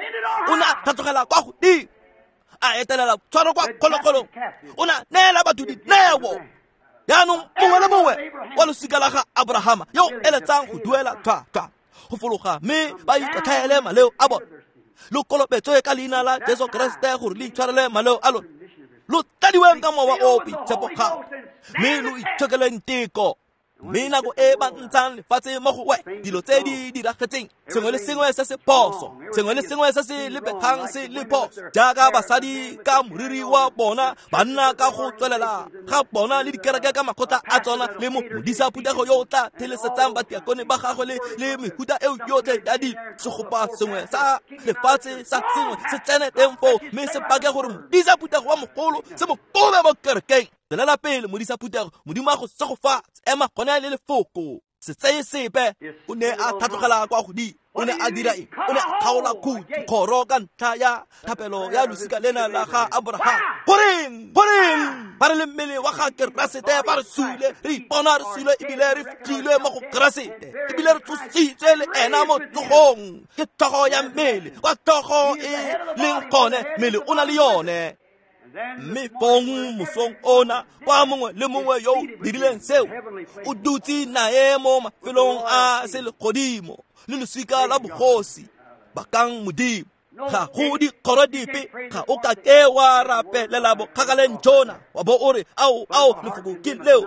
o ne a tlhatlogela kwa godimo, a etelela tshwaro kwa kgologolong. O ne a neela batho dineo. Jaanong mongwe le mongwe wa losika la ga Abrahama yo o eletsang go duela tlhwatlhwa go fologa mme ba ikotlhaele maleo a bone, lo kolobetswe ka leina la Jesu Keresete gore le itshwarele maleo a lona, lo tladiweng ka mowa o o boitshepo gape, mme lo itshokeleng teko. Mme nako e ba ntshang lefatshe mo go wena, dilo tse di diragetseng, sengwe le sengwe se se phoso, sengwe le sengwe se se lebegang se le phoso, jaaka basadi ka moriri wa bona, banna ka go tswelela ga bona, le dikereke ka makgotla a tsona, le mo modisa phuthego yo o tla thelesetsang batiakone ba gagwe le mehuta eo yotlhe ya dilo. Segopa sengwe sa lefatshe sa sengwe se tsene teng foo, mme se pake gore modisa phuthego wa mogolo se mo kobe mo kerekeng. Tswelela pele, modisa phuthego, Modimo a go segofatse. Ema gone le lefoko, se tseye sepe. O ne a tlhatlogela kwa godimo. O ne a dira eng? O ne a kgaola khuti kgoro ka ntlha ya thapelo ya losika lena la ga Abraham. Goreng? Goreng? Ba re le mmele wa ga Keresete, ba re sule, re ipona re sule ebile re fitlhilwe mo go Keresete, ebile re tsositswe le ena mo tsogong. Ke tlhogo ya mmele, kwa tlhogo e leng gone, mmele o na le yone. Mme fong mosong ona, kwa mongwe le mongwe yo o dirileng seo, o dutse nae mo mafelong a selegodimo le losika la bogosi. Bakang Modimo. Ga go dikgoro dipe, ga o ka ke wa rapelela bokgakaleng jona, wa bo o re ao ao lefoko ke leo.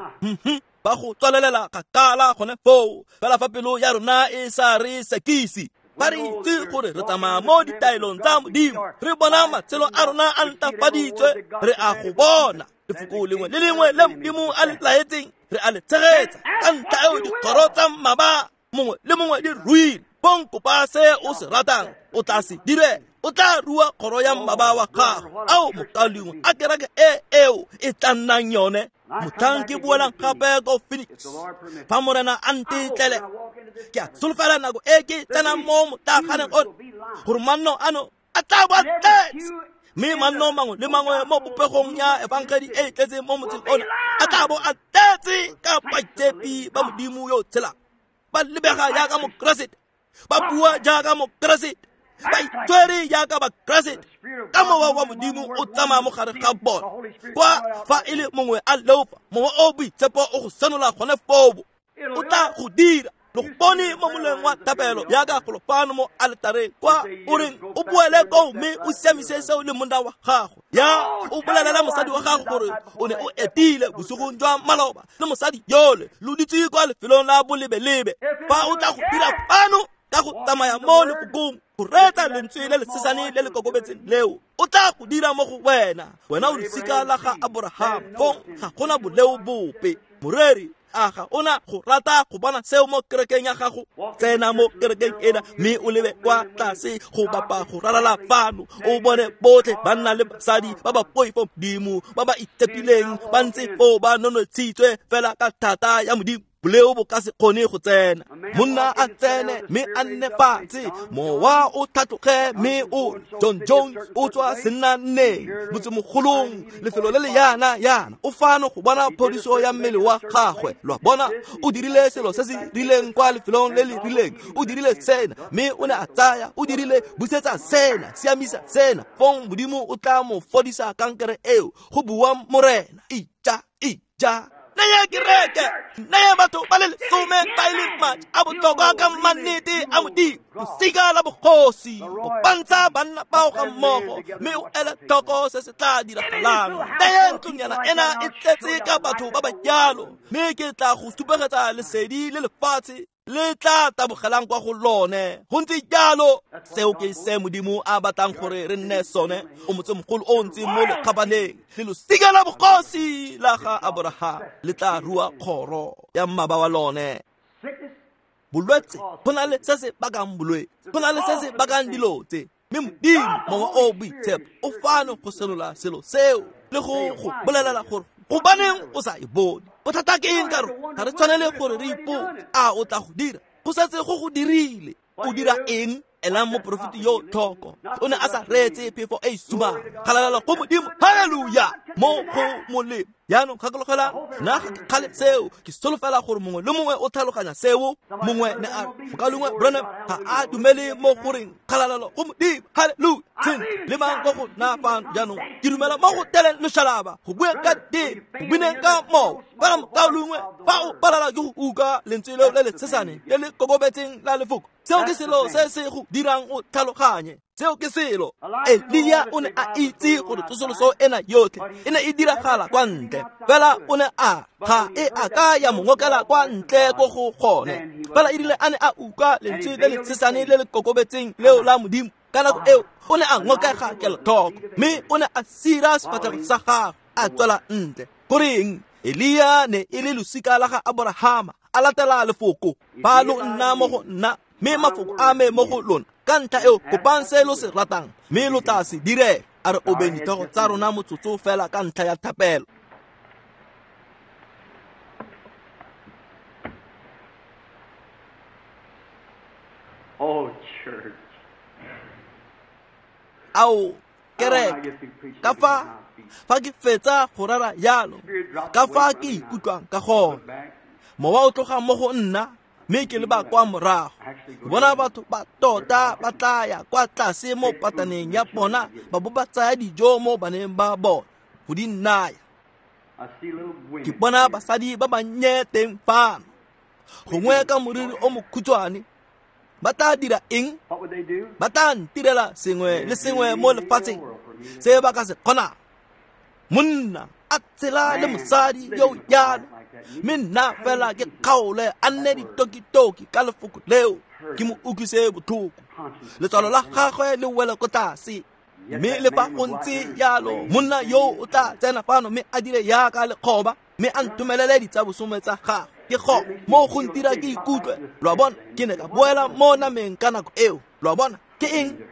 Ba go tswalelela kgakala gone foo, fela fa pelo ya rona e sa re sekise. Ba re itse gore re tsamaya mo ditaelong tsa Modimo, re bona matshelo a rona a ntafaditswe, re a go bona lefoko lengwe le lengwe le Modimo a le laetseng, re a le tshegetsa. Ka ntlha eo dikgoro tsa mmaba mongwe le mongwe di ruile. Bong kopa se o se ratang, o tla se dire, o tla rua kgoro ya mmaba wa gago. Ao mokaulengwe, a kereke e eo e tla nnang yone. Motlhang ke boelang gape ko Phoenix, fa Morena a ntetlele, ke a solofela nako e ke tsenang mo motlaganeng ono, gore manno ano a tla bo a tletse, mme manno mangwe le mangwe mo popegong ya efangedi e e tletseng mo motseng ono a tla bo a tletse ka baitshepi ba Modimo yo o tshelang, ba lebega jaaka Mokeresete, ba bua jaaka Mokeresete, ba itshwere jaaka Bakeresete, ka mowa wa Modimo o tsamaya mo gare ga bona. Kwa fa e le mongwe a leofa, mowa o boitshepo o go senola gone foo, o tla go dira. Lo go bone mo moleng wa thapelo jaaka golo fano mo aletareng, kwa o reng o boele koo mme o siamise seo le monna wa gago. Ya o bolelela mosadi wa gago gore o ne o etile bosigong jwa maloba le mosadi yole, lo dutse kwa lefelong la bolebelebe. Fa o tla go dira fano ka go tsamaya mo lefokong, go reetsa lentswe le le sesane le le kokobetseng leo, o tla go dira mo go wena. Wena o losika la ga Abraham, fong ga gona boleo bope. Moreri, a ga ona go rata go bona seo mo kerekeng ya gago? Tsena mo kerekeng ena mme o lebe kwa tlase go bapa go ralala fano, o bone botlhe banna le basadi ba ba poifo Modimo, ba ba itshepileng, ba ntse foo ba nonotshitswe fela ka thata ya Modimo. Boleo bo ka se kgone go tsena. Monna a tsene mme a nne fatshe, mowa o tlhatloge mme o John Jones o tswa sennanneng motsemogolong, lefelo le le yana yana, o fano go bona phodiso ya mmele wa gagwe. Lo a bona, o dirile selo se se rileng kwa lefelong le le rileng, o dirile sena mme o ne a tsaya, o dirile busetsa sena, siamisa sena, fong Modimo o tla mo fodisa kankere eo, go bua Morena. Ija, ija. Naya kereke, naya batho ba le lesome ba e leng madi a botlhokwa ka mannete a Modimo, losika la bogosi, go pantsha banna bao ga mmogo, mme o ele tlhoko se se tla diragalang. Naya ntlonyana ena e tletse ka batho ba ba jalo, mme ke tla go supegetsa lesedi le lefatshe le tla tabogelang kwa go lone. Go ntse jalo, seo ke se Modimo a batlang gore re nne sone. O motsemogolo o ntseng mo lekgabaneng le losika la bogosi la ga Abraham le tla rua kgoro ya mmaba wa lone. Bolwetse go na le se se bakang bolwetse, go na le se se bakang dilo tse. Mme Modimo Mowa o Boitshepo o fano go senola selo seo le go go bolelela gore gobaneng o sa e bone. Bothata ke eng ka rona? Ga re tshwanele gore re ipotse, a o tla go dira? Go setse go go dirile. O dira eng? Elang moporofeti yo tlhoko, o ne a sa reetse phefo e e sumang. Kgalalelo go Modimo, halleluja, mo go molemo. Jaanong gakologelang, nna ga ke kgale seo, ke solofela gore mongwe le mongwe o tlhaloganya seo. Mongwe ne a re, Mokaulengwe Branham ga a dumele mo goreng kgalalelo go Modimo, halleluja. Sentle, le mang ko go nna fano jaanong, ke dumela mo go teleng loshalaba, go bueng ka teme, go bineng ka mowa. Fela mokaulengwe, fa o palelwa ke go utlwa lentswe leo le le tshesane le le kokobetseng la lefoko, seo ke selo se se go dirang o tlhaloganye. Seo ke selo. Elia o ne a itse gore tsosoloso ena yotlhe e ne e diragala kwa ntle, fela o ne a ga e a ka ya mo ngokela kwa ntle ko go gone. Fela e rile a ne a utlwa lentswe le le tshesane le le kokobetseng leo la Modimo, ka nako eo o ne a ngokega kelotlhoko, mme o ne a sira sefatlhego sa gagwe a tswela ntle. Goreng? Elia ne e le losika la ga Aborahama, a latela lefoko. Fa lo nna mo go nna, mme mafoko a me mo go lona, ka ntlha eo kopang se lo se ratang, mme lo tla se direla. A re obeng ditlhogo tsa rona motsotso fela ka ntlha ya thapelo. Oh, church. Ao, kereke, ka fa ke fetsa go rera jalo, ka fa ke ikutlwang ka gone. Mowa o tloga mo go nna, mme ke leba kwa morago. Ke bona batho ba tota ba tla ya kwa tlase mo pataneng ya bona, ba bo ba tsaya dijo mo baneng ba bona go di naya. Ke bona basadi ba bannye teng fano, gongwe ka moriri o mokhutshwane. Ba tla dira eng? Ba tla ntirela sengwe le sengwe mo lefatsheng se ba ka se kgonang. Monna a tshela le mosadi yo jalo, mme nna fela ke kgaole a nne ditokitoki ka lefoko leo, ke mo utlwise botlhoko. Letswalo la gagwe le wele ko tlase. Mme le fa go ntse jalo, monna yo o tla tsena fano mme a dire yaka lekgoba, mme a ntomelele ditsabosome tsa gagwe. Ke go mo go ntira ke ikutlwe. Lo a bona, ke ne ka boela mo nameng ka nako eo. Lo a bona, ke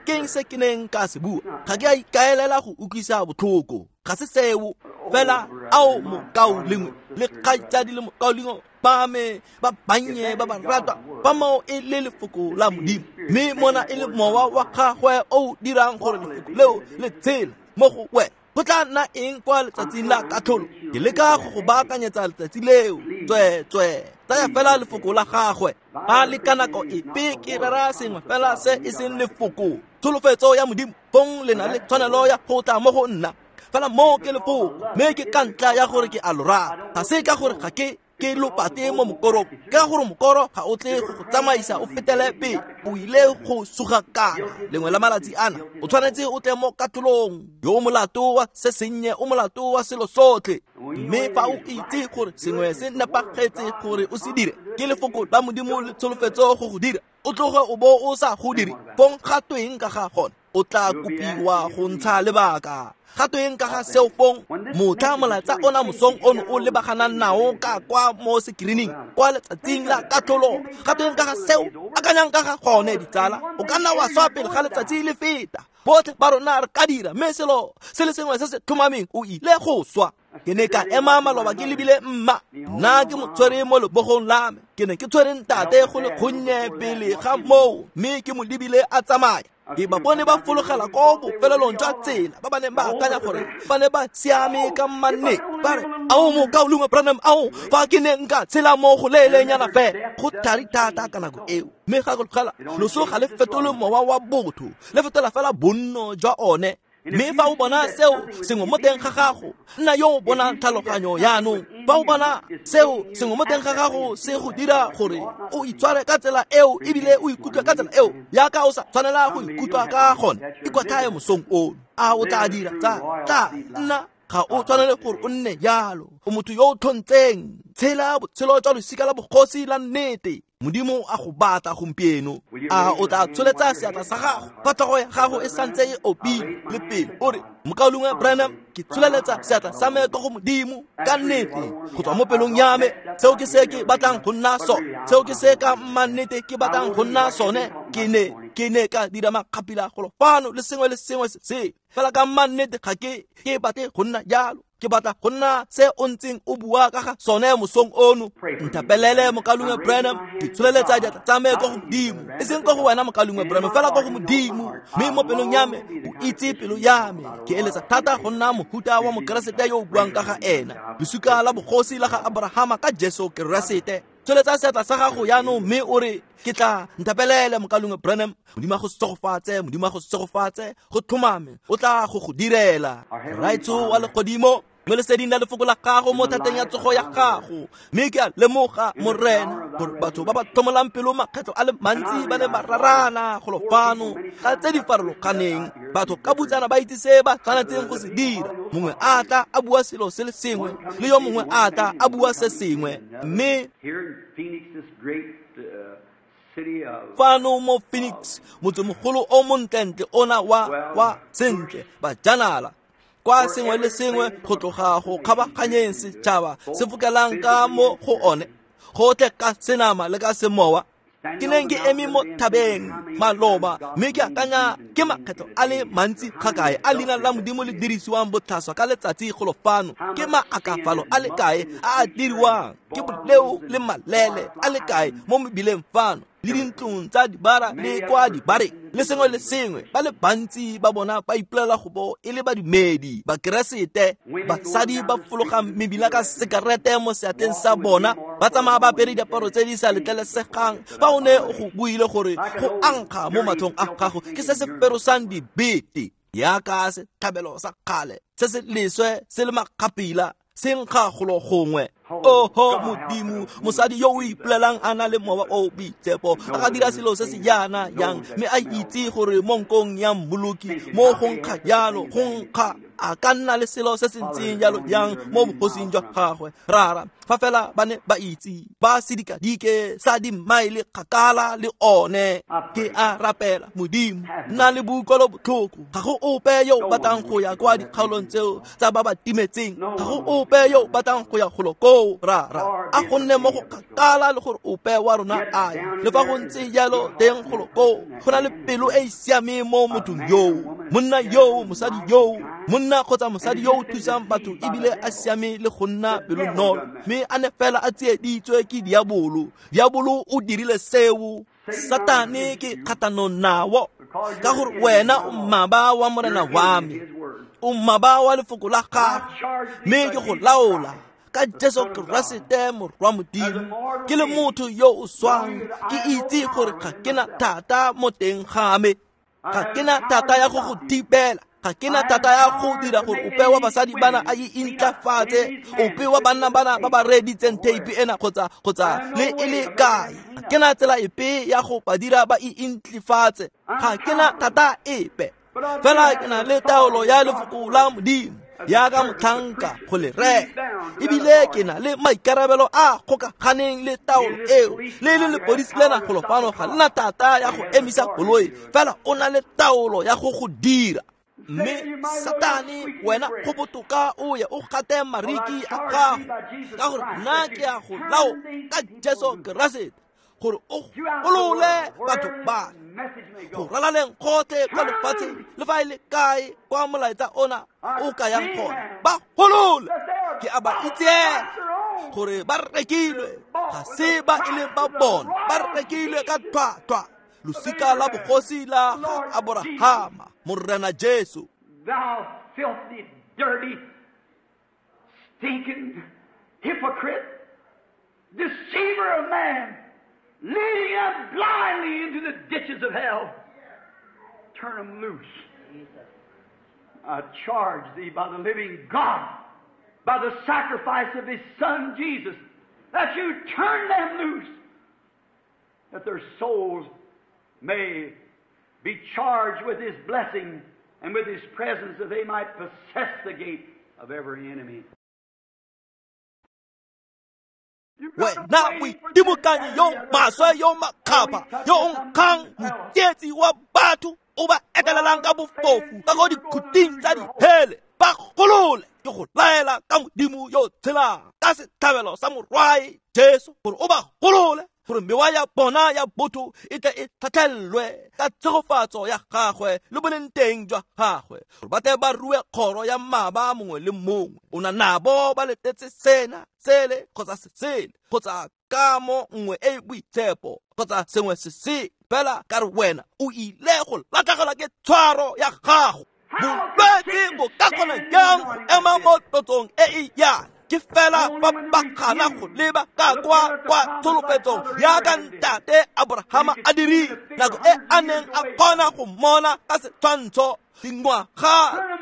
eng se ke neng ka se bua? Ga ke a ikaelela go utlwisa botlhoko, ga se seo. Fela ao mokaulengwe le kgaitsadi le mokaulengwe ba me ba bannye ba ba ratwa, ba moo e le lefoko la Modimo, mme mona e le mowa wa gagwe o dirang gore lefoko leo le tshele mo go wena. Go tla nna eng kwa letsatsing la katlholo? Ke leka go go baakanyetsa letsatsi leo. Tsweetswee, tsaya fela lefoko la gagwe. Ba le ka nako epe ke rera sengwe fela se e seng lefoko, tsholofetso ya Modimo, fong le na le tshwanelo ya go tla mo go nna. Fela moo ke lefoko, mme ke ka ntlha ya gore ke a lo rata. Ga se ka gore ga ke lopate mo mokorong, ka gore mokoro ga o tle go go tsamaisa o fetele pele, o ile go sugakana lengwe la malatsi ana. O tshwanetse o tle mo katlholong, yo o molato wa se sennye o molato wa selo sotlhe. Mme fa o itse gore sengwe se nepagetse gore o se dire, ke lefoko la Modimo le tsholofetso go go dira, o tloge o bo o sa go dire, fong ga tweng ka ga gone? O tla kopiwa go ntsha lebaka. Ga tweng ka ga seo fong? Motlha molaetsa ona mosong ono o lebaganang nao ka kwa mo screening kwa letsatsing la katlholo, ga tweng ka ga seo? Akanyang ka ga gone, ditsala. O ka nna wa swa pele ga letsatsi le feta. Botlhe ba rona re ka dira, mme selo se le sengwe se se tlhomameng, o ile go swa. Ke ne ka ema maloba ke lebile mma, nna ke mo tshwere mo lebogong la me. Ke ne ke tshwere ntate go le gonnye pele ga moo, mme ke mo lebile a tsamaya. Ke ba bone ba fologela ko bofelelong jwa tsela, ba ba neng ba akanya gore ba ne ba siame ka mmanne. Ba re, ao mokaulengwe Branham, ao fa ke ne nka tshela mo go leelenyana fela. Go thari thata ka nako eo. Mme gakologela, loso ga le fetole mowa wa botho, le fetola fela bonno jwa one. Mme fa o bona seo sengwe mo teng ga gago, nna yo o bonang tlhaloganyo jaanong. Fa o bona seo sengwe mo teng ga gago se go dira gore o itshware ka tsela eo ebile o ikutlwe ka tsela eo yaka o sa tshwanela go ikutlwa ka gone, ikwatlhaye mosong ono. A o tla dira? Tla nna ga o tshwanele gore o nne jalo. O motho yo o tlhontseng. Tshela botshelo jwa losika la bogosi la nnete. Modimo a go batla gompieno. A o tla tsholetsa seatla sa gago fa tlhogo ya gago e santse e opile le pele, o re, Mokaulengwe Branham, ke tsholeletsa seatla sa me ko go Modimo ka nnete go tswa mo pelong ya me. Seo ke se ke batlang go nna sone, seo ke se ka mannete ke batlang go nna sone. Ke ne ka dira makgapila golo fano le sengwe le sengwe se fela ka mannete ga ke batle go nna jalo. Ke batla go nna se o ntseng o bua ka ga sone mosong ono. Nthapelele Mokaulengwe Branham, ke tsholeletsa diatla tsa me ko go Modimo, e seng ko go wena Mokaulengwe Branham, fela ko go Modimo. Mme mo pelong ya me o itse pelo ya me, ke eletsa thata go nna mohuta wa Mokeresete yo o buang ka ga ena, lesuka la bogosi la ga Abrahama ka Jesu Keresete. Tsholetsa seatla sa gago jaanong mme o re, ke tla nthapelele Mokaulengwe Branham. Modimo a go segofatse, Modimo a go segofatse, go tlhomame o tla go direla. Raetsho wa legodimo, mo leseding la lefoko la gago, mo thateng ya tsogo ya gago, mme ke a lemoga, Morena, gore batho ba ba tlhomolang pelo makgetlho a le mantsi ba ne ba rarana golo fano ka tse di farologaneng. Batho ka botsana ba itse se ba tshwanetseng go se dira. Mongwe a tla a bua selo se le sengwe, le yo mongwe a tla a bua se sengwe. Mme fano mo Phoenix, motsemogolo o montlentle ona wa sentle bajanala, kwa sengwe le sengwe go tloga go kgabaganyeng setšhaba se fokelang ka mo go one, gotlhe ka senama le ka semowa. Ke neng ke eme mo thabeng maloba, mme ke akanya ke makgetlho a le mantsi ga kae a leina la Modimo le dirisiwang botlhaswa ka letsatsi golo fano. Ke maakafalo a le kae a a diriwang, ke boleo le malele a le kae mo mebileng fano, le dintlong tsa dibara le kwa dibareng le sengwe le sengwe. Ba le bantsi ba bona ba ipolela go bo e le badumedi Bakeresete. Basadi ba fologang mebila ka sekarete mo seatleng sa bona, ba tsamaya ba apere diaparo tse di sa letlelesegang. Fa o ne o go buile gore go ankga mo matlhong a gago ke se se ferosang dibete, yaka setlhabelo sa kgale se se leswe se le makgapila se nkga golo gongwe. Oho Modimo, mosadi yo o ipolelang a na le mowa o boitshepo a ka dira selo se se jaana jang, mme a itse gore mo nkong ya mmoloki mo go nkga jalo, go nkga a ka nna le selo se se ntseng jalo jang mo bogosing jwa gagwe. Rara, fa fela ba ne ba itse ba sedikadike sa dimaele kgakala le one. Ke a rapela Modimo, nna le boutlwelo botlhoko. Ga go ope yo o batlang go ya kwa dikgaolong tseo tsa ba ba timetseng, ga go ope yo o batlang go ya golo koo. Rara, a go nne mo go kgakala le gore ope wa rona a ye. Le fa go ntse jalo teng golo koo go na le pelo e e siameng mo mothong yoo, monna yoo, mosadi yoo, monna kgotsa mosadi yo o thusang batho ebile a siame le go nna pelonolo, mme a ne fela a tsieditswe ke diabolo. Diabolo o dirile seo. Satane ke kgatlhanong nao, ka gore wena o mmaba wa Morena wa me, o mmaba wa lefoko la gago, mme ke go laola ka Jesu Keresete Morwa Modimo. Ke le motho yo o swang, ke itse gore ga ke na thata mo teng ga me, ga ke na thata ya go go thibela, ga ke na thata ya go dira gore ope wa basadi bana a intlafatse, ope wa banna bana ba ba reeditseng theipi ena kgotsa le e le kae. Ga ke na tsela epe ya go ba dira ba intlafatse, ga ke na thata epe, fela ke na le taolo ya lefoko la Modimo yaka motlhanka go le reka, ebile ke na le maikarabelo a kgokaganeng le taolo eo. Le le lepodisi lena golo fano ga le na thata ya go emisa koloi, fela o na le taolo ya go go dira. Mme Satane, wena go botoka o ye o gate mariki a gago, ka gore nna ke a go lao ka Jesu Keresete gore o golole batho ba go ralaleng gotlhe kwa lefatsheng le fa e le kae kwa molaetsa ona o ka yang gone. Ba golole, ke a ba itseela gore ba rekilwe, ga se ba e leng ba bona, ba rekilwe ka tlhwatlhwa, losika la bogosi la ga Aborahama, Morena Jesu. Thou filthy, dirty, stinking hypocrite, deceiver of man, leading them blindly into the ditches of hell. Turn them loose. I charge thee by the living God, by the sacrifice of His Son Jesus, that you turn them loose, that their souls may be charged with His blessing and with His presence, that they might possess the gate of every enemy. Wena moitimokanyi yo maswe yo makgapha yo o nkgang motsietsi wa batho o ba etelelang ka bofofu ka ko dikhuting tsa dihele, ba golole ke go laela ka Modimo yo tshelang ka setlhabelo sa morwae Jesu gore o ba golole, gore mewa ya bona ya botho e tle e tlhatlhellwe ka tshegofatso ya gagwe le boleng teng jwa gagwe, gore ba tle ba rue kgoro ya mmaba mongwe le mongwe. O na nabo ba letetse sena sele kgotsa se sele kgotsa kamo nngwe e e boitshepo kgotsa sengwe se se fela, ka re wena o ile go latlhegelwa ke tshwaro ya gago. Bolwetse bo ka kgona jang go ema mo tlotsong e e yana? Ke fela fa ba gana go leba ka kwa kwa tsholofetsong yaka ntate Abrahama a dirile nako e a neng a kgona go mmona ka setshwantsho dingwaga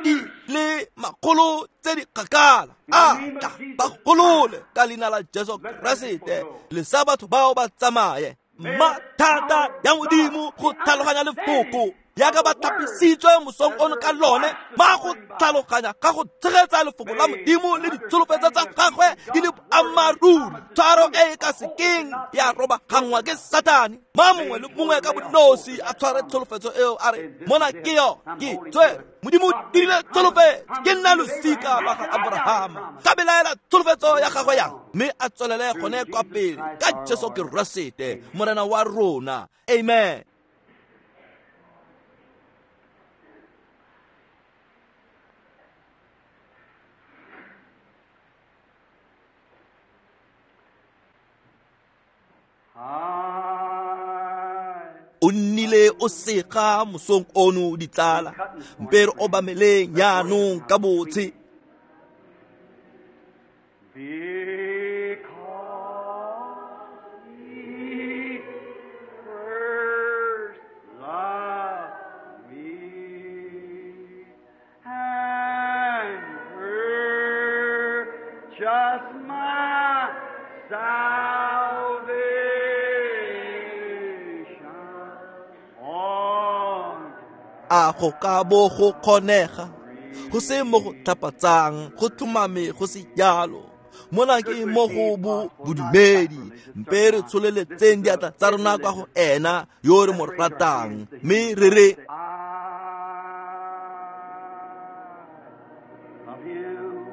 di le makgolo tse di kgakala. A tla ba golole ka leina la Jesu Keresete, lesa batho bao ba tsamaye. Mathata ya Modimo go tlhaloganya lefoko yaka ba thapisitswe mosong ono ka lone, ma go tlhaloganya ka go tshegetsa lefoko la Modimo le ditsholofetso tsa gagwe di le boammaaruri, tshwaro e e ka sekeng ya robagangwa ke Satane. Ma mongwe le mongwe ka bonosi a tshware tsholofetso eo a re, mona ke yo ke tswe Modimo o dirile tsholofetso, ke nna losika lwa ga Abrahama, ka belaela tsholofetso ya gagwe yang, mme a tswelele gone kwa pele ka Jesu Keresete Morena wa rona. Amen. O nnile o sega mosong ono ditsala, mpe re obameleng jaanong ka botshe. Because he first loved me and purchased my salvation on A go ka bo go kgonega go se mo go tlhapatsang, go tlhomame go se jalo. Mona ke mo go bo bodumedi, mpe re tsholeletseng diatla tsa rona kwa go ena yo re mo ratang, mme re re I love you.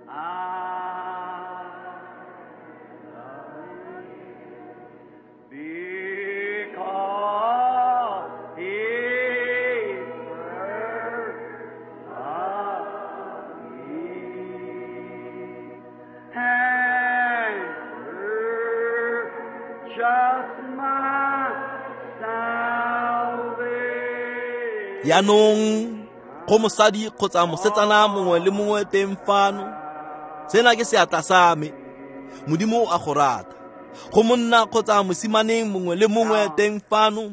I love you. Because he first loved me and purchased my salvation. Jaanong go mosadi kgotsa mosetsana mongwe le mongwe teng fano, sena ke seatla sa me, Modimo o a go rata. Go monna kgotsa mosimaneng mongwe le mongwe teng fano,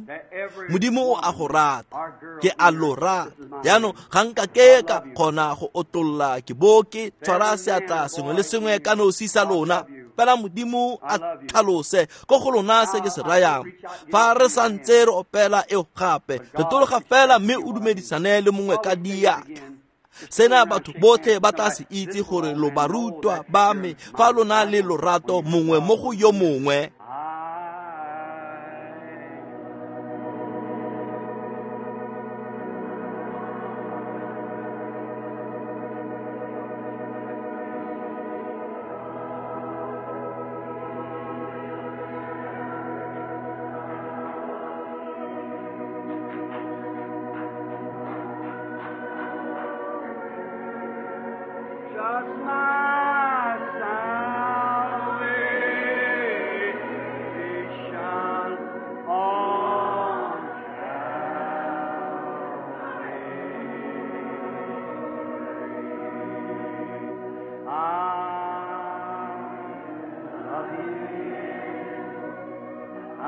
Modimo o a go rata, ke a lo rata. Jaanong ga nka ke ka kgona go otlolla ke bo ke tshwara seatla sengwe le sengwe ka nosi sa lona, fela Modimo a tlhalose ko go lona se ke se rayang. Fa re santse re opela eo gape, re tologa fela mme o dumedisane le mongwe ka diatla. Sena batho botlhe ba tla se itse gore lo barutwa ba me fa lona le lorato mongwe mo go yo mongwe. Just my salvation on Calvary. I love you. I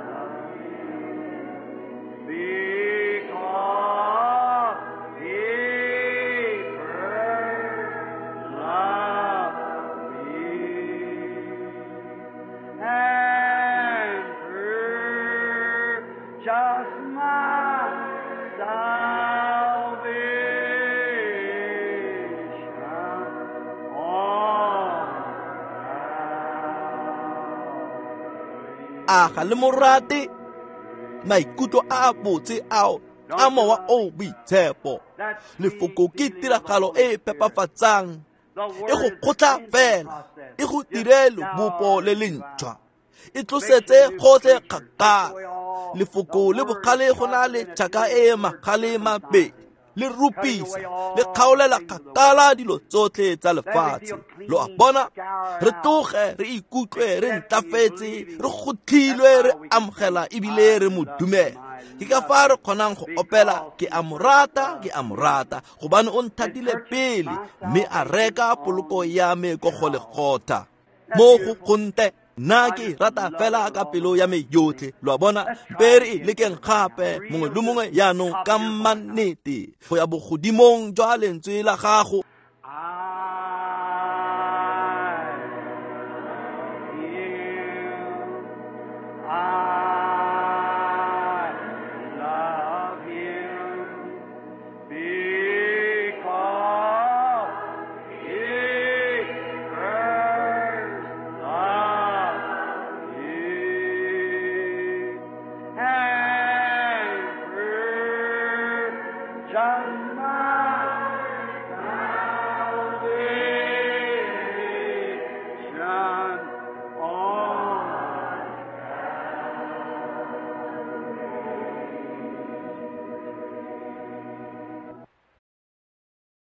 love you. Because he first loved me and purchased my salvation on A ga le morate? Maikutlo a a botse ao a mowa o boitshepo. Lefoko ke tiragalo e e phepafatsang, e go kgotla fela, e go dire lebopo le lentšhwa, e tlosetse gotlhe kgakala. Lefoko le bogale go na le tšhaka e magale mabedi, le rupisa, le kgaolela kgakala dilo tsotlhe tsa lefatshe. Lo a bona? Re tloge re ikutlwe re ntlafetse, re gotlhilwe, re amogela ebile re mo dumela. Ke ka fa re kgonang go opela, ke a mo rata, ke a mo rata, gobane o nthatile pele mme a reka poloko ya me ko Golegotha. Mo go kgonte nna ke rata fela ka pelo ya me yotlhe. Lo a bona? Mpe re e lekeng gape, mongwe le mongwe jaanong ka mannete, go ya bogodimong jwa lentswe la gago. I love him because he first loved me and purchased